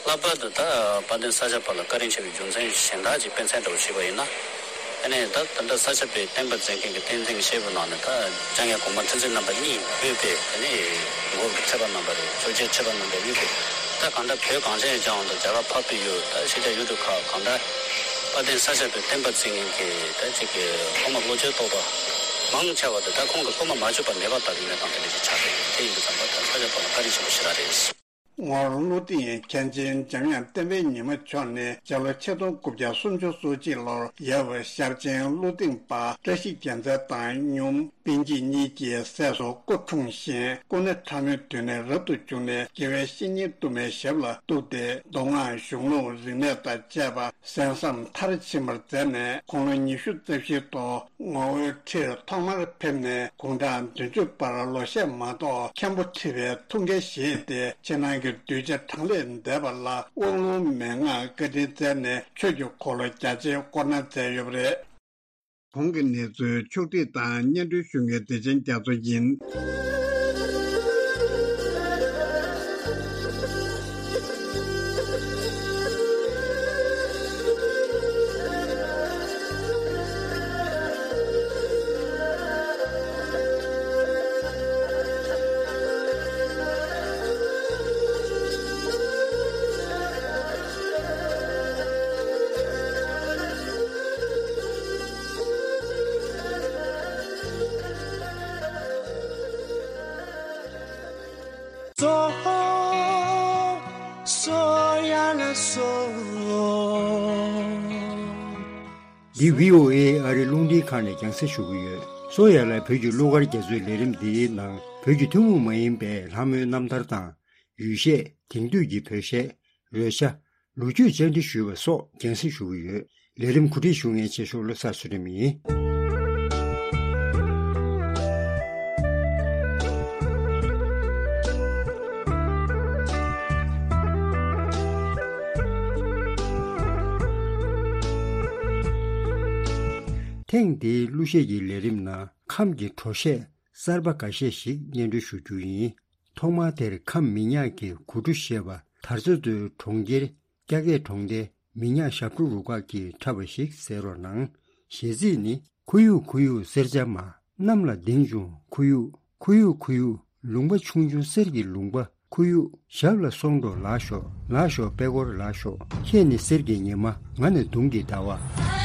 ལྷག་པར་དུ་ད་དཔལ་ལྡན་ས་སྐྱ་པ་ལ་བཀའ་དྲིན་ཆེ་བའི་རྒྱུ་མཚན་གཞན་དག་ཅིག་དཔེ་མཚོན་འདྲ་བོ་ཞུས་པ་ཡིན་ན། ཨ་ནི་ད་ད་ལྟ་ས་སྐྱ་པའི་བསྟན་པ་འཛིན་མཁན་གྱི་བསྟན་འཛིན་གྱི་སྐྱེས་བུ་ནང་ནས་ད་ལྕམ་ཡང་གོང་མ་ཁྲི་འཛིན་རྣམ་པ་གཉིས་དབུས་པའི་ཨ་ནི་འགོ་གི་ཐེག་པ་རྣམ་པ་རེད། ཆོས་རྒྱལ་ཐེག་པ་རྣམ་པའི་དབུས་པའི་ད་གང་ལྟར་བོད་གངས་ཅན་གྱི་ལྗོངས་དང་རྒྱ་གར་འཕགས་པའི་ཡུལ་ད་ཕྱི་རྒྱལ་ཡུལ་གྲུ་ཁག་གང་ལྟར་དཔལ་ལྡན་ས་སྐྱ་པའི་བསྟན་པ་འཛིན་མཁན་གྱི་ད་ཅིག་གི་སློབ་མ་བློ་ཆོས་རྟོགས་པ་མང་ཆེ་བ་དེ་ད་ཁོང་གི་སློབ་མ་མ་གྱུར་པ་མེད་པ་ལྟ་བུའི་གནས་སྟངས་དེ་འདྲ་ཞིག་ཆགས་ཀྱི་ཡོད། དེ་ཡིན་དུས་ཙམ་པ་ད་ས་སྐྱ་པ་ལ་བཀའ་དྲིན་ཆེན་པོ་ཞེ་དྲག་རེད། ངོར་ཀླུ་སྡིངས་མཁན་ཆེན་འཇམ་དབྱངས་བསྟན་པའི་ཉི་མ་མཆོག་ནི་སྤྱི་ལོ་ཆིག་སྟོང་དགུ་བརྒྱ་སུམ་ཅུ་སོ་གཅིག་ལོར་ཡབ་ཤར་ཆེན་ཀླུ་སྡིངས་པ་བཀྲ་ཤིས་རྒྱལ་མཚན་དང་སྙུང་པཎ་ཆེན་གཉིས་ཀྱི་སྲས་སུ་སྐུ་འཁྲུངས་ཤིང་། སྐུ་ན་ཕྲ་མོའི་དུས་ནས་རབ་ཏུ་བྱུང་ནས་དགེ་བའི་བཤེས་གཉེན་དུ་མའི་ཞབས་ལ་གཏུགས་ཏེ་མདོ་སྔགས་གཞུང་ལུགས་རིག་གནས་དང་བཅས་པ་གསན་བསམ་མཐར་ཕྱིན་པར་མཛད་ནས་དགུང་ལོ་ཉི་ཤུ་རྩ་བཞིའི་ཐོག་ངོ་བོའི་ཁྲིར་ཐོག་མར་ཕེབས་ནས་དགུང་གྲངས་བདུན་ཅུ་བར་ལོ་ཤས་མ་གཏོགས་མཁན་པོ་ཁྲི་པའི་ཐུགས་འགན་བཞེས་ཏེ་ཕྱི་ནང་གི་གདུལ་བྱ་གྲངས་ལས་འདས་པ་ལ་དབང་ལུང་མན་ངག་བཀའ་དྲིན་སྩལ་ནས་ཆོས་ཀྱི་འཁོར་ལོ་རྒྱ་ཆེའི་བསྐོར་གནང་མཛད་ཡོད་པ་རེད། གོང་གི་གནས་ཚུལ་ཕྱོགས་བསྒྲིགས་དང་སྙན་སྒྲོན་ཞུ་མཁན་བདེ་ཆེན་རྒྱ་མཚོ་ཡིན། འདི་བྷི་ཨོ་ཨེ་ཨ་རི་རླུང་འཕྲིན་ཁང་ནས་རྒྱང་སྲིང་ཞུ་གི་ཡོད། བསོད་ཡར་ལ་བོད་ཀྱི་གླུ་གར་རྒྱ་མཚོའི་ལས་རིམ་འདིའི་ནང་བོད་ཀྱི་ཐུན་མོང་མ་ཡིན་པའི་ལྷ་མོའི་རྣམ་ཐར་དང་། ཡུལ་གཞས། དེང་དུས་ཀྱི་བོད་གཞས། རོལ་ཆ། ལོ་རྒྱུས་བཅར་འདྲི་ཞུས་པ་སོགས་རྒྱང་སྲིང་ཞུ་གི་ཡོད། ལས་རིམ་གོ་སྒྲིག་ཞུ་མཁན་ཆེ་ཤོས་བློ་བཟང་ཚུལ་ཁྲིམས་ཡིན། ཐེངས་འདིའི་གླུ་གཞས་ཀྱི་ལས་རིམ་ནང་ཁམས་ཀྱི་བྲོ་གཞས་གསར་པ་འགའ་ཤས་ཤིག་སྙན་སྒྲོན་ཞུ་རྒྱུ་ཡིན། ཐོག་མར་དེར་ཁམས་མི་ཉག་གི་གོ་ཀྲུ་ཞེས་པ་དར་ཚ་མདོའི་གྲོང་ཁྱེར་སྐྱ་གད་གྲོང་སྡེའི་མི་ཉག་ཞབས་བྲོ་རུ་ཁག་གིས་འཁྲབ་པ་ཞིག་གསན་རོགས་གནང་། གཞས་ཚིག་ནི། ཁུ་གཡུག་ཁུ་གཡུག་གསེར་བྱ་མ། གནམ་ལ་ལྡིང་བྱུང་ཁུ་གཡུག་ཁུ་གཡུག་ཁུ་གཡུག་ལུང་པ་ཆུང་ཆུང་གསེར་གྱི་ལུང་པ་ཁུ་གཡུག་ཞབས་ལ་སོང་འགྲོ་ལགས་ཤོག་ལགས་ཤོག་པད་སྐོར་ལགས་ཤོག་ཁྱེད་ནི་གསེར་གྱི་ཉི་མ། ང་ནི་དུང་གི་ཟླ་བ།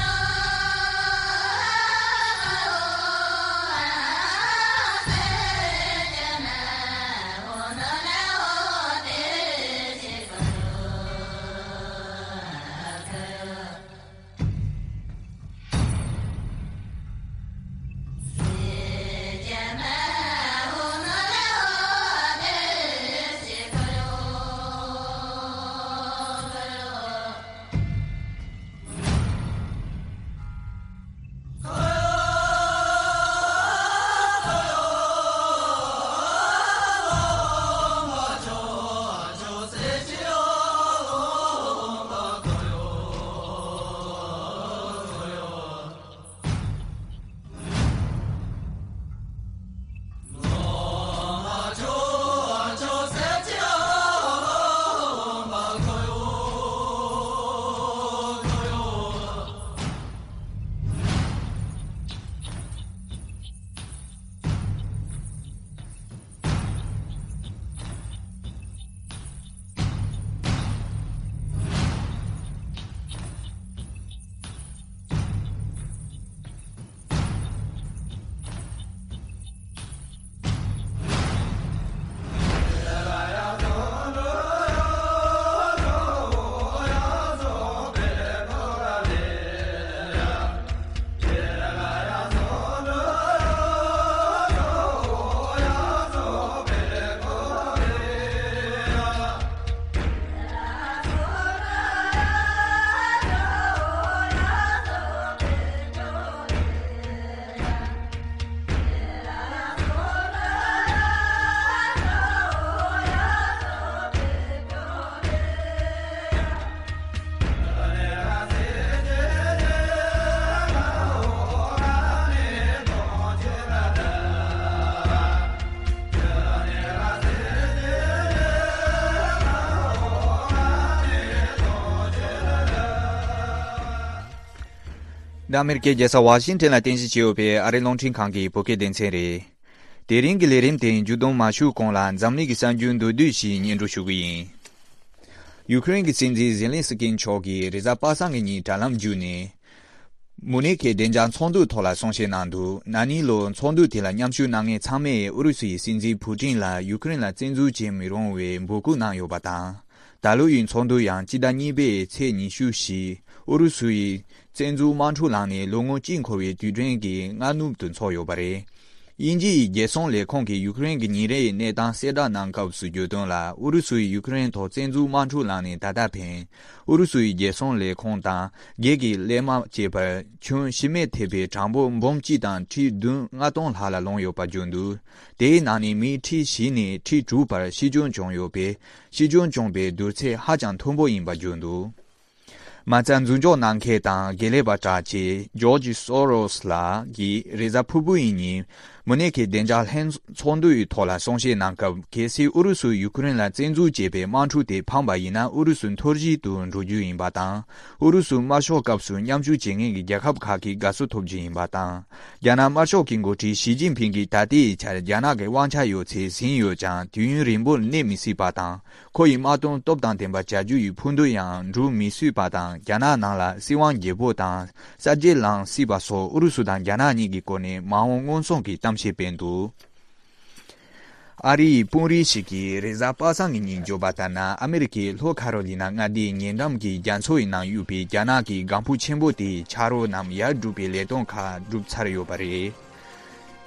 འདི་ཨ་མེ་རི་ཀའི་རྒྱལ་ས་ཝ་ཤིང་ཊོན་ལ་རྟེན་གཞི་བྱས་ཡོད་པའི་ཨ་རིའི་རླུང་འཕྲིན་ཁང་གི་བོད་སྐད་སྡེ་ཚན་རེད། དེ་རིང་གི་ལས་རིམ་དེ་མཇུག་བསྡོམས་མ་ཞུས་གོང་ལ་འཛམ་གླིང་གི་གསར་འགྱུར་མདོར་བསྡུས་ཤིག་སྙན་སྒྲོན་ཞུ་གི་ཡིན། ཡུ་ཀེ་རེན་གྱི་སྲིད་འཛིན་ཛེ་ལན་སི་ཀི་མཆོག་གིས་རེས་གཟའ་པ་སངས་ཀྱི་ཉིན་དྲ་ལམ་བརྒྱུད་ནས། མུ་ནེ་ཁའི་བདེ་འཇགས་ཚོགས་འདུའི་ཐོག་ལ་གསུང་བཤད་གནང་འདུག་ན་ནིང་ལོར་ཚོགས་འདུ་དེ་ལ་མཉམ་ཞུགས་གནང་མཁན་ཚང་མས་ཨུ་རུ་སུ་ཡི་སྲིད་འཛིན་ཕུ་ཀྲིན་ལ་ཡུ་ཀེ་རེན་ལ་བཙན་འཛུལ་བྱེད་མི་རུང་བའི་འབོད་སྐུལ་གནང་ཡོད་པ་དང་། ད་ལོ་ཡི་ཚོགས་འདུ་ཡང་སྤྱི་ཟླ་གཉིས་པའི་ཚེས་ཉི་ཤུ་བཞི་ཨུ་རུ་སུ་ཡི་བཙན་འཛུལ་དམག་འཁྲུག་ལངས་ནས་ལོ་ངོ་གཅིག་འཁོར་བའི་དུས་དྲན་གྱི་སྔ་ནུབ་ཏུ་འཚོགས་ཡོད་པ་རེད། དབྱིན་ཇི་ཡི་རྒྱལ་སྲུང་ལས་ཁུངས་ཀྱིས་ཡུ་ཀེ་རེན་གྱི་ཉིན་རེའི་གནས་སྟངས་གསལ་བསྒྲགས་གནང་སྐབས་སུ་བརྗོད་དོན་ལ། ཨུ་རུ་སུ་ཡིས་ཡུ་ཀེ་རེན་ཐོག་བཙན་འཛུལ་དམག་འཁྲུག་ལངས་ནས་ད་ལྟ་ཕན། ཨུ་རུ་སུ་ཡི་རྒྱལ་སྲུང་ལས་ཁུངས་དང་། སྒེར་གྱི་གླས་དམག་བཅས་པར་ཁྱོན་ཤི་རྨས་ཐེབས་པའི་གྲངས་འབོར་འབུམ་གཅིག་དང་ཁྲི་བདུན་ལྔ་སྟོང་ལྷག་ལ་ལོངས་ཡོད་པར་བརྗོད་འདུག་དེའི་ནང་ནས་མི་ཁྲི་བཞི་ནས་ཁྲི་དྲུག་བར་ཤི་སྐྱོན་བྱུང་ཡོད་པས། ཤི་སྐྱོན་བྱུང་པའི་བསྡུར་ཚད་ཧ་ཅང་མཐོན་པོ་ཡིན་པར་བརྗོད་འདུག་མ་རྩ་འཛུལ་འཇོག་གནང་མཁན་དང་དགེ་ལས་པ་དྲག་ཆེ་ཇོར་ཇི་སོ་རོས་ལགས་ཀྱིས་རེས་གཟའ་ཕུར་བུ་ཡི་ཉིན་མུ་ནེ་ཁའི་བདེ་འཇགས་ལྷན་ཚོགས་འདུའི་ཐོག་ལ་གསུང་བཤད་གནང་སྐབས། གལ་སྲིད་ཨུ་རུ་སུས་ཡུ་ཀེ་རེན་ལ་བཙན་འཛུལ་བྱས་པའི་དམག་འཁྲུག་དེ་ཕམ་པ་ཡིན་ན། ཨུ་རུ་སུ་འཐོར་བཤིག་ཏུ་འགྲོ་རྒྱུ་ཡིན་པ་དང་། ཨུ་རུ་སུ་དམར་ཤོག་སྐབས་སུ་མཉམ་ཞུགས་བྱེད་མཁན་གྱི་རྒྱལ་ཁབ་ཁག་གིས་དགའ་བསུ་ཐོབ་རྒྱུ་ཡིན་པ་དང་། རྒྱ་ནག་དམར་ཤོག་གི་འགོ་ཁྲིད་ཞི་ཅིན་ཕིང་གིས་ད་ལྟའི་ཆར་རྒྱ་ནག་གི་དབང་ཆ་ཡོད་ཚད་ཟིན་ཡོད་ཀྱང་། དུས་ཡུན་རིང་པོར་གནས་མི་སྲིད་པ་དང་། ཁོ་ཡི་དམག་དོན་སྟོབས་དང་ལྡན་པ་བྱ་རྒྱུ་ཡི་ཕུགས་འདུན་ཡང་འགྲུབ་མི་སྲིད་པ་དང་། རྒྱ་ནག་ནང་ལ་སྲིད་དབང་བརྗེ་པོ་དང་གསར་བརྗེ་ལངས་སྲིད་པ་སོགས་ཨུ་རུ་སུ་དང་རྒྱ་ནག་གཉིས་ཀྱི་སྐོར་ནས་མ་འོངས་མངོན་སུམ་གྱི་གཏམ་བཤད་སྤེལ་འདུག་ཨ་རིའི་དཔོན་རིགས་ཤིག་གིས་རེས་གཟའ་པ་སངས་ཀྱི་ཉིན་བརྗོད་པ་ལྟར་ན། ཨ་མེ་རི་ཁའི་ལྷོ་ཁ་རོ་ལི་ན་མངའ་སྡེའི་ཉེ་འགྲམ་གྱི་རྒྱ་མཚོ་ཡི་ནང་ཡོད་པའི་རྒྱ་ནག་གི་ལྒང་ཕུ་ཆེན་པོ་དེའི་ཆ་རོགས་རྣམས་ཡར་སྒྲུག་པའི་ལས་དོན་ཁག་བསྒྲུབས་ཚར་ཡོད་པ་རེད།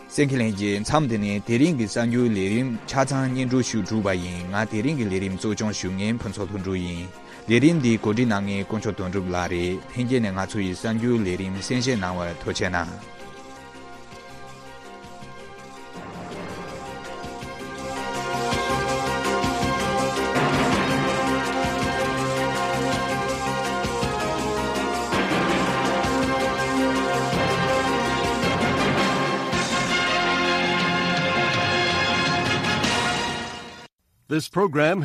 གསན་མཁན་ལྷན་རྒྱས། མཚམས་འདི་ནས་དེ་རིང་གི་གསར་འགྱུར་ལས་རིམ་ཆ་ཚང་སྙན་སྒྲོན་ཞུ་གྲུབ་པ་ཡིན། ང་དེ་རིང་གི་ལས་རིམ་གཙོ་སྐྱོང་ཞུ་མཁན་ཕུན་ཚོགས་ལྷུན་གྲུབ་ཡིན། ལས་རིམ་འདི་གོ་སྒྲིག་གནང་མཁན་དཀོན་མཆོག་དོན་གྲུབ་ལགས་རེད། ལྷན་རྒྱས་ནས་ང་ཚོ་ཡི་གསར་འགྱུར་ལས་རིམ་གསན་བཞེས་གནང་བར་ཐུགས་རྗེ་གནང་། This program